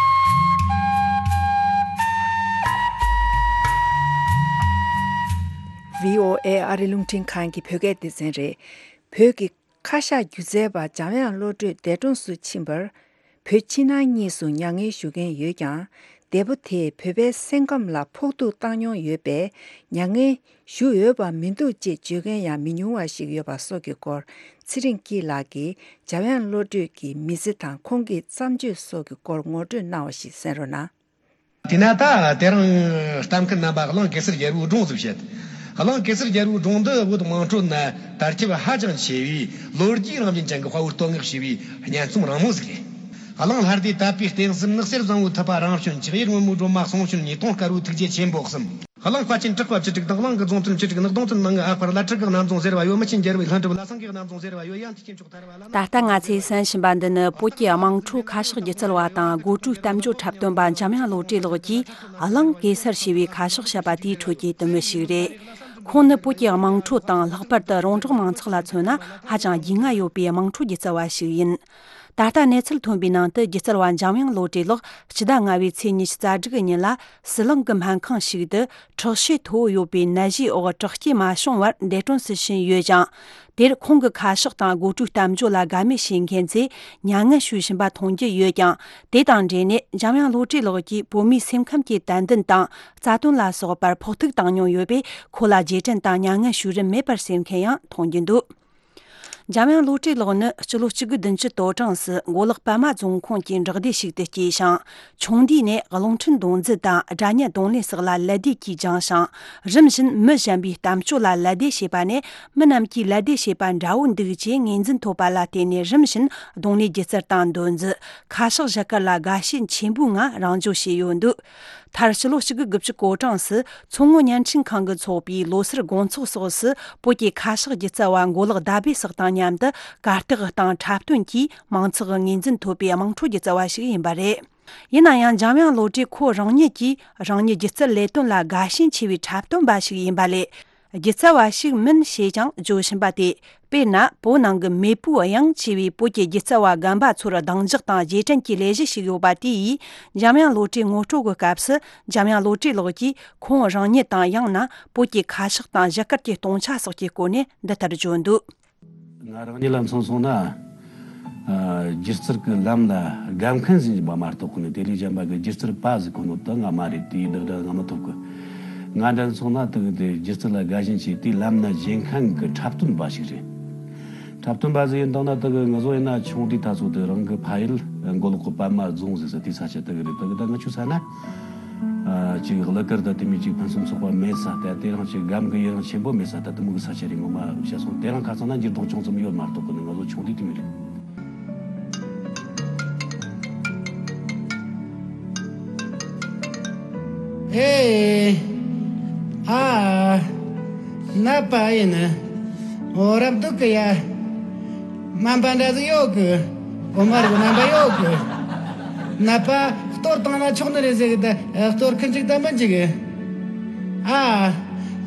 ཝི་ཨོ་ཨེ་ཨ་རི་རླུང་འཕྲིན་ཁང་གི་བོད་སྐད་སྡེ་ཚན་རེད། བོད་ཀྱི་ཁ་ཤགས་སྒྱུ་རྩལ་པ་འཇམ་དབྱངས་བློ་གྲོས་འདས་གྲོངས་སུ་ཕྱིན་པར། བོད་ཕྱི་ནང་གཉིས་སུ་མྱ་ངན་ཞུ་མཁན་ཡོད་ཀྱང་། འདས་པོ་དེས་བོད་པའི་སེམས་ཁམས་ལ་ཕོག་ཐུག་བཏང་མྱོང་ཡོད་པས། མྱ་ངན་ཞུ་འོས་པ་མི་འདུག་ཅེས་བརྗོད་མཁན་ཡང་མི་ཉུང་བ་ཞིག་ཡོད་པ་སོགས་ཀྱི་སྐོར། ཚེ་རིང་སྐྱིད་ལགས་ཀྱིས་འཇམ་དབྱངས་བློ་གྲོས་ཀྱི་མི་ཚེ་དང་ཁོང་གི་བརྩམས་ཆོས་སོགས་ཀྱི་སྐོར་ངོ་སྤྲོད་གནང་བ་ཞིག་གསན་རོགས་གནང་། དེས་ན་ད་དེ་རིང་གཏམ་མཁན་རྣམ་པ་གླིང་གེ་སར་རྒྱལ་པོའི་སྒྲུང་ཟིག་བཤད། གླིང་གེ་སར་རྒྱལ་པོའི་སྒྲུང་འདི་བོད་དམངས་ཁྲོད་ན་དར་ཁྱབ་ཧ་ཅང་ཆེ་བའི་ལོ་རྒྱུས་རང་བཞིན་ཅན་གྱི་དཔའ་བོའི་བསྟོད་བསྔགས་བྱས་པའི་སྙན་རྩོམ་རིང་མོ་ཟིག་རེད། གླིང་ལྷ་སྡེ་དད་པའི་རྟེན་གསུམ། ནགས་གསེར་བཟང་བོའི་ཐུབ་པ་རང་བྱོན། ཆགས་ཡུལ་སྔོན་མོའི་སྒྲོལ་མ་གསུང་བྱོན་གཉིས། དུང་དཀར་བོའི་ཐུགས་རྗེ་ཆེན་པོ་གསུམ། གླིང་དཔལ་ཆེན་གྲགས་པ་བཅུ་དྲུག་དང་། གླིང་གི་རྫོང་དོན་བཅུ་དྲུག་ནགས་གདོང་དོན་ནང་གི་ཨ་ཕར་ལ་ཁྲི་གི་གནམ་རྫོང་ཟེར་བ་ཡོད། མི་ཆེན་རྒྱལ་བའི་ལྷུན་གྲུབ་ལ་སེང་གེ་གནམ་རྫོང་ཟེར་བ་ཡོད། ཡང་ཐེག་ཆེན་མཆོག་ཐར་བ་ལ། ད་ལྟ་ང་ཚོས་གསན་བཞིན་པ་འདི་ནི་བོད་ཀྱི་དམངས་ཁྲོད་ཁ་ཕྱག་སྒྱུ་རྩལ་བ་དང་སྒོ་སྤྲོའི་གཏམ་བརྗོད་འཁྲབ་སྟོན་པ་འཇམ་དབྱངས་བློ་གྲོས་ལགས་ཀྱིས་གླིང་གེ་སར་ཞེས་པའི་ཁ་ཕྱག་བཤད་པ་དེའི་ཁྲོད་ཀྱི་དུ་མི་ཞིག་རེད། ཁོང་ནི་བོད་ཀྱི་དམངས་ཁྲོད་དང་ལྷག་པར་དུ་རོང་འབྲོག་མང་ཚོགས་ལ་མཚོན་ན་ཧ་ཅང་རྒྱུས་མངའ་ཡོད་པའི་དམངས་ཁྲོད་སྒྱུ་རྩལ་བ་ཞིག་ཡིན། ད་ལྟ་གནས་ཚུལ་ཐོན་པའི་ནང་དུ་སྒྱུ་རྩལ་བ་འཇམ་དབྱངས་བློ་གྲོས་ལགས་སྤྱི་ཟླ་ལྔ་པའི་ཚེས་ཉི་ཤུ་རྩ་དྲུག་གི་ཉིན་ལ་ཟི་ལིང་གི་སྨན་ཁང་ཞིག་ཏུ་དྲག་ཤུགས་མཐོ་བོ་ཡོད་པའི་ནད་གཞིའི་འོག་དྲག་སྐྱེད་མ་བྱུང་བར་འདས་གྲོངས་སུ་ཕྱིན་ཡོད་ཅིང་། དེར་ཁོང་གི་ཁ་ཕྱག་དང་སྒོ་སྤྲོའི་གཏམ་བརྗོད་ལ་དགའ་མོས་བྱེད་མཁན་ཚོས་མྱ་ངན་ཞུ་བཞིན་པ་མཐོང་རྒྱུ་ཡོད་ཀྱང་། དེ་དང་འབྲེལ་ནས་འཇམ་དབྱངས་བློ་གྲོས་ལགས་ཀྱིས་བོད་མིའི་སེམས་ཁམས་ཀྱི་དད་འདུན་དང་རྩ་དོན་ལ་སོགས་པར་ཕོག་ཐུག་བཏང་མྱོང་ཡོད་པས། ཁོ་ལ་རྗེས་དྲན་དང་མྱ་ངན་ཞུ་རིན་མེད་པར་སེམས་མཁན་ཡང་མཐོང་རྒྱུ་འདུག། འཇམ་དབྱངས་བློ་གྲོས་ལགས་ནི་སྤྱི་ལོ་གཅིག་དགུ་བདུན་ཅུ་དོ་གྲངས་སུ་མགོ་ལོག་པདྨ་རྫོང་ཁོངས་ཀྱི་འབྲོག་སྡེ་ཞིག་ཏུ་སྐྱེས་ཤིང་། ཆུང་དུས་ནས་རླུང་འཕྲིན་རྡུང་རྫུ་དང་སྒྲ་སྙན་རྡུང་ལེན་སོགས་ལ་ལད་ཟློས་ཀྱིས་སྦྱངས་ཤིང་། རིམ་བཞིན་མི་གཞན་པའི་གཏམ་བརྗོད་ལ་ལད་ཟློས་བྱེད་པ་ནས། མི་རྣམས་ཀྱིས་ལད་ཟློས་བྱེད་པ་འདྲ་བོ་འདུག་ཅེས་ངོས་འཛིན་ཐོབ་པ་ལ་བརྟེན་ནས། རིམ་བཞིན་རྡུང་ལེན་སྒྱུ་རྩལ་དང་། འདོན་རྫུ། ཁ་ཕྱག་བཞད་གད་ལ་དགའ་ཞེན་ཆེན་པོའི་ངང་རང་འཇོག་བྱས་ཡོད་འདུག། མཐར་ཕྱི་ལོ་གཅིག་དགུ་དགུ་བཅུ་གོ་གྲངས་སུ་མཚོ་སྔོན་བརྙན་འཕྲིན་ཁང་གིས་འཚོགས་པའི་ལོ་སར་དགོང་ཚོགས་སོགས་སུ་བོད་ཀྱི་ཁ་ཕྱག་སྒྱུ་རྩལ་བ་མགོ་ལོག་ཟླ་བྷེ་སོགས་དང་མཉམ་དུ་གར་སྟེགས་སྟེང་འཁྲབ་སྟོན་གྱིས་མང་ཚོགས་ཀྱི་ངོས་འཛིན་ཐོབ་པའི་དམངས་ཁྲོད་སྒྱུ་རྩལ་བ་ཞིག་ཡིན་པ་རེད། ཡིན་ན་ཡང་། འཇམ་དབྱངས་བློ་གྲོས་ཁོ་རང་ཉིད་ཀྱིས་རང་ཉིད་སྒྱུ་རྩལ་ལས་དོན་ལ་དགའ་ཞེན་ཆེ་བའི་འཁྲབ་སྟོན་པ་ཞིག་ཡིན་པ་ལས། སྒྱུ་རྩལ་བ་ཞིག་མིན་ཞེས་ཀྱང་བརྗོད་བཞིན་པ་སྟེ། དཔེར་ན། བོད་ནང་གི་མེས་པོའི་དབྱངས་ཅེས་པའི་བོད་ཀྱི་སྒྱུ་རྩལ་བ་རྒན་པ་ཚོར་གདེང་འཇོག་དང་རྗེས་དྲན་གྱི་ལས་གཞི་ཞིག་ཡོད་པ་དེ་ཡིས། འཇམ་དབྱངས་བློ་གྲོས་ངོ་སྤྲོད་ཀྱི་སྐབས་སུ། འཇམ་དབྱངས་བློ་གྲོས་ལགས་ཀྱིས་ཁོང་རང་ཉིད་དང་། ཡང་ན་བོད་ཀྱི་ཁ་ཕྱག་དང་བཞད་གད་ཀྱི་སྟོང་ཆ་སོགས་ཀྱི་སྐོར་ནས་འདི་ལྟར་བརྗོད་འདུག། ང་རང་ཉིད་ལ་མཚོན་སོང་ན། ཨ། སྒྱུ་རྩལ་གྱི་ལམ་ལ་དགའ་མཁན་ཟིག་ཡིན་པ་མ་གཏོགས་ནི། དེ་ལས་གཞན་པ་གི་སྒྱུ་རྩལ་པ་ཟིག་ཁོ་ནོ་དེ་ང་མ་རེད། དེའི་བདག་སྒྲ་ང་མི་ཐོབ་གི། ང་འདྲ་མཚོན་ན་དེ་གི་དེ་སྒྱུ་རྩལ་ལ་དགའ་ཞེན་ཆེ། དེའི་ལམ་ན་བཞེངས་མཁན་གྱི་འཁྲབ་སྟོན་པ་ཞིག་རེད། འཁྲབ་སྟོན་པ་ཟིག་ཡིན་དང་ན། དེ་གི་ང་ཚོ་ཡིན་ན་ཆུང་དུས་ད་ཚོ་དེ་རང་གི་ཕ་ཡུལ་མགོ་ལོག་གི་པདྨ་རྫོང་ཟེར་ས་དེའི་ས་ཆ་དེ་གི་རེད། དེ་གི་ད་ང་ཆུ་ས་ན། ཨ། ཅིག་གླུ་གར་དང་དེ་མོ་ཅིག་ཕུན་སུམ་ཚོགས་པ་མེད་ས་དེ། དེ་རིང་ཅིག་སྒམ་གི་ཡུན་རིང་ཆེན་པོ་མེད་ས་དེ། དེ་མོ་གི་ས་ཆ་རེད། ངོ་མ་བཤད་སོང་། དེ་རིང་ཁ་སང་ན་འགྱུར་ལྡོག་ཅུང་ཙམ་ཡོད་མ་གཏོགས་གི་ནི། ང་ཚོ་ཆུང་དུས་དེ་མོ་རེད། ཨེ། ཨ། ནད་པ་ཡིན། འོ། རབ་སྡུག་གི་ཡ། སྨན་པ་འདྲ་ཟིག་ཡོད་གི། འོ་མ་རེད། སྨན་པ་ཡོད་གི། ནད་པ་གཏོར་བཏང་ན་ཆོག་ནི་རེད་ཟེར་གི། ད་གཏོར་གི་འཇུག་ད་མི་འཇུག་གི། ཨ།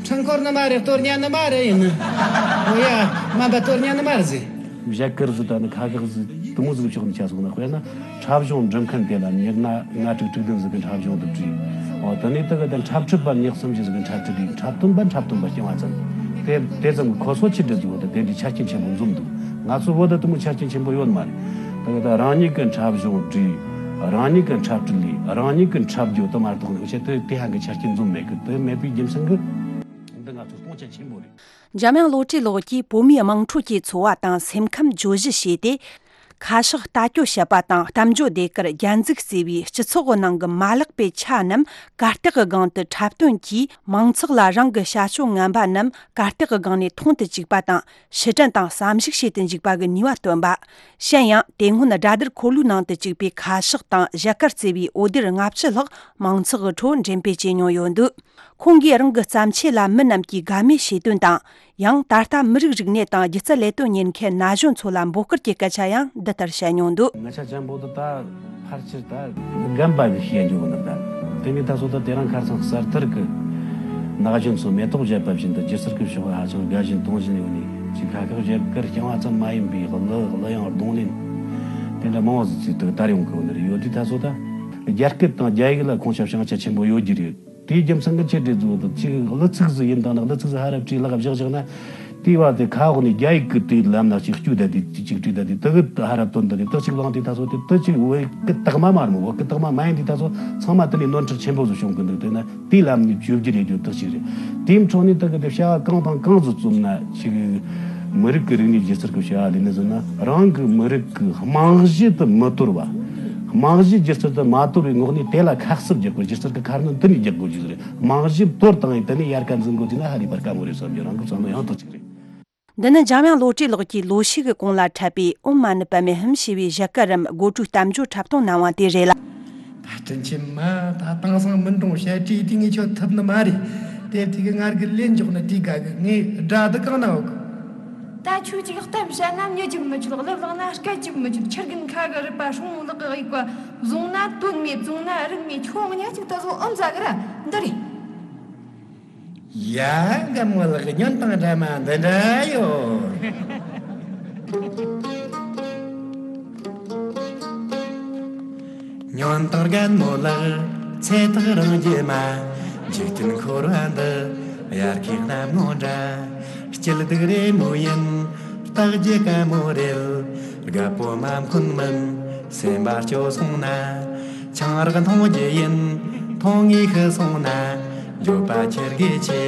འཕྲུལ་འཁོར་ནི་མ་རེད། གཏོར་ཉན་ནི་མ་རེད་ཡིན། འོ་ཡ། སྨན་པ་གཏོར་ཉན་ནི་མ་རེད་ཟེར། བཞད་གད་ཟིག་དང་ནི་ཁ་གག་ཟིག་དེ་མོ་ཟིག་ཕྱོགས་ནས་ཆ་སོང་ན། དཔེར་ན་འཁྲབ་གཞུང་འབྲི་མཁན་དེ་ལ་ཉེར་ལྔ་དྲུག་དྲུག་བདུན་ཟིག་གི་འཁྲབ་གཞུང་དེ་བྲིས། འོ། དེ་ནས་དེ་གི་དེ་འཁྲབ་ཁྲིད་པ་ཉེར་གསུམ་བཞི་ཟིག་གི་འཁྲབ་ཁྲིད་བྲིས། འཁྲབ་སྟོན་པ་འཁྲབ་སྟོན་པ་རྐྱང་བ་ཙམ། དེ་དེ་ཙམ་གི་ཁོ་ཚོ་ཆི་འདྲ་ཟིག་ཡོད་དེ། དེ་འདྲའི་ཆ་རྐྱེན་ཆེན་པོ་འཛོམས་འདུག། ང་ཚོ་བོད་དུ་དེ་མོ་ཆ་རྐྱེན་ཆེན་པོ་ཡོད་མ་རེད། དེ་གི་ད་རང་ཉིད་གི་འཁྲབ་གཞུང་བྲིས། རང་ཉིད་གི་འཁྲབ་ཁྲིད་ལས། རང་ཉིད་གི་འཁྲབ་རྒྱུ་དེ་མ་གཏོགས་ནི་ཆེད་དུ་དེ་ཧང་གི་ཆ་རྐྱེན་འཛོམས་མེད་གི། དེ་མེད་པའི་རྒྱུ་མཚན་གི་འདི་ང་ཚོ་སྟོང་ཆ་ཆེན་པོ་རེད། འཇམ་དབྱངས་བློ་གྲོས་ལགས་ཀྱིས་བོད་མིའི་དམངས་ཁྲོད་ཀྱི་འཚོ་བ་དང་སེམས་ཁམས་བརྗོད་གཞི་བྱས་ཏེ། ཁ་ཕྱག་ལྟ་སྐྱོང་བྱེད་པ་དང་། གཏམ་བརྗོད་ཟློས་གར། རྒྱན་འཛུགས་ཟེར་བའི་སྤྱི་ཚོགས་ཀྱི་ནང་གི་མ་ལག་པའི་ཆ་རྣམས་གར་སྟེགས་ཀྱི་སྒང་དུ་འཁྲབ་སྟོན་གྱིས། མང་ཚོགས་ལ་རང་གི་བྱ་སྤྱོད་ངན་པ་རྣམས་གར་སྟེགས་ཀྱི་སྒང་ནས་མཐོང་དུ་བཅུག་པ་དང་། ཕྱིར་དྲན་དང་བསམ་གཞིག་བྱེད་དུ་འཇུག་པ་གི་ནུས་པ་སྟོན་པ། གཞན་ཡང་། དེ་སྔོན་དགྲ་སྡེར་འཁོར་ལོའི་ནང་དུ་བཅུག་པའི་ཁ་ཕྱག་དང་བཞད་གད་ཟེར་བའི་འོད་སྡེར་ལྔ་བཅུ་ལྷག་མང་ཚོགས་ཀྱི་ཁྲོད་འགྲེམས་སྤེལ་བྱས་མྱོང་ཡོད་འདུག། ཁོང་གིས་རང་གི་བརྩམས་ཆོས་ལ་མི་རྣམས་ཀྱིས་དགའ་མོས་བྱེད་དོན་དང་། ཡང་ད་ལྟ་མི་རིགས་རིག་གནས་དང་སྒྱུ་རྩལ་ལས་དོན་གཉེར་མཁན་ན་གཞོན་ཚོ་ལ་འབོད་སྐུལ་གྱི་སྐད་ཆ་ཡང་འདི་ལྟར་བཤད་མྱོང་འདུག། ང་ཆ་ཅན་པོ་དེ་ད་ཕལ་ཆེར་ད་རྒན་པ་གི་བཤད་རྒྱུ་ནི། ད་དེ་ནས་ད་སོ་ད་དེ་རིང་ཁ་སང་གསར་དར་གི་ན་གཞོན་ཚོ་མེ་ཏོག་བཞད་པ་བཞིན་དུ་སྒྱུ་རྩལ་གི་ཕྱོགས་ཧ་ཅང་དགའ་ཞིང་དུང་ཞིང་ཡོད་ནས། ཅིག་ཁ་ཁག་བཞད་གད་རྐྱང་བ་ཙམ་མ་ཡིན་པའི་གླུ་གླུ་དབྱངས་རྡུང་ལེན་དེ་འདྲ་མང་བོ་ཟིག་ཅིག་ད་དར་ཡོང་གི་ཡོད་ནི་རེད། ཡོད་དུས་ད་སོ་ད་རྒྱ་སྐད་དང་རྒྱ་ཡིག་ལ་ཁོང་ཆ་བྱང་ཆ་ཆེན་པོ་ཡོད་རྒྱུ་རེད། དེའི་རྒྱུ་མཚན་གྱི་ཆེད་དུ་བཟོ་དུ་ཅིག་གླུ་ཚིག་ཟིག་ཡིན་དང་ན། གླུ་ཚིག་ཟིག་ཧ་ར་བྲིས་ལག་བཞག་བཞག་ན། དེའི་བར་དེ་ཁ་འོག་ནས་རྒྱ་ཡིག་གི་དེའི་ལམ་ན་ཅིག་བསྐྱོད་བསྡད་དེ། ཅིག་བྲིས་བསྡད་དེ། དེ་གི་ཧ་ར་བཏོན་བསྡད་དེ། དེ་ཅིག་བླངས་དེ་ད་སོ་དེ་དེ་ཅིག་བོད་སྐད་དག་མ་མ་རེད་མོ། བོད་སྐད་དག་མ་མ་ཡིན་དེ་ད་སོ་ཚང་མ་དེ་ནས་ནོར་འཁྲུལ་ཆེན་པོ་ཟིག་བྱུང་གི་འདུག། དེ་ན་དེའི་ལམ་ནས་བཅོས་བསྒྱུར་ཡེད་རྒྱུ་དག་ཅིག་རེད། དེའི་འཕྲོ་ནས་དེ་གི་དེ་བྱ་བ་གང་དང་གང་ཟིག་བརྩམས་ན། ཅིག་མི་རིགས་ཀྱི་རིག་གནས་སྒྱུ་རྩལ་གྱི་བྱ་བ་ལས་ནི་ཟེར་ན། རང་གི་མི་རིགས་ཀྱི་རྨང་གཞི་དེ་མི་དོར་བ། རྨང་གཞི་སྒྱུ་རྩལ་དེ་མ་དོར་བའི་ངོགས་ནས་དེ་ལ་ཁ་གསབ་རྒྱག་དགོས། སྒྱུ་རྩལ་གྱི་ཁ་སྣོན་དེ་ནས་རྒྱག་དགོས་རྒྱུ་རེད། རྨང་གཞི་དོར་བཏང་ཡིན་དེ་ནས་ཡར་ཀ་འཛིན་དགོས་རྒྱུ་ན་ཧ་ལས་པར་དཀའ་མོ་རེད་བསམ་རྒྱུ་རང་གི་བསམ་བློ་ཡང་དག་ཅིག་རེད། འདི་ནི་འཇམ་དབྱངས་བློ་གྲོས་ལགས་ཀྱིས་ལོ་ཤས་ཀྱི་གོང་ལ་འཁྲབ་པའི་ཨོཾ་མ་ཎི་པདྨེ་ཧཱུྃ་ཞེས་པའི་ཞལ་སྐད་རམ་སྒོ་དྲུག་གཏམ་བརྗོད་འཁྲབ་སྟོན་གནང་བ་དེ་རེད་ལ། ད་དྲིན་ཆེན་མ་ད་དེང་སང་མི་འགྲོ་བཤད་བྲིས་དེ་ངས་ཁྱོད་ཐུབ་ནི་མ་རེད། དེབ་དེ་གི་ངར་གི་ལེན་འཇོག་ནི་དེ་དགའ་གི། ངས་དགྲ་དུ་གང་ན་འོག་གི། ད་ཁྱོད་ཅིག་གཏམ་བཤད་ན་མྱི་རྒྱུག་མི་ཆོད། གླུ་བླངས་ན་སྐད་རྒྱུག་མི་ཆོད། ཁྱི་རྒན་ཁ་གི་རུས་པ་སྲུང་ལག་གི་དབྱུག་པ། བཟུང་ན་དོན་མེད། བཙོང་ན་རིན་མེད། ཁྱོད་གཉིས་ཅིག་ད་གཟོད་ཨོཾ་ཟ་གི་ར། འདི་རེད། ཡ། འགའ་མོ་ལགས་ཀྱི་སྙན་དང་འདྲ་མ་འདི་འདྲ་ཡོད། སྙན་དང་རྒན་མོ་ལགས་ཚེ་ཐག་རིང་རྒྱུ་མ། འཇིག་རྟེན་འཁོར་བ་འདི་དབྱར་ཁའི་གནམ་ངོ་འདྲ། སྐྱིད་སྡུག་རེ་མོ་ཡིན་རྟག་རྒྱུ་དཀའ་མོ་རེད། རྒད་པོ་མ་འཁོན་མིན་སེམས་པ་སྐྱོ་སོང་ན། ཆང་རག་འཐུང་རྒྱུ་ཡིན་འཐུང་ངེས་ཤི་སོང་ན། འགྱོད་པ་ཁྱེར་དགོས་ཆེ།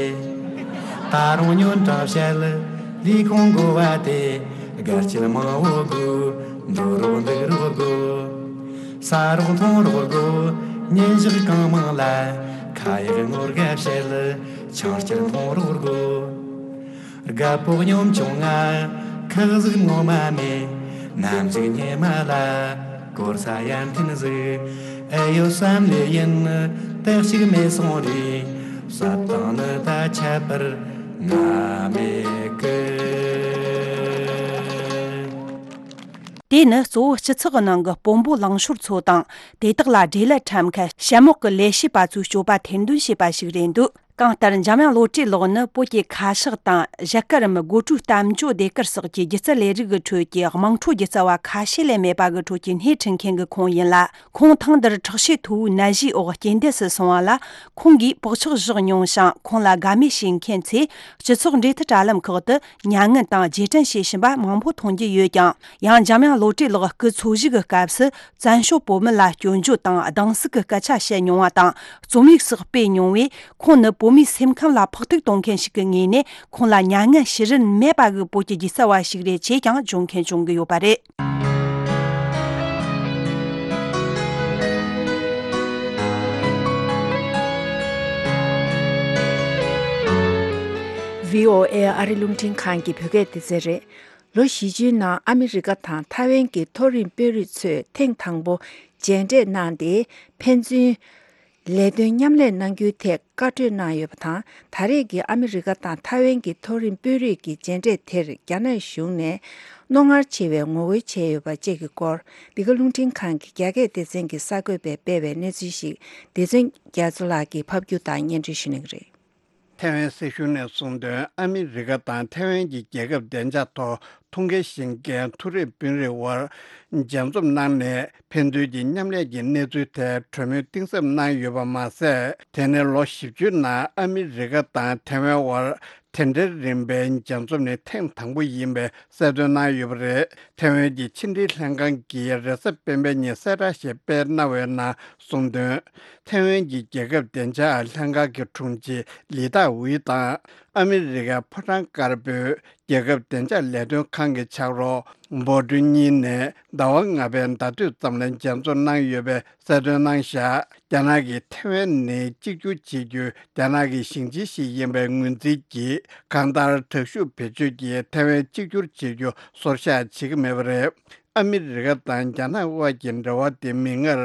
ད་རུང་སྙན་གྲགས་བཤད་ལས་ཁུངས་དགོས་པ་དེ། དགའ་སྐྱིད་མང་བོ་དགོས། འགྲོ་རོགས་འདུག་རོགས་དགོས། ཟ་རོགས་འཐུང་རོགས་དགོས། ཉིན་ཞག་གང་མང་ལ་ཁ་ཡག་ངོ་དགའ་བཤད་ལས་ཆང་སྐྱུར་འཐུང་རོགས་དགོས། རྒད་པོ་གཉོམ་ཆུང་ང་ཁག་ཟིག་ངོ་མ་མེད། ནམ་ཟིག་ཉི་མ་ལ་སྐོར་ས་ཡར་འཐེན་ཟིག་ཨེ་ཡོད་བསམ་ལེ་ཡིན། དེ་གཅིག་མེད་སོང་རེད། བསད་བཏང་ནི་ད་ཁྱད་པར་ང་མེད་གི། དེ་ནི་གཙོ་བོ་སྤྱི་ཚོགས་ནང་གི་དཔོན་པོ་ལངས་ཤོར་ཚོ་དང་། དེ་དག་ལ་འབྲེལ་ལད་འཁྲབ་མཁན་ཞྭ་མོག་གི་ལས་བྱེད་པ་ཚོའི་སྤྱོད་པ་ཐེར་འདོན་བྱས་པ་ཞིག་རེད་འདུག་གང་ལྟར་འཇམ་དབྱངས་བློ་གྲོས་ལགས་ནི་བོད་ཀྱི་ཁ་ཕྱག་དང་ཞལ་སྐད་རམ་སྒོ་དྲུག་གཏམ་བརྗོད་ཟློས་གར་སོགས་ཀྱི་སྒྱུ་རྩལ་ལས་རིགས་ཀྱི་ཁྲོད་ཀྱི་དམངས་ཁྲོད་སྒྱུ་རྩལ་བ་ཁ་ཤས་ལས་མེད་པ་གི་ཁྲོད་ཀྱི་སྣེ་ཁྲིད་མཁན་གྱི་ཁོང་ཡིན་ལ། ཁོང་ཐེངས་འདིར་ཁྲག་ཤེད་མཐོ་བོའི་ནད་གཞིའི་འོག་རྐྱེན་འདས་སུ་སོང་བ་ལ། ཁོང་གིས་པགས་ཆག་བཞག་མྱོང་ཞིང་། ཁོང་ལ་དགའ་མོས་བྱེད་མཁན་ཚོས་སྤྱི་ཚོགས་འབྲེལ་མཐུད་དྲ་ལམ་ཁག་ཏུ་མྱ་ངན་དང་རྗེས་དྲན་བྱེད་བཞིན་པ་མང་པོ་མཐོང་རྒྱུ་ཡོད་ཀྱང་། ཡང་འཇམ་དབྱངས་བློ་གྲོས་ལགས་སྐུ་འཚོ་བཞུགས་ཀྱི་སྐབས་སུ། བཙན་བྱོལ་བོད་མི་ལ་སྐྱོན་བརྗོད་དང་སྡང་ཟུག་གི་སྐད་ཆ་བཤད་མྱོང་བ་དང་། རྩོམ་ཡིག་སོགས་སྤེལ་མྱོང་བས། ཁོང་ནི་བོད་མིའི་སེམས་ཁམས་ལ་ཕོག་ཐུག་གཏོང་མཁན་ཞིག་གི་ངོས་ནས། ཁོང་ལ་མྱ་ངན་བྱེད་རིན་མེད་པ་གི་བོད་ཀྱི་སྒྱུ་རྩལ་བ་ཞིག་རེད་ཅེས་ཀྱང་བརྗོད་མཁན་བྱུང་གི་ཡོད་པ་རེད། བྷི་ཨོ་ཨེ་ཨ་རི་རླུང་འཕྲིན་ཁང་གི་བོད་སྐད་སྡེ་ཚན་རེད། ལོ་བཞི་བཅུའི་ནང་ཨ་མི་རི་ཀ་དང་ཐའེ་ཝན་གྱི་མཐོ་རིམ་དཔོན་རིགས་ཚོས་ཐེངས་དང་པོ་མཇལ་འཕྲད་གནང་སྟེ། ཕན་ཚུན་ལས་དོན་མཉམ་ལས་གནང་རྒྱུའི་ཐད་བཀའ་གྲོས་གནང་ཡོད་པ་དང་། ད་རེས་ཀྱི་ཨ་མི་རི་ཀ་དང་ཐའེ་ཝན་གྱི་མཐོ་རིམ་དཔོན་རིགས་ཀྱི་མཇལ་འཕྲད་དེར་རྒྱ་ནག་གཞུང་ནས་རྣོ་ངར་ཆེ་བའི་ངོ་རྒོལ་བྱས་ཡོད་པ་བཅས་ཀྱི་སྐོར། འདི་ག་རླུང་འཕྲིན་ཁང་གི་རྒྱ་སྐད་སྡེ་ཚན་གྱི་གསར་འགོད་པས་སྤེལ་བའི་གནས་ཚུལ་ཞིག་སྡེ་ཚན་རྒྱ་མཚོ་ལགས་ཀྱིས་ཕབ་སྒྱུར་དང་སྙན་སྒྲོན་ཞུ་གནང་གི་རེད། ཐའེ་ཝན་སྲིད་གཞུང་ནས་གསུངས་དོན། ཨ་མི་རི་ཀ་དང་ཐའེ་ཝན་གྱི་རྒྱལ་ཁབ་བདེ་འཇགས་ཐོག་ཐུགས་འགན་བཞེས་མཁན་མཐོ་རིམ་དཔོན་རིགས་དབར་མཇལ་འཛོམས་གནང་ནས། ཕན་ཚུན་གྱི་མཉམ་ལས་ཀྱི་གནས་ཚུལ་ཐད་གྲོས་མོལ་གཏིང་ཟབ་གནང་ཡོད་པ་མ་ཟད། དེ་ནི་ལོ་བཞི་བཅུའི་ནང་ཨ་མི་རི་ཀ་དང་ཐའེ་ཝན་དབར་དེ་འདྲའི་རིམ་པའི་མཇལ་འཛོམས་ནི་ཐེངས་དང་པོ་ཡིན་པའི་གསལ་སྟོན་གནང་ཡོད་པ་རེད། ཐའེ་ཝན་གྱི་ཕྱི་འབྲེལ་ལྷན་ཁང་གིས་རེས་གཟའ་སྤེན་པའི་ཉིན་གསལ་བསྒྲགས་ཤིག་སྤེལ་གནང་བའི་ནང་གསུངས་དོན། ཐའེ་ཝན་གྱི་རྒྱལ་ཁབ་བདེ་འཇགས་ལྷན་ཁང་གི་དྲུང་ཆེ་ལི་ཏཱ་ཝི་དང་། ཨ་མི་རི་ཀའི་ཕོ་བྲང་དཀར་པོའི་རྒྱལ་ཁབ་བདེ་འཇགས་ལས་དོན་ཁང་གི་ཕྱག་རོགས་འབོ་ཀྲུན་གཉིས་ནས་ཟླ་བ་ལྔ་པའི་ཟླ་སྟོད་ཙམ་ལ་མཇལ་འཛོམས་གནང་ཡོད་པའི་གསལ་སྟོན་གནང་བཞག་རྒྱ་ནག་གིས་ཐའེ་ཝན་ནི་གཅིག་གྱུར་བྱེད་རྒྱུ་རྒྱ་ནག་གི་ཞིང་ཆེན་ཞིག་ཡིན་པའི་ངོས་འཛིན་གྱིས། གང་ལྟར་དྲག་ཤུགས་བེད་སྤྱོད་ཀྱིས་ཐའེ་ཝན་གཅིག་གྱུར་བྱེད་རྒྱུ་སོར་བཞག་བྱེད་ཀྱི་མེད་པ་རེད། ཨ་མི་རི་ཀ་དང་རྒྱ་ནག་དབར་གྱི་འབྲེལ་བ་དེ་མིག་སྔར་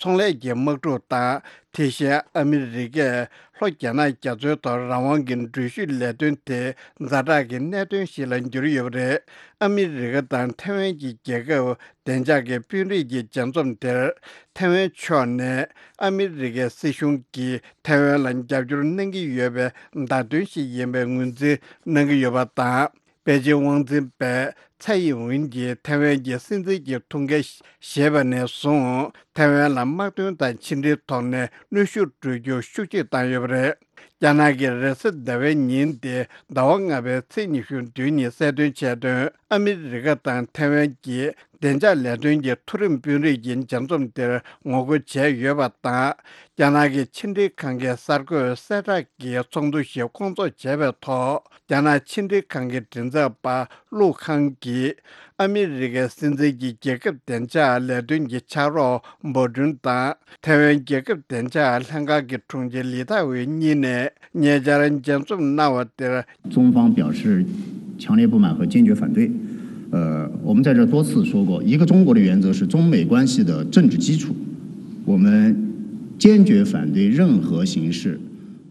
ཚོང་ལས་ཀྱི་དམག་འཁྲུག་དང་། དེ་བཞིན་ཨ་མི་རི་ཀས་ལྷོ་རྒྱ་ནག་རྒྱ་མཚོའི་ཐོག་རང་དབང་གི་འགྲུལ་བཞུད་ལས་དོན་དེ་ཛ་དྲག་གི་གནད་དོན་ཞིག་ལ་གྱུར་ཡོད་པ་རེད། ཨ་མི་རི་ཀ་དང་ཐའེ་ཝན་གྱི་རྒྱལ་ཁབ་བདེ་འཇགས་ཀྱི་དཔོན་རིགས་ཀྱི་མཇལ་འཛོམས་དེར། ཐའེ་ཝན་ཕྱོགས་ནས་ཨ་མི་རི་ཀའི་སྲིད་གཞུང་གིས་ཐའེ་ཝན་ལ་རྒྱབ་སྐྱོར་གནང་གི་ཡོད་པའི་བརྡ་སྟོན་ཞིག་ཡིན་པའི་ངོས་འཛིན་གནང་གི་ཡོད་པ་དང་། པེ་ཅིང་དབང་འཛིན་པས་ཚའེ་ཡིན་ཝིན་གྱིས་ཐའེ་ཝན་གྱི་སྲིད་འཛིན་གྱི་ཐུགས་འགན་བཞེས་པ་ནས་བཟུང་། ཐའེ་ཝན་ལ་དམག་དོན་དང་ཕྱི་འབྲེལ་ཐོག་ནས་གནོན་ཤུགས་སྤྲོད་རྒྱུ་ཤུགས་ཆེ་བཏང་ཡོད་པ་རེད། རྒྱ་ནག་གིས་རེས་གཟའ་ཟླ་བའི་ཉིན་ཏེ་ཟླ་བ་ལྔ་པའི་ཚེས་ཉི་ཤུ་བདུན་ཉིན་གསལ་སྟོན་བྱས་དོན། ཨ་མི་རི་ཀ་དང་ཐའེ་ཝན་གྱི་བདེ་འཇགས་ལས་དོན་གྱི་མཐོ་རིམ་དཔོན་རིགས་ཀྱི་མཇལ་འཛོམས་དེར་ངོ་རྒོལ་བྱས་ཡོད་པ་དང་། རྒྱ་ནག་གི་ཕྱི་འབྲེལ་ཁང་གིས་གསར་འགོད་གསལ་བསྒྲགས་ཀྱི་ཚོགས་འདུ་ཞིག་སྐོང་ཚོགས་བྱས་པའི་ཐོག་རྒྱ་ནག་ཕྱི་འབྲེལ་ཁང་གི་མགྲིན་ཚབ་པ་ལུའུ་ཁང་གིས། ཨ་མི་རི་ཀའི་སྲིད་འཛིན་གྱི་རྒྱལ་ཁབ་བདེ་འཇགས་ལས་དོན་གྱི་ཕྱག་རོགས་འབོ་ཀྲུན་དང་། ཐའེ་ཝན་རྒྱལ་ཁབ་བདེ་འཇགས་ལྷན་ཁང་གི་དྲུང་ཆེ་ལི་ཐའོ་ཝེ་གཉིས་ནས་ཉེ་ཆར་མཇལ་འཛོམས་གནང་བ་དེར། 中方表示强烈不满和坚决反对。呃，我们在这多次说过，一个中国的原则是中美关系的政治基础。我们坚决反对任何形式，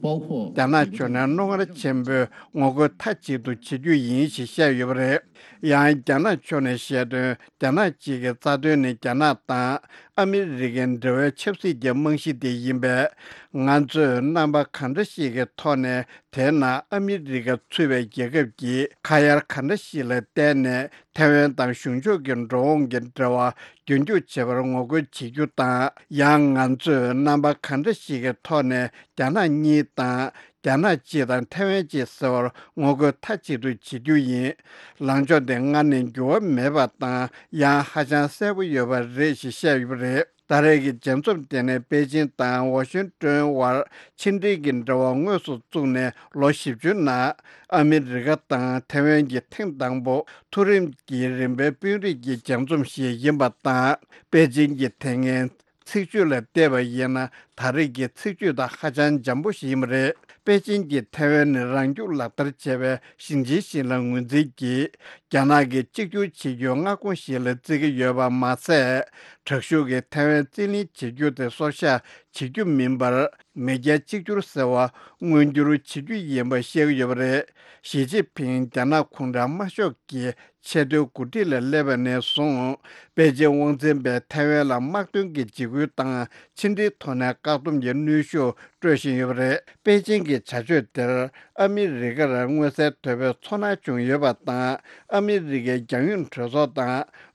包括རྒྱ་ནག་ཕྱོགས་ནས་རྣོ་ངར་ཆེན་པོས་ངོ་རྒོལ་མཐའ་གཅིག་ཏུ་བྱེད་རྒྱུ་ཡིན་ཞེས་བཤད་ཡོད་པ་རེད། ཡང་རྒྱ་ནག་ཕྱོགས་ནས་བཤད་དོན། རྒྱ་ནག་གཅིག་གི་རྩ་དོན་ནི་རྒྱ་ནག་དང་ཨ་མི་རི་ཀའི་འབྲེལ་བའི་ཆབ་སྲིད་ཀྱི་རྨང་གཞི་དེ་ཡིན་པས། ང་ཚོས་རྣམ་པ་གང་འདྲ་ཞིག་གི་ཐོག་ནས་དེའི་ནང་ཨ་མི་རི་ཀ་ཚུད་པའི་རྒྱལ་ཁབ་ཀྱིས་ཁ་ཡར་གང་འདྲ་ཞིག་ལ་བརྟེན་ནས་ཐའེ་ཝན་དང་གཞུང་ཕྱོགས་ཀྱི་འགྲོ་འོང་གི་འབྲེལ་བ་རྒྱུན་སྐྱོང་བྱེད་པར་ངོ་རྒོལ་བྱེད་རྒྱུ་དང་། ཡང་ང་ཚོས་རྣམ་པ་གང་འདྲ་ཞིག་གི་ཐོག་ནས་རྒྱ་ནག་གཉིས་དང་། རྒྱ་ནག་གཅིག་དང་ཐའེ་ཝན་གཅིག་ཟེར་བར་ངོ་རྒོལ་མཐའ་གཅིག་ཏུ་བྱེད་རྒྱུ་ཡིན། ལངས་ཕྱོགས་དེ་སྔར་ནས་འགྱུར་བ་མེད་པ་དང་། ཡང་ཧ་ཅང་གསལ་པོ་ཡོད་པ་རེད་ཞེས་བཤད་ཡོད་པ་རེད། ད་རེས་ཀྱི་མཇལ་འཛོམས་དེ་ནི་པེ་ཅིང་དང་ཝ་ཤིང་ཏོན་དབར་ཕྱི་འབྲེལ་གྱི་འབྲེལ་བ་དངོས་སུ་བཙུགས་ནས་ལོ་བཞི་བཅུ་ནང་ཨ་མི་རི་ཀ་དང་ཐའེ་ཝན་གྱི་ཐེངས་དང་པོ་མཐོ་རིམ་གྱི་རིམ་པའི་དཔོན་རིགས་ཀྱི་མཇལ་འཛོམས་ཤིག་ཡིན་པ་དང་། པེ་ཅིང་གི་དེ་སྔའི་ཚིག་བརྗོད་ལ་བལྟས་པ་ཡིན་ན། ད་རེས་ཀྱི་ཚིག་བརྗོད་དང་ཧ་ཅང་འཇམ་པོ་ཞིག་ཡིན་པ་རེད། པེ་ཅིང་གིས་ཐའེ་ཝན་ནི་རང་སྐྱོང་ལག་བསྟར་བྱས་པའི་ཞིང་ཆེན་ཞིག་ལ་ངོས་འཛིན་གྱིས། རྒྱ་ནག་གིས་གཅིག་གྱུར་བྱེད་རྒྱུའི་མངའ་ཁོངས་ཤིག་ལ་བརྩི་གི་ཡོད་པ་མ་ཟད། དྲག་ཤུགས་ཀྱིས་ཐའེ་ཝན་རྩིས་ལེན་བྱེད་རྒྱུ་དེ་སོར་བཞག་བྱེད་རྒྱུ་མིན་པར། མེས་རྒྱལ་གཅིག་གྱུར་ཟེར་བ་མངོན་འགྱུར་བྱེད་རྒྱུ་ཡིན་པ་བཤད་ཀྱི་ཡོད་པ་རེད། ཞི་ཅིན་ཕིང་རྒྱ་ནག་གུང་ཁྲན་དམར་ཤོག་གི་ཆེས་མཐོའི་འགོ་ཁྲིད་ལ་སླེབས་པ་ནས་བཟུང་། པེ་ཅིང་དབང་འཛིན་པས་ཐའེ་ཝན་ལ་དམག་དོན་གྱི་འཇིགས་སྐུལ་དང་ཕྱི་འབྲེལ་ཐོག་ནས་བཀག་སྡོམ་གྱི་གནོན་ཤུགས་སྤྲོད་བཞིན་ཡོད་པ་རེད། པེ་ཅིང་གི་བྱ་སྤྱོད་དེར་ཨ་མི་རི་ཀར་མངོན་གསལ་དོད་པོའི་ཚོར་སྣང་བྱུང་ཡོད་པ་དང་། ཨ་མི་རི་ཀའི་རྒྱང་ཡོད་གྲོས་ཚོགས་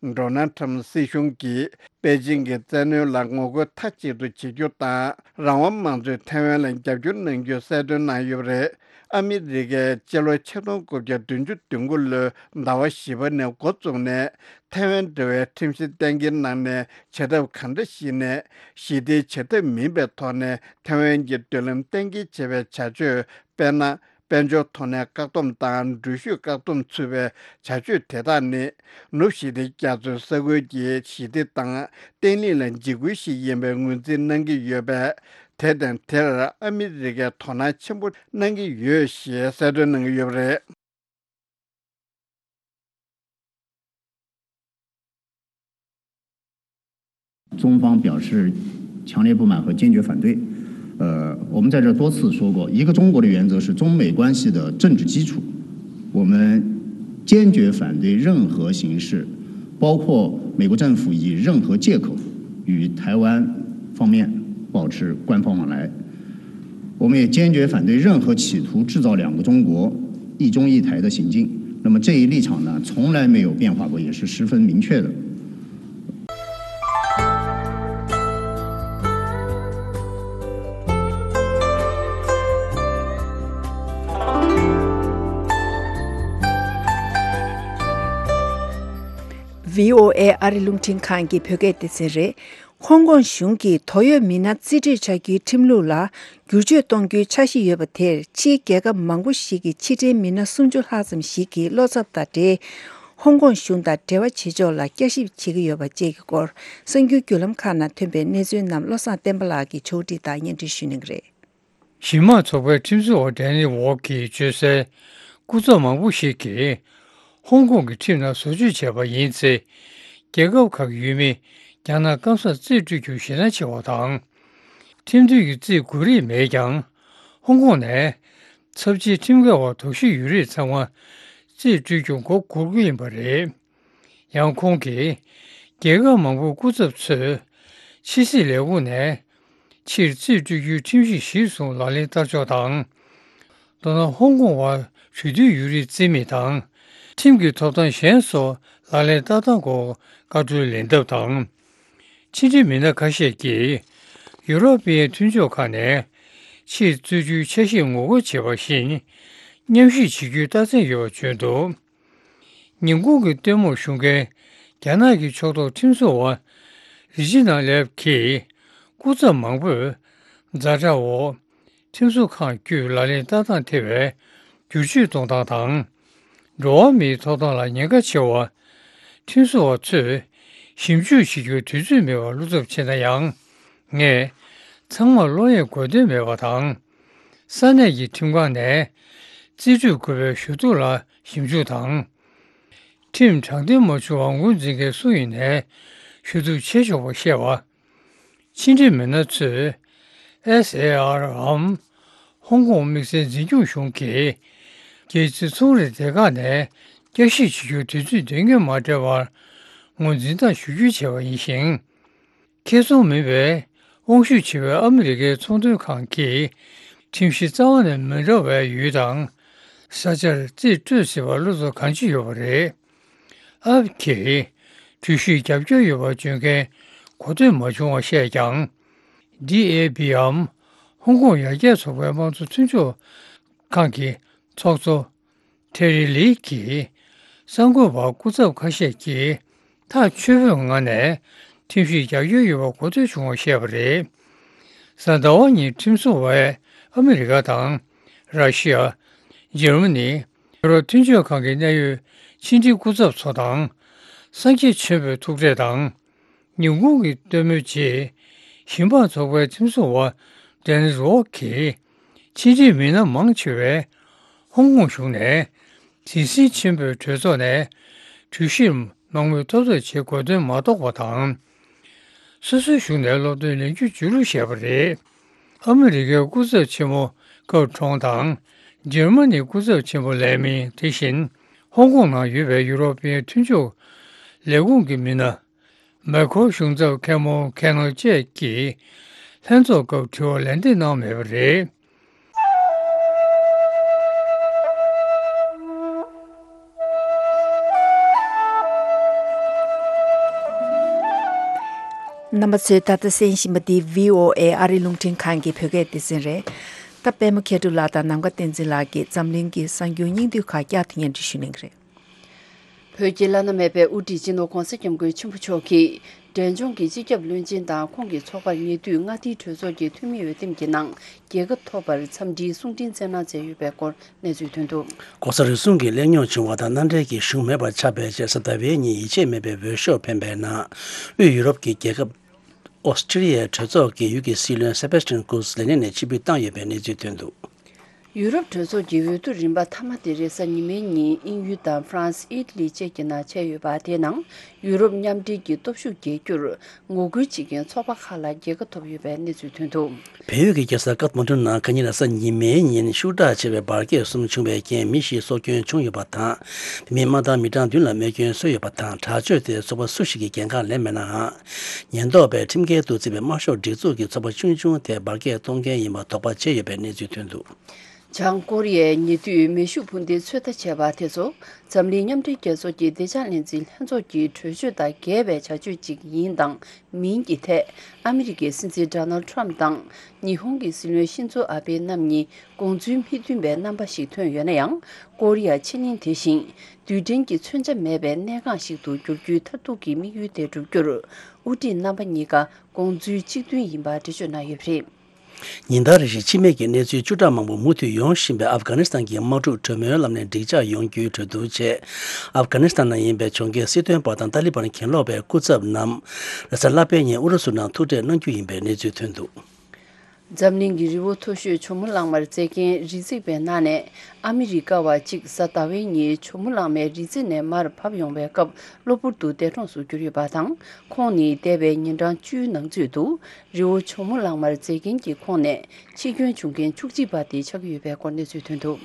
དང་ཌོ་ནལ་ཁྲམ་སྲིད་གཞུང་གིས། པེ་ཅིང་གི་བཙན་གནོན་ལ་ངོ་རྒོལ་མཐའ་གཅིག་ཏུ་བྱེད་རྒྱུ་དང་། རང་དབང་དམངས་གཙོས་ཐའེ་ཝན་ལ་རྒྱབ་སྐྱོར་གནང་རྒྱུ་གསལ་སྟོན་གནང་ཡོད་པ་རེད། ཨ་མི་རི་ཀས་སྤྱི་ལོ་ཆིག་སྟོང་དགུ་བརྒྱ་བདུན་ཅུ་དོན་དགུ་ལོའི་ཟླ་བ་བཞི་པ་ནས་འགོ་བཙུགས་ནས། ཐའེ་ཝན་འབྲེལ་བའི་ཁྲིམས་གཞི་གཏན་འཁེལ་གནང་ནས། བྱ་ཐབས་གང་འདྲ་ཞིག་ནས་ཞི་བདེའི་བྱ་ཐབས་མིན་པའི་ཐོག་ནས་ཐའེ་ཝན་གྱི་མདུན་ལམ་གཏན་འཁེལ་བྱེད་པའི་བྱ་སྤྱོད། དཔེར་ན། དཔལ་འབྱོར་ཐོག་ནས་བཀག་སྡོམ་དང་འགྲུལ་བཞུད་བཀག་སྡོམ་ཚུད་པའི་བྱ་སྤྱོད་དེ་དག་ནི། ནུབ་ཞི་བདེ་རྒྱ་མཚོའི་ས་ཁུལ་གྱི་ཞི་བདེ་དང་བརྟན་ལྷིང་ལ་འཇིགས་སྐུལ་ཞིག་ཡིན་པའི་ངོས་འཛིན་གནང་གི་ཡོད་པས། དེ་དང་དེར་ཨ་མི་རི་ཀས་དོ་སྣང་ཆེན་པོ་གནང་གི་ཡོད་ཞེས་གསལ་སྟོན་གནང་གི་ཡོད་པ་རེད། 中方表示强烈不满和坚决反对。呃，我们在这多次说过，一个中国的原则是中美关系的政治基础。我们坚决反对任何形式，包括美国政府以任何借口与台湾方面保持官方往来。我们也坚决反对任何企图制造两个中国、一中一台的行径。那么这一立场呢，从来没有变化过，也是十分明确的。 VOA ཨ་རི་རླུང་འཕྲིན་ཁང་གི་བོད་སྐད་སྡེ་ཚན་རེད། ཧོང་ཀོང་གཞུང་གིས་དོགས་ཡོད་མི་སྣ་རྩིས་སྤྲོད་བྱ་རྒྱུའི་ཁྲིམས་ལུགས་ལ་བསྒྱུར་བཅོས་གཏོང་རྒྱུའི་འཆར་གཞི་ཡོད་པ་དེར། ཕྱིའི་རྒྱལ་ཁབ་མང་པོ་ཞིག་གི་ཕྱི་འབྲེལ་མི་སྣ་སུམ་ཅུ་ལྷག་ཙམ་ཞིག་གིས་བློ་འཚབ་དང་འབྲེལ། ཧོང་ཀོང་གཞུང་དང་འབྲེལ་བ་བྱེད་ཕྱོགས་ལ་བསྐྱར་ཞིབ་བྱེད་ཀྱི་ཡོད་པ་བཅས་ཀྱི་སྐོར། གསར་འགྱུར་བརྒྱུད་ལམ་ཁག་ནང་ཐོན་པའི་གནས་ཚུལ་རྣམས་བློ་བཟང་བསྟན་པ་ལགས་ཀྱིས་ཕྱོགས་སྒྲིག་དང་སྙན་སྒྲོན་ཞུ་གནང་གི་རེད། གཞི་མ་ཚོགས་པའི་ཁྲིམས་བཟོ་བ་ཌེ་ནི་ཝོག་གིས་བརྗོད་གསལ། སྐུ་ཚབ་མང་པོ་ཞིག་གིས་ཧོང་ཀོང་གི་ཁྲིམས་ནང་བཟོ་བཅོས་བྱས་པ་ཡིན་ཚེ། རྒྱལ་ཁབ་ཁག་གི་ཡུལ་མི་རྒྱ་ནག་སྐམ་སར་རྩིས་སྤྲོད་རྒྱུ་ཞེད་སྣང་ཆེ་བ་དང་། ཁྲིམས་མཐུན་གྱི་རྩིས་དགོས་རིགས་མེད་ཀྱང་། ཧོང་ཀོང་ནས་ཚབས་ཆེའི་ཁྲིམས་འགལ་བ་དོགས་གཞི་ཡོད་རིགས་ཚང་མ་རྩིས་སྤྲོད་རྒྱུ་འགོ་འཁུར་གྱི་ཡིན་པ་རེད། ཡང་ཁོང་གིས། རྒྱལ་ཁབ་མང་པོའི་སྐུ་ཚབ་ཚོས་ཕྱི་སྲིད་ལས་ཁུངས་ནས་ཕྱིར་རྩིས་སྤྲོད་རྒྱུའི་ཁྲིམས་གཞི་གཞིར་བཟུང་ལག་ལེན་བསྟར་ཕྱོགས་དང་། མདོར་ན་ཧོང་ཀོང་བར་གྲོས་མཐུན་ཡོད་རིགས་རྩིས་མེད་དང་། ཁྲིམས་ཀྱི་ཐོབ་ཐང་གཞན་སོགས་ལག་ལེན་བསྟར་སྟངས་སྐོར་བཀའ་འཁྲོལ་ལེན་ཐབས་དང་། ཕྱི་འབྲེལ་མི་སྣ་ཁ་ཤས་ཀྱིས་ཡུ་རོབ་པའི་མཐུན་ཕྱོགས་ཁག་ནས་ཕྱིར་བཙུགས་རྒྱུའི་འཆར་གཞིར་ངོ་རྒོལ་བྱས་པ་བཞིན་མཉམ་ཞུགས་བྱེད་རྒྱུའི་རྟགས་མཚན་ཡོད་པ་བརྗོད་འདུག་ཉིན་གུང་གི་སྟོན་མོར་ཞུགས་མཁན་རྒྱ་ནག་གི་ཕྱོགས་གཏོགས་ཁྲིམས་བཟོ་བ་རི་ཇི་ནང་ལེབ་ཀྱིས་སྐུ་ཚབ་མང་པོས་ཛ་དྲག་འོག་ཁྲིམས་བཟོ་ཁང་བརྒྱུད་ལག་ལེན་བསྟར་སྟངས་ཐེ་བའི་བསྒྱུར་བཅོས་གཏོང་སྟངས་དང་། འགྲོ་བ་མིའི་ཐོབ་ཐང་ལ་ཉེན་ཁ་ཆེ་བ། ཁྲིམས་བཟོ་བ་ཚོས་ཞིབ་འཇུག་བྱེད་རྒྱུར་དུས་ཚོད་མེད་པར་བློ་འཚབ་ཆེ་ན་ཡང་། ངས་ཚང་མར་བློ་ཡས་དགོས་དོན་མེད་པ་དང་། ས་གནས་ཀྱི་ཁྲིམས་ཁང་ནས་རྩིས་སྤྲོད་དགོས་པའི་ཞུ་གཏུག་ལ་ ཞིབ་འཇུག་དང་། ཁྲིམས་དྲང་བདེན་མ་བྱུང་བར་ངོས་འཛིན་མཁན་སུ་ཡིན་ནའི་ཞུ་གཏུག་བྱེད་ཆོག་པ་བཤད་པ། ཕྱི་འབྲེལ་མི་སྣ་ཚོས་ཨེས་ཨེ་ཨར་འམ་ཧོང་ཀོང་དམིགས་བསལ་འཛིན་སྐྱོང་གཞུང་གིས་རྒྱལ་སྤྱིའི་ཚོང་རའི་སྡེ་ཁག་ནས་བསྐྱར་ཞིབ་བྱེད་རྒྱུར་དུས་ཚོད་དོན་སྙིང་མ་སྤྲད་པར་ངོས་འཛིན་དང་ཞུ་སྐྱོན་བྱས་པ་ཡིན་ཞིང་། ཁེ་བཟང་མིན་པའི་དབང་ཤུགས་ཆེ་བའི་ཨ་མི་རི་ཀའི་ཚོང་དོན་ཁང་གིས་ཁྲིམས་གཞི་རྩ་བ་ནས་མི་འདྲ་བའི་ཡུལ་དང་ས་ཆར་རྩིས་སྤྲོད་སྲིད་པར་བློ་འཚབ་གང་ཅི་ཡོད་པ་རེད། ཨ་ཕ་གིས་གྲོས་གཞིར་རྒྱབ་སྐྱོར་ཡོད་པ་བརྗོད་མཁན་གོ་ཐོས་མ་བྱུང་བ་བཤད་ཀྱང་། ཌི་ཨེ་བྷི་འམ་ཧོང་ཀོང་ཡར་རྒྱས་ཚོགས་པའི་དམངས་གཙོ་མཐུན་ཕྱོགས་ཁང་གི་ཚོགས་གཙོ་ཐེ་རི་ལི་གིས་གསར་འགོད་པར་སྐུ་ཚབ་ཁ་ཤས་ཀྱིས་ཐག་ཆོད་པོའི་ངང་ནས་ཁྲིམས་གཞིར་རྒྱབ་སྐྱོར་ཡོད་པ་གོ་ཐོས་བྱུང་བ་བཤད་པ་རེད། གཟའ་ཟླ་བ་ཉིན་ཁྲིམས་བཟོ་བས་ཨ་མི་རི་ཀ་དང་། ར་ཤི་ཡ། འཇར་མ་ནི། ཡུ་རོབ་མཐུན་ཕྱོགས་ཁང་གི་གནད་ཡོད་ཕྱི་འབྲེལ་སྐུ་ཚབ་ཚོ་དང་། སངས་རྒྱས་ཆེན་པོའི་ཐུག་འཕྲད་དང་། ཉིན་གུང་གི་སྟོན་མོའི་རྗེས། ཞིང་འབངས་ཚོགས་པའི་ཁྲིམས་བཟོ་བ་ཌེ་ནིས་ཝོག་གིས་ཕྱི་འབྲེལ་མི་སྣ་མང་ཆེ་བས་ཧོང་ཀོང་གཞུང་ནས་གཟི་བརྗིད་ཆེན་པོའི་གྲོས་ཚོགས་ནས་གྲོས་གཞིར་མང་མོས་ཐོབ་ཐབས་བྱེད་དགོས་དོན་མ་རྟོགས་པ་དང་། སོ་སོའི་གཞུང་ནས་སློབ་སྟོན་ལེན་རྒྱུ་བརྗོད་ལུགས་བཤད་པ་རེད། ཨ་མི་རི་ཀའི་སྐུ་ཚབ་ཆེན་མོ་སྐབས་གྲོང་དང་། འཇར་མ་ནིའི་སྐུ་ཚབ་ཆེན་པོ་ལེ་མིན། དེ་བཞིན་ཧོང་ཀོང་ནང་ཡོད་པའི་ཡུ་རོ་པའི་མཐུན་ཕྱོགས་ལས་ཁུངས་ཀྱི་མི་སྣ། མེ་ཁོ་གཞུང་ཚབ་ཁེ་མོ་ཁེ་ནོ་བཅས་ཀྱིས་ལྷན་ཚོགས་སྐབས་དྲི་བ་ལན་འདེབས་གནང་མེད་པ་རེད། རྣམ་པ་ཚོས་ད་ལྟ་གསན་བཞིན་པ་འདི་བྷི་ཨོ་ཨེ་ཨ་རིའི་རླུང་འཕྲིན་ཁང་གི་བོད་སྐད་སྡེ་ཚན་རེད། ད་པད་མ་མཁས་གྲུབ་ལགས་དང་ནམ་མཁའ་བསྟན་འཛིན་ལགས་ཀྱིས་འཛམ་གླིང་གི་གསར་འགྱུར་སྙིང་བསྡུས་ཁག་བསྐྱར་དུ་སྙན་སྒྲོན་ཞུ་གནང་གི་རེད། བོད་ཀྱི་བླ་ན་མེད་པའི་དབུ་ཁྲིད་སྤྱི་ནོར་༧གོང་ས་༧སྐྱབས་མགོན་ཆེན་པོ་མཆོག་གིས་འབྲས་ལྗོངས་ཀྱི་སྤྱི་ཁྱབ་བློན་ཆེན་དང་ཁོང་གི་ཚོགས་པར་ཉེ་དུས་མངའ་སྡེའི་གྲོས་ཚོགས་ཀྱི་འཐུས་མི་འོས་འདེམས་ཀྱི་ནང་རྒྱལ་ཁ་ཐོབ་པར་འཚམས་འདྲིའི་གསུང་འཕྲིན་བསྩལ་གནང་མཛད་ཡོད་པའི་སྐོར་གནས་ཚུལ་ཐོན་འདུག། ༸གོང་ས་རེ་ཟུང་གི་གླེང་རྙོག་བྱུང་བ་དང་མནའ་འབྲེལ་གྱི་གཞུང་མེད་པར་ཆགས་པའི་རྗེས་གཟའ་ཟླ་བའི་ཉིན་ཡིད་ཆེས་མེད་པའི་འོས་ཤོག་འཕེན་པའི་ནང་དབུས་ཡུ་རོབ་ཀྱི་རྒྱལ་ཁབ་ཨོ་སི་ཀྲི་ལི་ཡའི་གྲོས་ཚོགས་ཀྱི་ཡུལ་གྱི་སྲིད་བློན་སེ་བེ་སི་ཊན་ཀུར་ཛི་ལས་གནས་ནས་ཕྱིར་འབུད་བཏང་ཡོད་པའི་གནས་ཚུལ་ཐོན་འདུག། ཡུ་རོབ་གྲོས་ཚོགས་ཀྱི་འོས་བསྡུ་རིམ་པ་མཐའ་མ་དེ་རེས་གཟའ་ཉི་མའི་ཉིན་དབྱིན་ཡུལ་དང་ཧྥ་རན་སི། ཨི་ཊ་ལི་བཅས་ཀྱི་ནང་བྱས་ཡོད་པ། དེའི་ནང་ཡུ་རོབ་མཉམ་འབྲེལ་གྱི་སྟོབས་ཤུགས་རྒྱས་རྒྱུར་ངོ་རྒོལ་བྱེད་མཁན་ཚོགས་པ་ཁག་ལ་རྒྱལ་ཁ་ཐོབ་ཡོད་པའི་གནས་ཚུལ་ཐོན་འདུག། བལ་ཡུལ་གྱི་རྒྱལ་ས་ཀཏ་མན་ཌུ་ནང་ཁ་ཉིན་རེས་གཟའ་ཉི་མའི་ཉིན་ཤུགས་དྲག་ཆེ་བའི་འབར་གས་གསུམ་བྱུང་བའི་རྐྱེན་མི་བཞི་སྲོག་སྐྱོན་བྱུང་ཡོད་པ་དང་། དེ་མིན་དམག་དང་མི་གྲངས་བདུན་ལ་རྨས་སྐྱོན་བཟོས་ཡོད་པ་དང་། དྲག་སྤྱོད་དེ་ཚོགས་པ་སུ་ཞིག་གིས་འགན་ཁག་ལེན་མེད་ནའང་། ཉེན་རྟོག་པས་ཁྲིམས་འགལ་དུ་བརྩིས་པའི་དམར་ཤོག་སྒྲིག་འཛུགས་ཀྱི་ཚོགས་པ་ཆུང་ཆུང་དེ་འབར་གས་གཏོང་མཁན་ཡིན་པ་དོགས་པ་བྱས་ཡོད་པའི་གནས་ཚུལ་ཐོན་འདུག། བྱང་ཀོ་རི་ཡས་ཉེ་དུས་མེ་ཤུགས་འཕུར་མདེལ་ཚོད་ལྟ་བྱས་པ་དེ་ཚོ་འཛམ་གླིང་མཉམ་འབྲེལ་རྒྱལ་ཚོགས་ཀྱི་བདེ་འཇགས་ལྷན་འཛིན་ལྷན་ཚོགས་ཀྱི་གྲོས་ཆོད་དང་འགལ་བའི་བྱ་སྤྱོད་ཅིག་ཡིན་དང་མིན་གྱི་ཐད། ཨ་མི་རི་ཀའི་སྲིད་འཛིན་ཌོ་ནལ་ཌི་ཊརམ་ཕི་དང་ཉི་ཧོང་གི་སྲིད་བློན་ཤིན་ཛོ་ཨ་བྷེ་རྣམ་གཉིས་དགོངས་ཚུལ་མི་མཐུན་པའི་རྣམ་པ་ཞིག་ཐོན་ཡོད་ན་ཡང་། ཀོ་རི་ཡ་ཕྱེད་གླིང་དེ་བཞིན་རྡུལ་ཕྲན་གྱི་མཚོན་ཆ་མེད་པའི་གནས་འགངས་ཤིག་ཏུ་འགྱུར་རྒྱུའི་མཐར་ཐུག་གི་དམིགས་ཡུལ་དེ་བསྒྲུབ་རྒྱུར་དབུ་ཁྲིད་རྣམ་པ་གཉིས་ཀ་དགོངས་ཚུལ་གཅིག་མཐུན་ཡིན་པ་འགྲེལ་བརྗོད་གནང་ཡོད་པ་རེད། ཉིན་ལྟར་རེ་བཞིན་འཆི་རྨས་ཀྱི་གནས་ཚུལ་བཅུ་ཕྲག་མང་པོ་མུ་མཐུད་ཡོང་བཞིན་པའི་ཨབ་གྷ་ནི་སི་ཐན་གྱི་དམག་འཁྲུག་གྲོས་མོལ་ལམ་ནས་འགྲིག་འཇགས་ཡོང་རྒྱུའི་གྲོས་བསྡུར་ཆེད། ཨབ་གྷ་ནི་སི་ཐན་ནང་ཡིན་པའི་གྱོང་གུན་སྲིད་དོན་པ་དང་ཏཱ་ལི་བན་གྱེན་ལོག་པའི་སྐུ་ཚབ་རྣམས་རེས་གཟའ་ལྷག་པའི་ཉིན་ཨུ་རུ་སུ་ནང་ཐུག་འཕྲད་གནང་རྒྱུ་ཡིན་པའི་གནས་ཚུལ་ཐོན་འདུག། འཛམ་གླིང་གི་རི་བོ་མཐོ་ཤོས་ཇོ་མོ་གླང་མར་འཛེག་མཁན་རི་འཛེག་པའི་ནང་ནས་ཨ་མི་རི་ཀ་བ་གཅིག་གཟའ་ཟླ་བའི་ཉིན་ཇོ་མོ་གླང་མའི་རི་རྩེ་ནས་མར་བབས་ཡོང་བའི་སྐབས་གློ་བུར་དུ་འདས་གྲོངས་སུ་གྱུར་ཡོད་པ་དང་། ཁོང་ནི་འདས་པའི་ཉིན་གྲངས་བཅུའི་ནང་ཚུད་དུ་རི་བོ་ཇོ་མོ་གླང་མར་འཛེག་མཁན་གྱི་ཁོངས་ནས་འཆི་སྐྱོན་བྱུང་མཁན་བཅུ་གཅིག་པ་དེ་ཆགས་ཀྱི་ཡོད་པའི་སྐོར་གནས་ཚུལ་ཐོན་འདུག།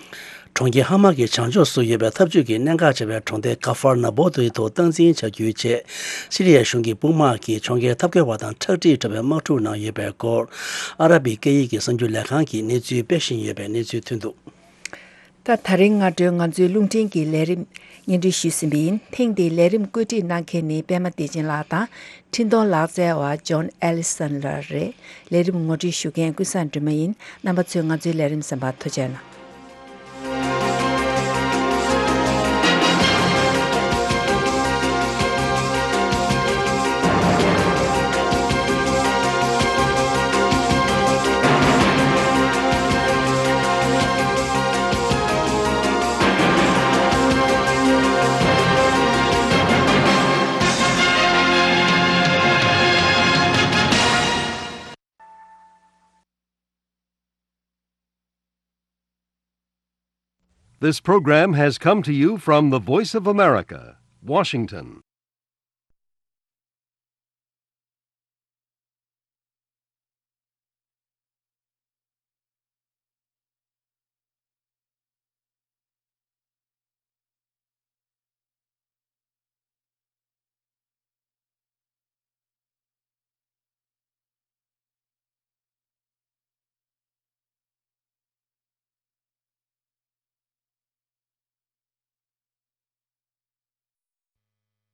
གྲོང་ཁྱེར་ཧ་མ་གི་བྱང་ཕྱོགས་སུ་ཡོད་པའི་འཐབ་ཇུས་ཀྱི་གནད་འགག་ཆེ་བའི་གྲོང་སྡེ་ཀ་ཧྥར་ན་བོ་དུའི་ཐོག་སྟངས་འཛིན་བྱ་རྒྱུའི་ཆེད། སི་རི་ཡའི་གཞུང་གི་དཔུང་དམག་གིས་གྲོང་ཁྱེར་འཐབ་རྒོལ་བ་དང་ཁྲག་དྲིས་འཕྲོ་བའི་དམག་འཁྲུག་ནང་ཡོད་པའི་སྐོར། ཨ་ར་བི་སྐད་ཡིག་གི་གསར་འགྱུར་ལས་ཁང་གིས་གནས་ཚུལ་སྤེལ་བཞིན་ཡོད་པའི་གནས་ཚུལ་ཐོན་འདུག། ད། ད་རིང་སྔ་དྲོའི་ང་ཚོའི་རླུང་འཕྲིན་གྱི་ལས་རིམ་སྙན་སྒྲོན་ཞུས་ཟིན་པ་ཡིན། ཐེངས་འདིའི་ལས་རིམ་བཀོད་སྒྲིག་གནང་མཁན་ནི་པད་མ་བདེ་ཆེན་ལགས་དང་འཕྲིན་གཏོང་ལག་རྩལ་བ་ཇོན་ཨེ་ལི་སན་ལགས་རེད། ལས་རིམ་ངོ་སྤྲོད་ཞུ་མཁན་ཀུན་བཟང་སྒྲོལ་མ་ཡིན། རྣམ་པ་ཚོས་ང་ཚོའི་ལས་རིམ་གསན་པར་ཐུགས་རྗེ་གནང་། This program has come to you from the Voice of America, Washington.